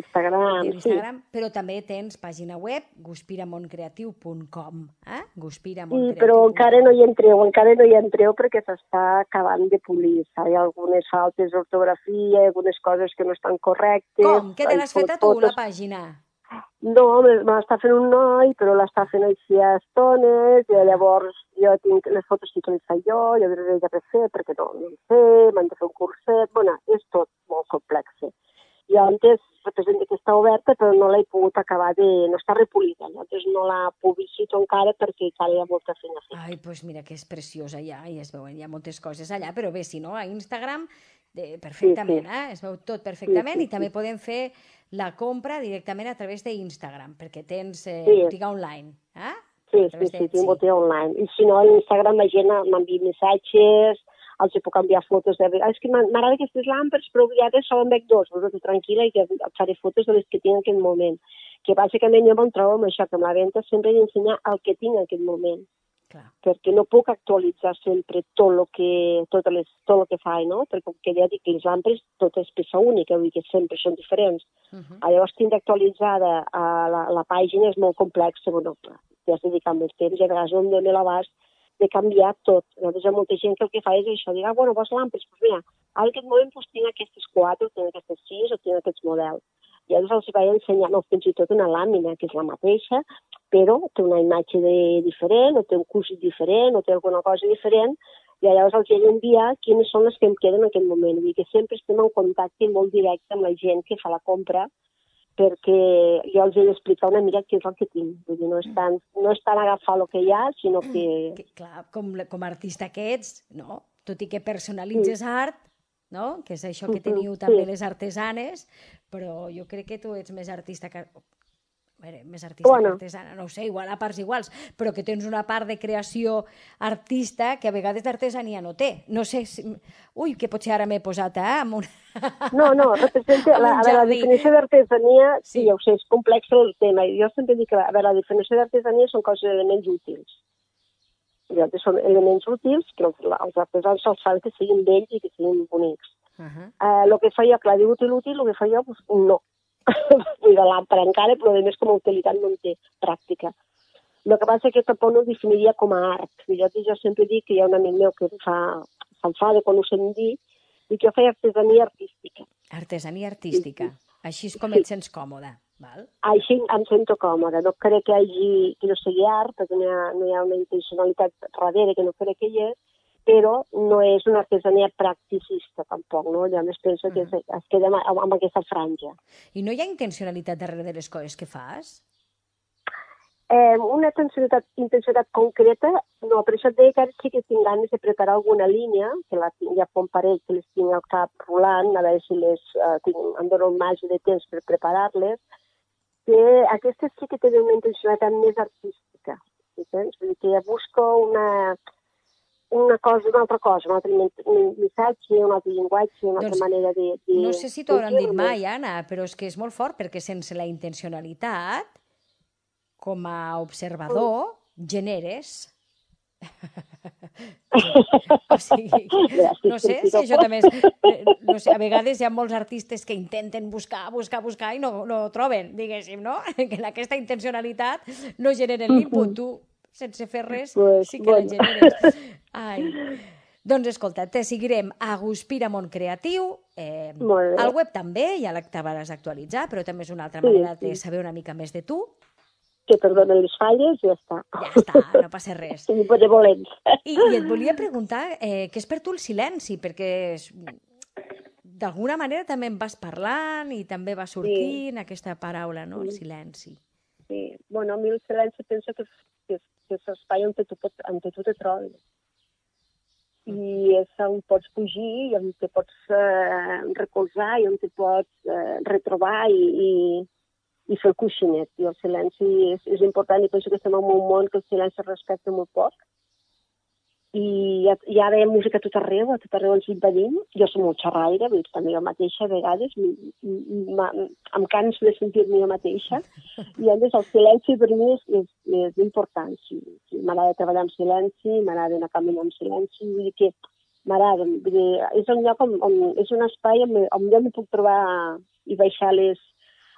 sí. Però també tens pàgina web guspiramontcreatiu.com, Sí, però encara no hi entreu perquè s'està acabant de polir. Hi ha algunes faltes d'ortografia, algunes coses que no estan correctes. Com? Que te l'has fet a tu, la pàgina? No, me l'està fent un noi, però l'està fent així a estones, i llavors jo tinc les fotos sí que les faig jo les he de refer perquè no ho sé, m'han de fer un curset, és tot molt complex. Jo antes represento que està oberta, però no l'he pogut acabar no està repolida, llavors no la publicito encara perquè encara hi ha molta feina a fer. Ai, doncs mira que és preciosa ja, i es veuen, hi ha moltes coses allà, però bé, si no, a Instagram perfectament, es veu tot perfectament i també podem fer la compra directament a través d'Instagram, perquè tens botiga online, Sí, tinc botiga online. I si no, a l'Instagram la gent m'envia missatges, els puc enviar fotos de... És que m'agrada aquestes làmpades, però ara solen veig dos, tranquil·la, i que faré fotos de les que tinc en aquest moment. Que bàsicament jo me'n trobo amb això, que amb la venda sempre he d'ensenyar el que tinc en aquest moment. perquè no puc actualitzar sempre tot el que faig, no? Perquè com que ja dic, les lampes tot és peça única, vull dir que sempre són diferents. Llavors, tindre actualitzada la pàgina és molt complexa, bueno, ja has dedicat molt temps i a vegades no em dóna l'abast de canviar tot. Llavors, hi ha molta gent que el que fa és això, dir, bueno, vols lampes? Doncs mira, ara en aquest moment tinc aquestes 4, tinc aquestes 6 o tinc aquests models. I llavors els vaig ensenyar, fins i tot una làmina, que és la mateixa, però té una imatge diferent, o té un cúsit diferent, o té alguna cosa diferent, i llavors els he d'enviar quines són les que em queden en aquest moment. Vull dir que sempre estem en contacte molt directe amb la gent que fa la compra, perquè jo els he d'explicar una mica què és el que tinc. Vull dir, no és tant agafar el que hi ha, sinó que... Clar, com a artista que ets, no? Tot i que personalitzes art, no? Que és això que teniu també les artesanes, però jo crec que tu ets més artista que... més artista que artesana, no ho sé, igual a parts iguals, però que tens una part de creació artista que a vegades d'artesania no té. No sé si... Ui, que potser ara m'he posat amb una... No, representa... la definició d'artesania, sí, ja ho sé, és complex el tema. Jo sempre dic que la definició d'artesania són coses elements útils. Són elements útils que els artesans se'ls fan que siguin bells i que siguin bonics. El que fa jo, clar, diu útil, el que fa jo, no. Vull de l'àmpara encara, però a més com a utilitat no en té pràctica. El que passa és que tampoc no ho definiria com a art. Jo sempre dic que hi ha un amic meu que s'enfada quan ho sent dir, i que jo feia artesania artística. Artesania artística. Així és com et sents còmode, val? Així em sento còmode. No crec que no sigui art, perquè no hi ha una intencionalitat darrere que no crec que hi és, però no és una artesania practicista tampoc, no? Llavors penso que es queda amb aquesta franja. I no hi ha intencionalitat darrere de les coses que fas? Una intencionalitat concreta, no, per això et deia que ara sí que tinc ganes de preparar alguna línia, que ja fa un parell que les tinc al cap rolant, a veure si em dono un marge de temps per preparar-les, que aquestes sí que tenen una intencionalitat més artística, entens? Vull dir que ja busco una altra cosa, un altre missatge, un altre llenguatge, una altra manera de... No sé si t'ho hauran dit mai, Anna, però és que és molt fort, perquè sense la intencionalitat, com a observador, generes. O sigui, no sé si això també és... No sé, a vegades hi ha molts artistes que intenten buscar i no troben, diguéssim, no? Que aquesta intencionalitat no genera l'input. Tu, sense fer res, sí que la generes. Ai. Doncs escolta, te seguirem a Guspira Món Creatiu, al web també, ja l'acabaràs d'actualitzar, però també és una altra manera de saber una mica més de tu. Que perdonen les falles i ja està. Ja està, no passa res. Sí, de volents. I et volia preguntar què és per tu el silenci, perquè d'alguna manera també em vas parlant i també va sortint aquesta paraula, no?, el silenci. Sí, bueno, a mi el silenci penso que és l'espai on tu te trobes. I és on pots fugir, i on te pots recolzar, i on te pots retrobar i fer el coixinet. I el silenci és important, i penso que estem en un món que el silenci es respecta molt poc. I hi ha música a tot arreu ens invadim. Jo soc molt xerraire, també jo mateixa a vegades, em canso de sentir-me jo mateixa. I llavors el silenci per mi és important. M'agrada treballar en silenci, m'agrada anar a caminar en silenci, vull dir que m'agrada. És un lloc és un espai on jo m'hi puc trobar i baixar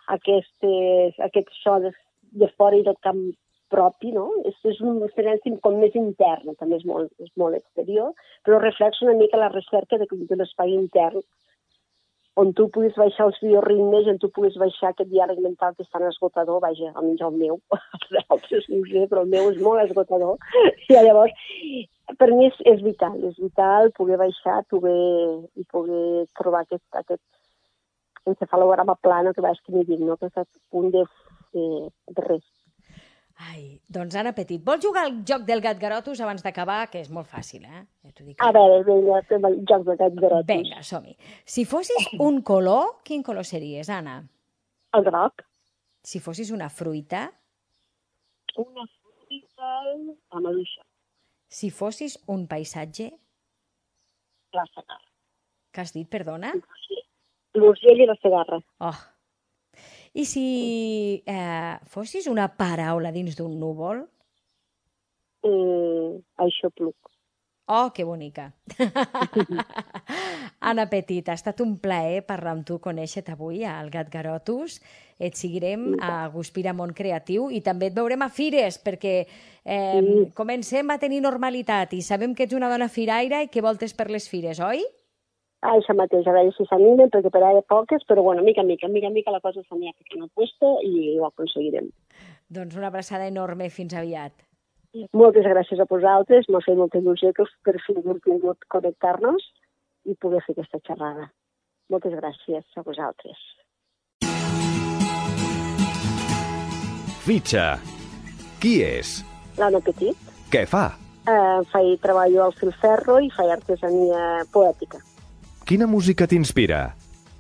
aquest so de fora i del camp propi, no? És un silenci com més intern, també és molt exterior, però reflexa una mica la recerca de l'espai intern, on tu puguis baixar els bioritmes, on tu puguis baixar aquest diàleg mental que és tan esgotador, vaja, almenys el meu, els altres no sé, però el meu és molt esgotador. I llavors, per mi és vital poder baixar i poder trobar aquest encefalograma plano que vaig que m'hi dic, no? Aquest punt de res. Ai, doncs Anna Petit, vols jugar al joc del gat garotos abans d'acabar? Que és molt fàcil, eh? A veure, vinga, fem el joc del gat garotos. Vinga, som-hi. Si fossis un color, quin color series, Anna? El groc. Si fossis una fruita? Una fruita, la maduixa. Si fossis un paisatge? La segarra. Què has dit, perdona? L'urgell i la segarra. Oh. I si fossis una paraula dins d'un núvol? Aixopluc. Oh, que bonica. Anna Petit, ha estat un plaer parlar amb tu, conèixer-te avui al Gatgarotus. Et seguirem a Guspira Món Creatiu i també et veurem a fires, perquè comencem a tenir normalitat i sabem que ets una dona firaire i que voltes per les fires, oi? Això mateix, a veure si s'animen, perquè per ara poques, però bueno, mica en mica la cosa s'anirà ficant al puesto i ho aconseguirem. Doncs una abraçada enorme, fins aviat. Moltes gràcies a vosaltres, m'ha fet molta il·lusió que per fi hem pogut connectar-nos i poder fer aquesta xerrada. Moltes gràcies a vosaltres. Fitxa. Qui és? L'Anna Petit. Què fa? Treballo al filferro i faig artesania poètica. Quina música t'inspira?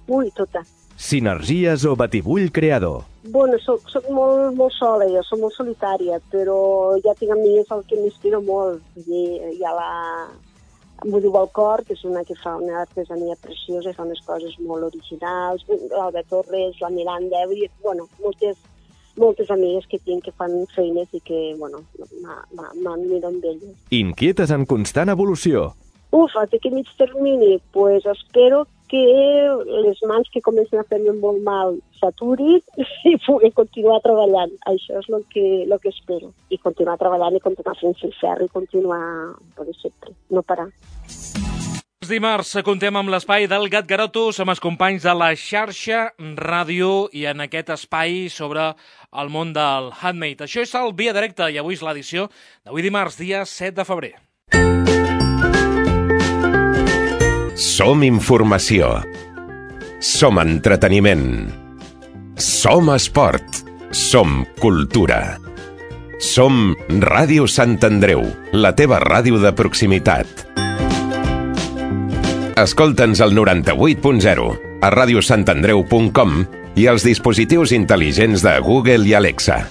Ui, tota. Sinergies o batibull creador? Bueno, soc molt sola, jo soc molt solitària, però ja tinc amigues el que m'inspira molt. Hi ha la Mudiu al Cor, que és una que fa una artesania preciosa i fa unes coses molt originals, l'Alba Torres, la Miranda, bueno, moltes amigues que tinc que fan feines i que, bueno, m'admiro amb elles. Inquietes en constant evolució. Aquest mig termini, pues espero que les mans que comencen a fer-me molt mal s'aturin i pugui continuar treballant. Això és el que espero. I continuar treballant i continuar fent filferro i continuar, per sempre, no parar. Dimarts contem amb l'espai del Gatgarotus amb els companys de la xarxa ràdio i en aquest espai sobre el món del handmade. Això és el Via Directa i avui és l'edició d'avui dimarts, dia 7 de febrer. Som informació. Som entreteniment. Som esport. Som cultura. Som Ràdio Sant Andreu, la teva ràdio de proximitat. Escolta'ns al 98.0, a radiosantandreu.com i als dispositius intel·ligents de Google i Alexa.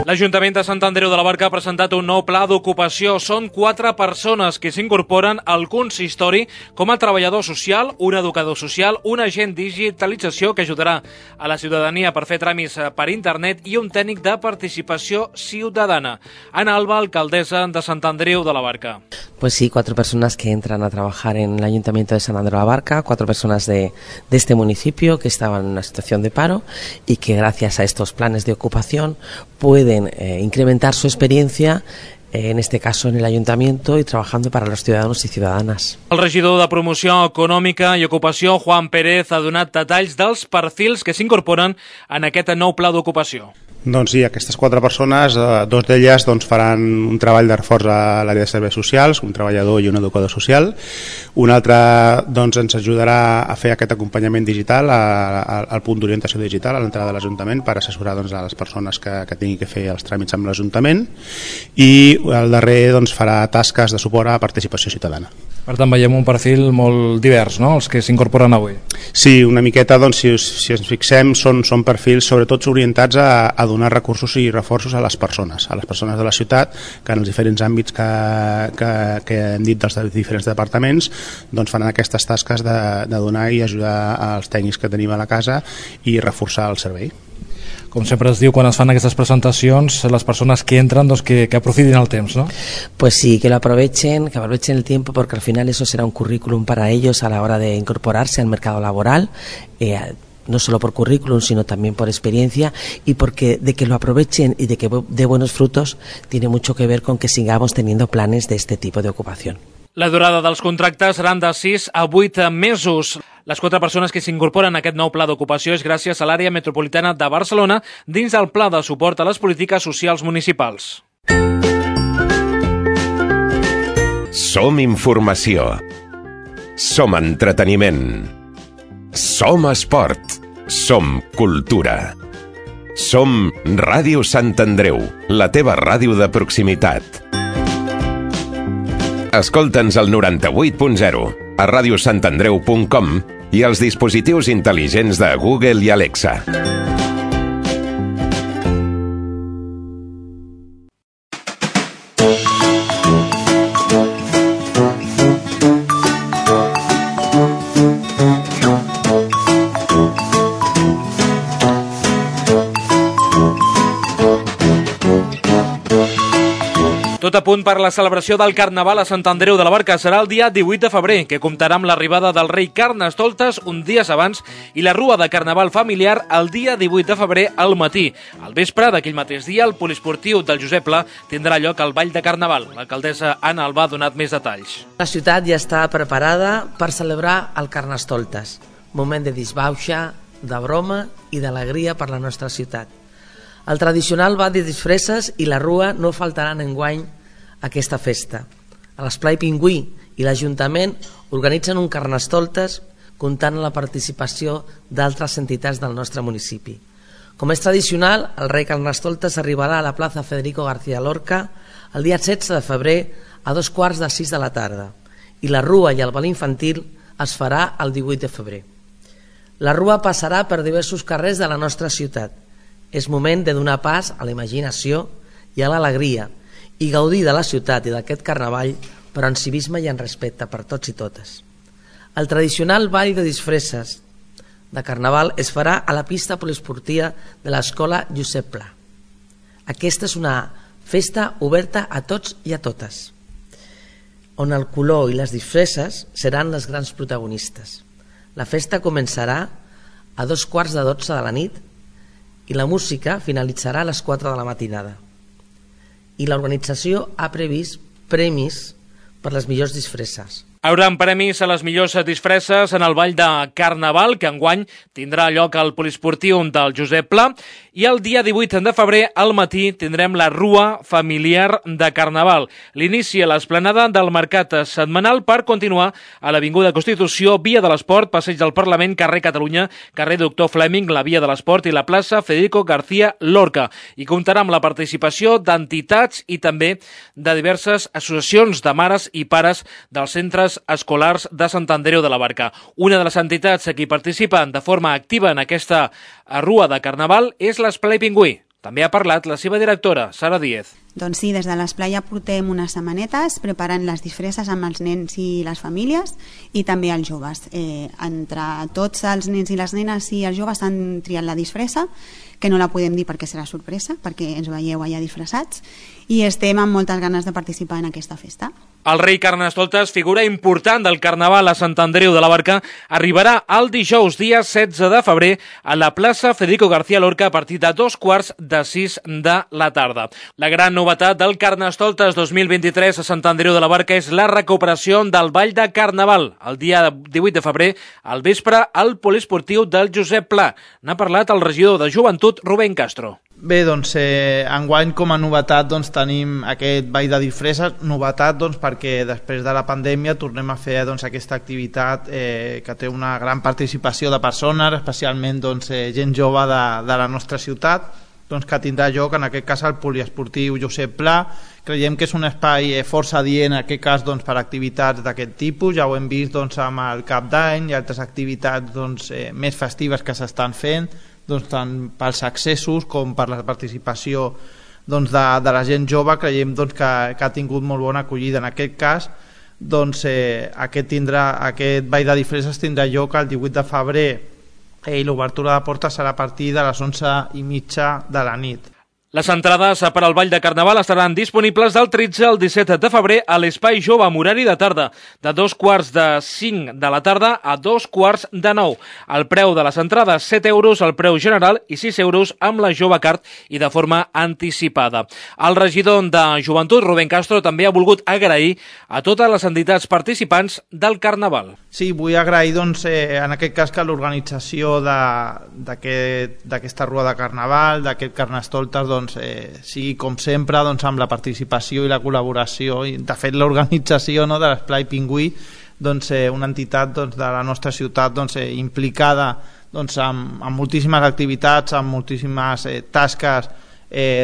L'Ajuntament de Sant Andreu de la Barca ha presentat un nou pla d'ocupació. Són 4 persones que s'incorporen al consistori com a treballador social, un educador social, un agent digitalització que ajudarà a la ciutadania per fer tràmits per internet i un tècnic de participació ciudadana. Ana Alba, alcaldessa de Sant Andreu de la Barca. Pues sí, 4 personas que entran a trabajar en el Ayuntamiento de Sant Andreu de la Barca, 4 personas de este municipio que estaban en una situación de paro y que gracias a estos planes de ocupación pueden incrementar su experiencia, en este caso en el Ayuntamiento, y trabajando para los ciudadanos y ciudadanas. El regidor de Promoció Econòmica i Ocupació, Juan Pérez, ha donat detalls dels perfils que s'incorporen en aquest nou pla d'ocupació. Doncs sí, aquestes 4 persones, 2 d'elles faran un treball de reforç a l'àrea de serveis socials, un treballador i un educador social. Un altre ens ajudarà a fer aquest acompanyament digital al punt d'orientació digital a l'entrada de l'Ajuntament per assessorar a les persones que tinguin que fer els tràmits amb l'Ajuntament, i el darrer farà tasques de suport a participació ciutadana. Per tant, veiem un perfil molt divers, no?, els que s'incorporen avui. Sí, una miqueta, si ens fixem, són perfils sobretot orientats a donar recursos i reforços a les persones de la ciutat, que en els diferents àmbits que hem dit dels diferents departaments faran aquestes tasques de donar i ajudar als tècnics que tenim a la casa i reforçar el servei. Com sempre es diu quan es fan aquestes presentacions, les persones que entran que aprofitin el temps, ¿no? Pues sí, que lo aprovechen el tiempo, porque al final eso será un currículum para ellos a la hora de incorporarse al mercado laboral, no solo por currículum, sino también por experiencia, y porque de que lo aprovechen y de que dé buenos frutos tiene mucho que ver con que sigamos teniendo planes de este tipo de ocupación. La durada dels contractes seran de 6 a 8 mesos. Les 4 persones que s'incorporen a aquest nou pla d'ocupació és gràcies a l'àrea metropolitana de Barcelona dins del Pla de Suport a les Polítiques Socials Municipals. Som informació. Som entreteniment. Som esport. Som cultura. Som Ràdio Sant Andreu, la teva ràdio de proximitat. Escolta'ns al 98.0, a radiosantandreu.com i als dispositius intel·ligents de Google i Alexa. a punt per la celebració del Carnaval a Sant Andreu de la Barca. Serà el dia 18 de febrer, que comptarà amb l'arribada del rei Carnestoltes un dies abans i la rua de Carnaval familiar el dia 18 de febrer al matí. Al vespre d'aquell mateix dia, el poliesportiu del Josep Pla tindrà lloc al Ball de Carnaval. L'alcaldessa Anna Albà ha donat més detalls. La ciutat ja està preparada per celebrar el Carnestoltes, moment de disbauxa, de broma i d'alegria per la nostra ciutat. El tradicional ball de disfresses i la rua no faltaran enguany a aquesta festa. A l'Esplai Pingüí i l'Ajuntament organitzen un Carnestoltes comptant amb la participació d'altres entitats del nostre municipi. Com és tradicional, el rei Carnestoltes arribarà a la plaça Federico García Lorca el dia 16 de febrer a 5:45 de la tarda i la rua i el ball infantil es farà el 18 de febrer. La rua passarà per diversos carrers de la nostra ciutat. És moment de donar pas a la imaginació i a l'alegria i gaudir de la ciutat i d'aquest carnaval, però en civisme i en respecte per tots i totes. El tradicional ball de disfresses de carnaval es farà a la pista poliesportiva de l'escola Josep Pla. Aquesta és una festa oberta a tots i a totes, on el color i les disfresses seran les grans protagonistes. La festa començarà a 11:45 de la nit i la música finalitzarà a les 4 de la matinada. I l'organització ha previst premis per les millors disfresses. Hi haurà premis a les millors disfresses en el Ball de Carnaval, que enguany tindrà lloc al poliesportiu del Josep Pla, i el dia 18 de febrer al matí tindrem la rua familiar de Carnaval. L'inici a l'esplanada del mercat setmanal per continuar a l'Avinguda Constitució, Via de l'Esport, Passeig del Parlament, carrer Catalunya, carrer Doctor Fleming, la Via de l'Esport i la plaça Federico García Lorca. I comptarà amb la participació d'entitats i també de diverses associacions de mares i pares dels centres escolars de Sant Andreu de la Barca. Una de les entitats que hi participen de forma activa en aquesta rua de Carnaval és l'Esplai Pingüí. També ha parlat la seva directora, Sara Díez. Doncs sí, des de l'Esplai ja portem unes setmanetes preparant les disfresses amb els nens i les famílies i també els joves. Entre tots els nens i les nenes i els joves han triat la disfressa, que no la podem dir perquè serà sorpresa, perquè ens veieu allà disfressats, i estem amb moltes ganes de participar en aquesta festa. El rei Carnestoltes, figura important del Carnaval a Sant Andreu de la Barca, arribarà el dijous, dia 16 de febrer, a la plaça Federico García Lorca a partir de 5:45 de la tarda. La gran novetat del Carnestoltes 2023 a Sant Andreu de la Barca és la recuperació del Ball de Carnaval. El dia 18 de febrer, al vespre, al poliesportiu del Josep Pla. N'ha parlat el regidor de Joventut, Rubén Castro. Bé, doncs, enguany com a novetat doncs, tenim aquest ball de disfresses, novetat doncs, perquè després de la pandèmia tornem a fer doncs, aquesta activitat que té una gran participació de persones, especialment doncs, gent jove de la nostra ciutat, doncs, que tindrà lloc en aquest cas al poliesportiu Josep Pla. Creiem que és un espai força adient en aquest cas doncs, per activitats d'aquest tipus, ja ho hem vist doncs, amb el Cap d'Any i altres activitats doncs, més festives que s'estan fent, doncs, tant pels accessos com per la participació doncs, de la gent jove. Creiem doncs, que ha tingut molt bona acollida. En aquest cas doncs, aquest ball de disfresses tindrà lloc el 18 de febrer i l'obertura de portes serà a partir de les 11:30 de la nit. Les entrades per al Ball de Carnaval estaran disponibles del 13 al 17 de febrer a l'Espai Jove amb horari de tarda, de 5:45 de la tarda a 9:15. El preu de les entrades, 7 euros el preu general i 6 euros amb la Jove Card i de forma anticipada. El regidor de Joventut, Rubén Castro, també ha volgut agrair a totes les entitats participants del Carnaval. Sí, vull agrair doncs, en aquest cas que l'organització d'aquesta rua de Carnaval, d'aquest Carnestoltes, doncs, sigui com sempre doncs, amb la participació i la col·laboració i de fet l'organització, no, de l'Esplai Pingüí, doncs, una entitat doncs, de la nostra ciutat doncs, implicada doncs, amb moltíssimes activitats, amb moltíssimes tasques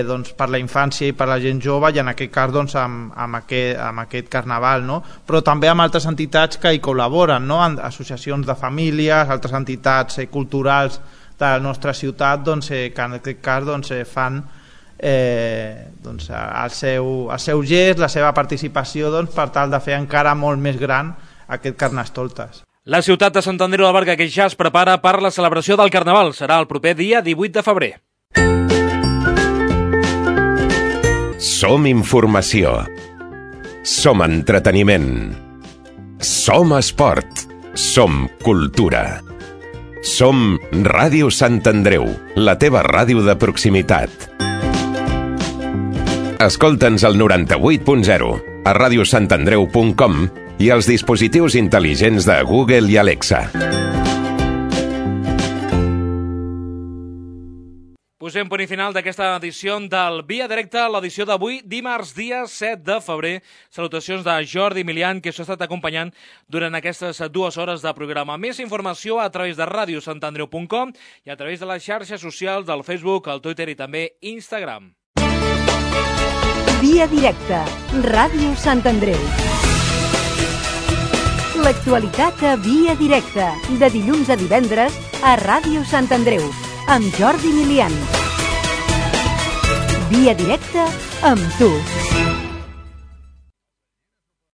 doncs, per la infància i per la gent jove, i en aquest cas doncs, amb aquest Carnaval, no? Però també amb altres entitats que hi col·laboren, no? Associacions de famílies, altres entitats culturals de la nostra ciutat doncs, que en aquest cas doncs, fan doncs, el seu gest, la seva participació doncs, per tal de fer encara molt més gran aquest Carnestoltes. La ciutat de Sant Andreu de la Barca, que ja es prepara per la celebració del Carnaval, serà el proper dia 18 de febrer. Som informació. Som entreteniment. Som esport. Som cultura. Som Ràdio Sant Andreu, la teva ràdio de proximitat. Escolta'ns al 98.0, a radiosantandreu.com i als dispositius intel·ligents de Google i Alexa. Posem punt i final d'aquesta edició del Via Directa, l'edició d'avui, dimarts, dia 7 de febrer. Salutacions de Jordi Milian, que s'ha estat acompanyant durant aquestes 2 hores de programa. Més informació a través de radiosantandreu.com i a través de les xarxes socials del Facebook, el Twitter i també Instagram. Via Directa, Ràdio Sant Andreu. L'actualitat a Via Directa, de dilluns a divendres a Ràdio Sant Andreu, amb Jordi Milian. Via Directa amb tu.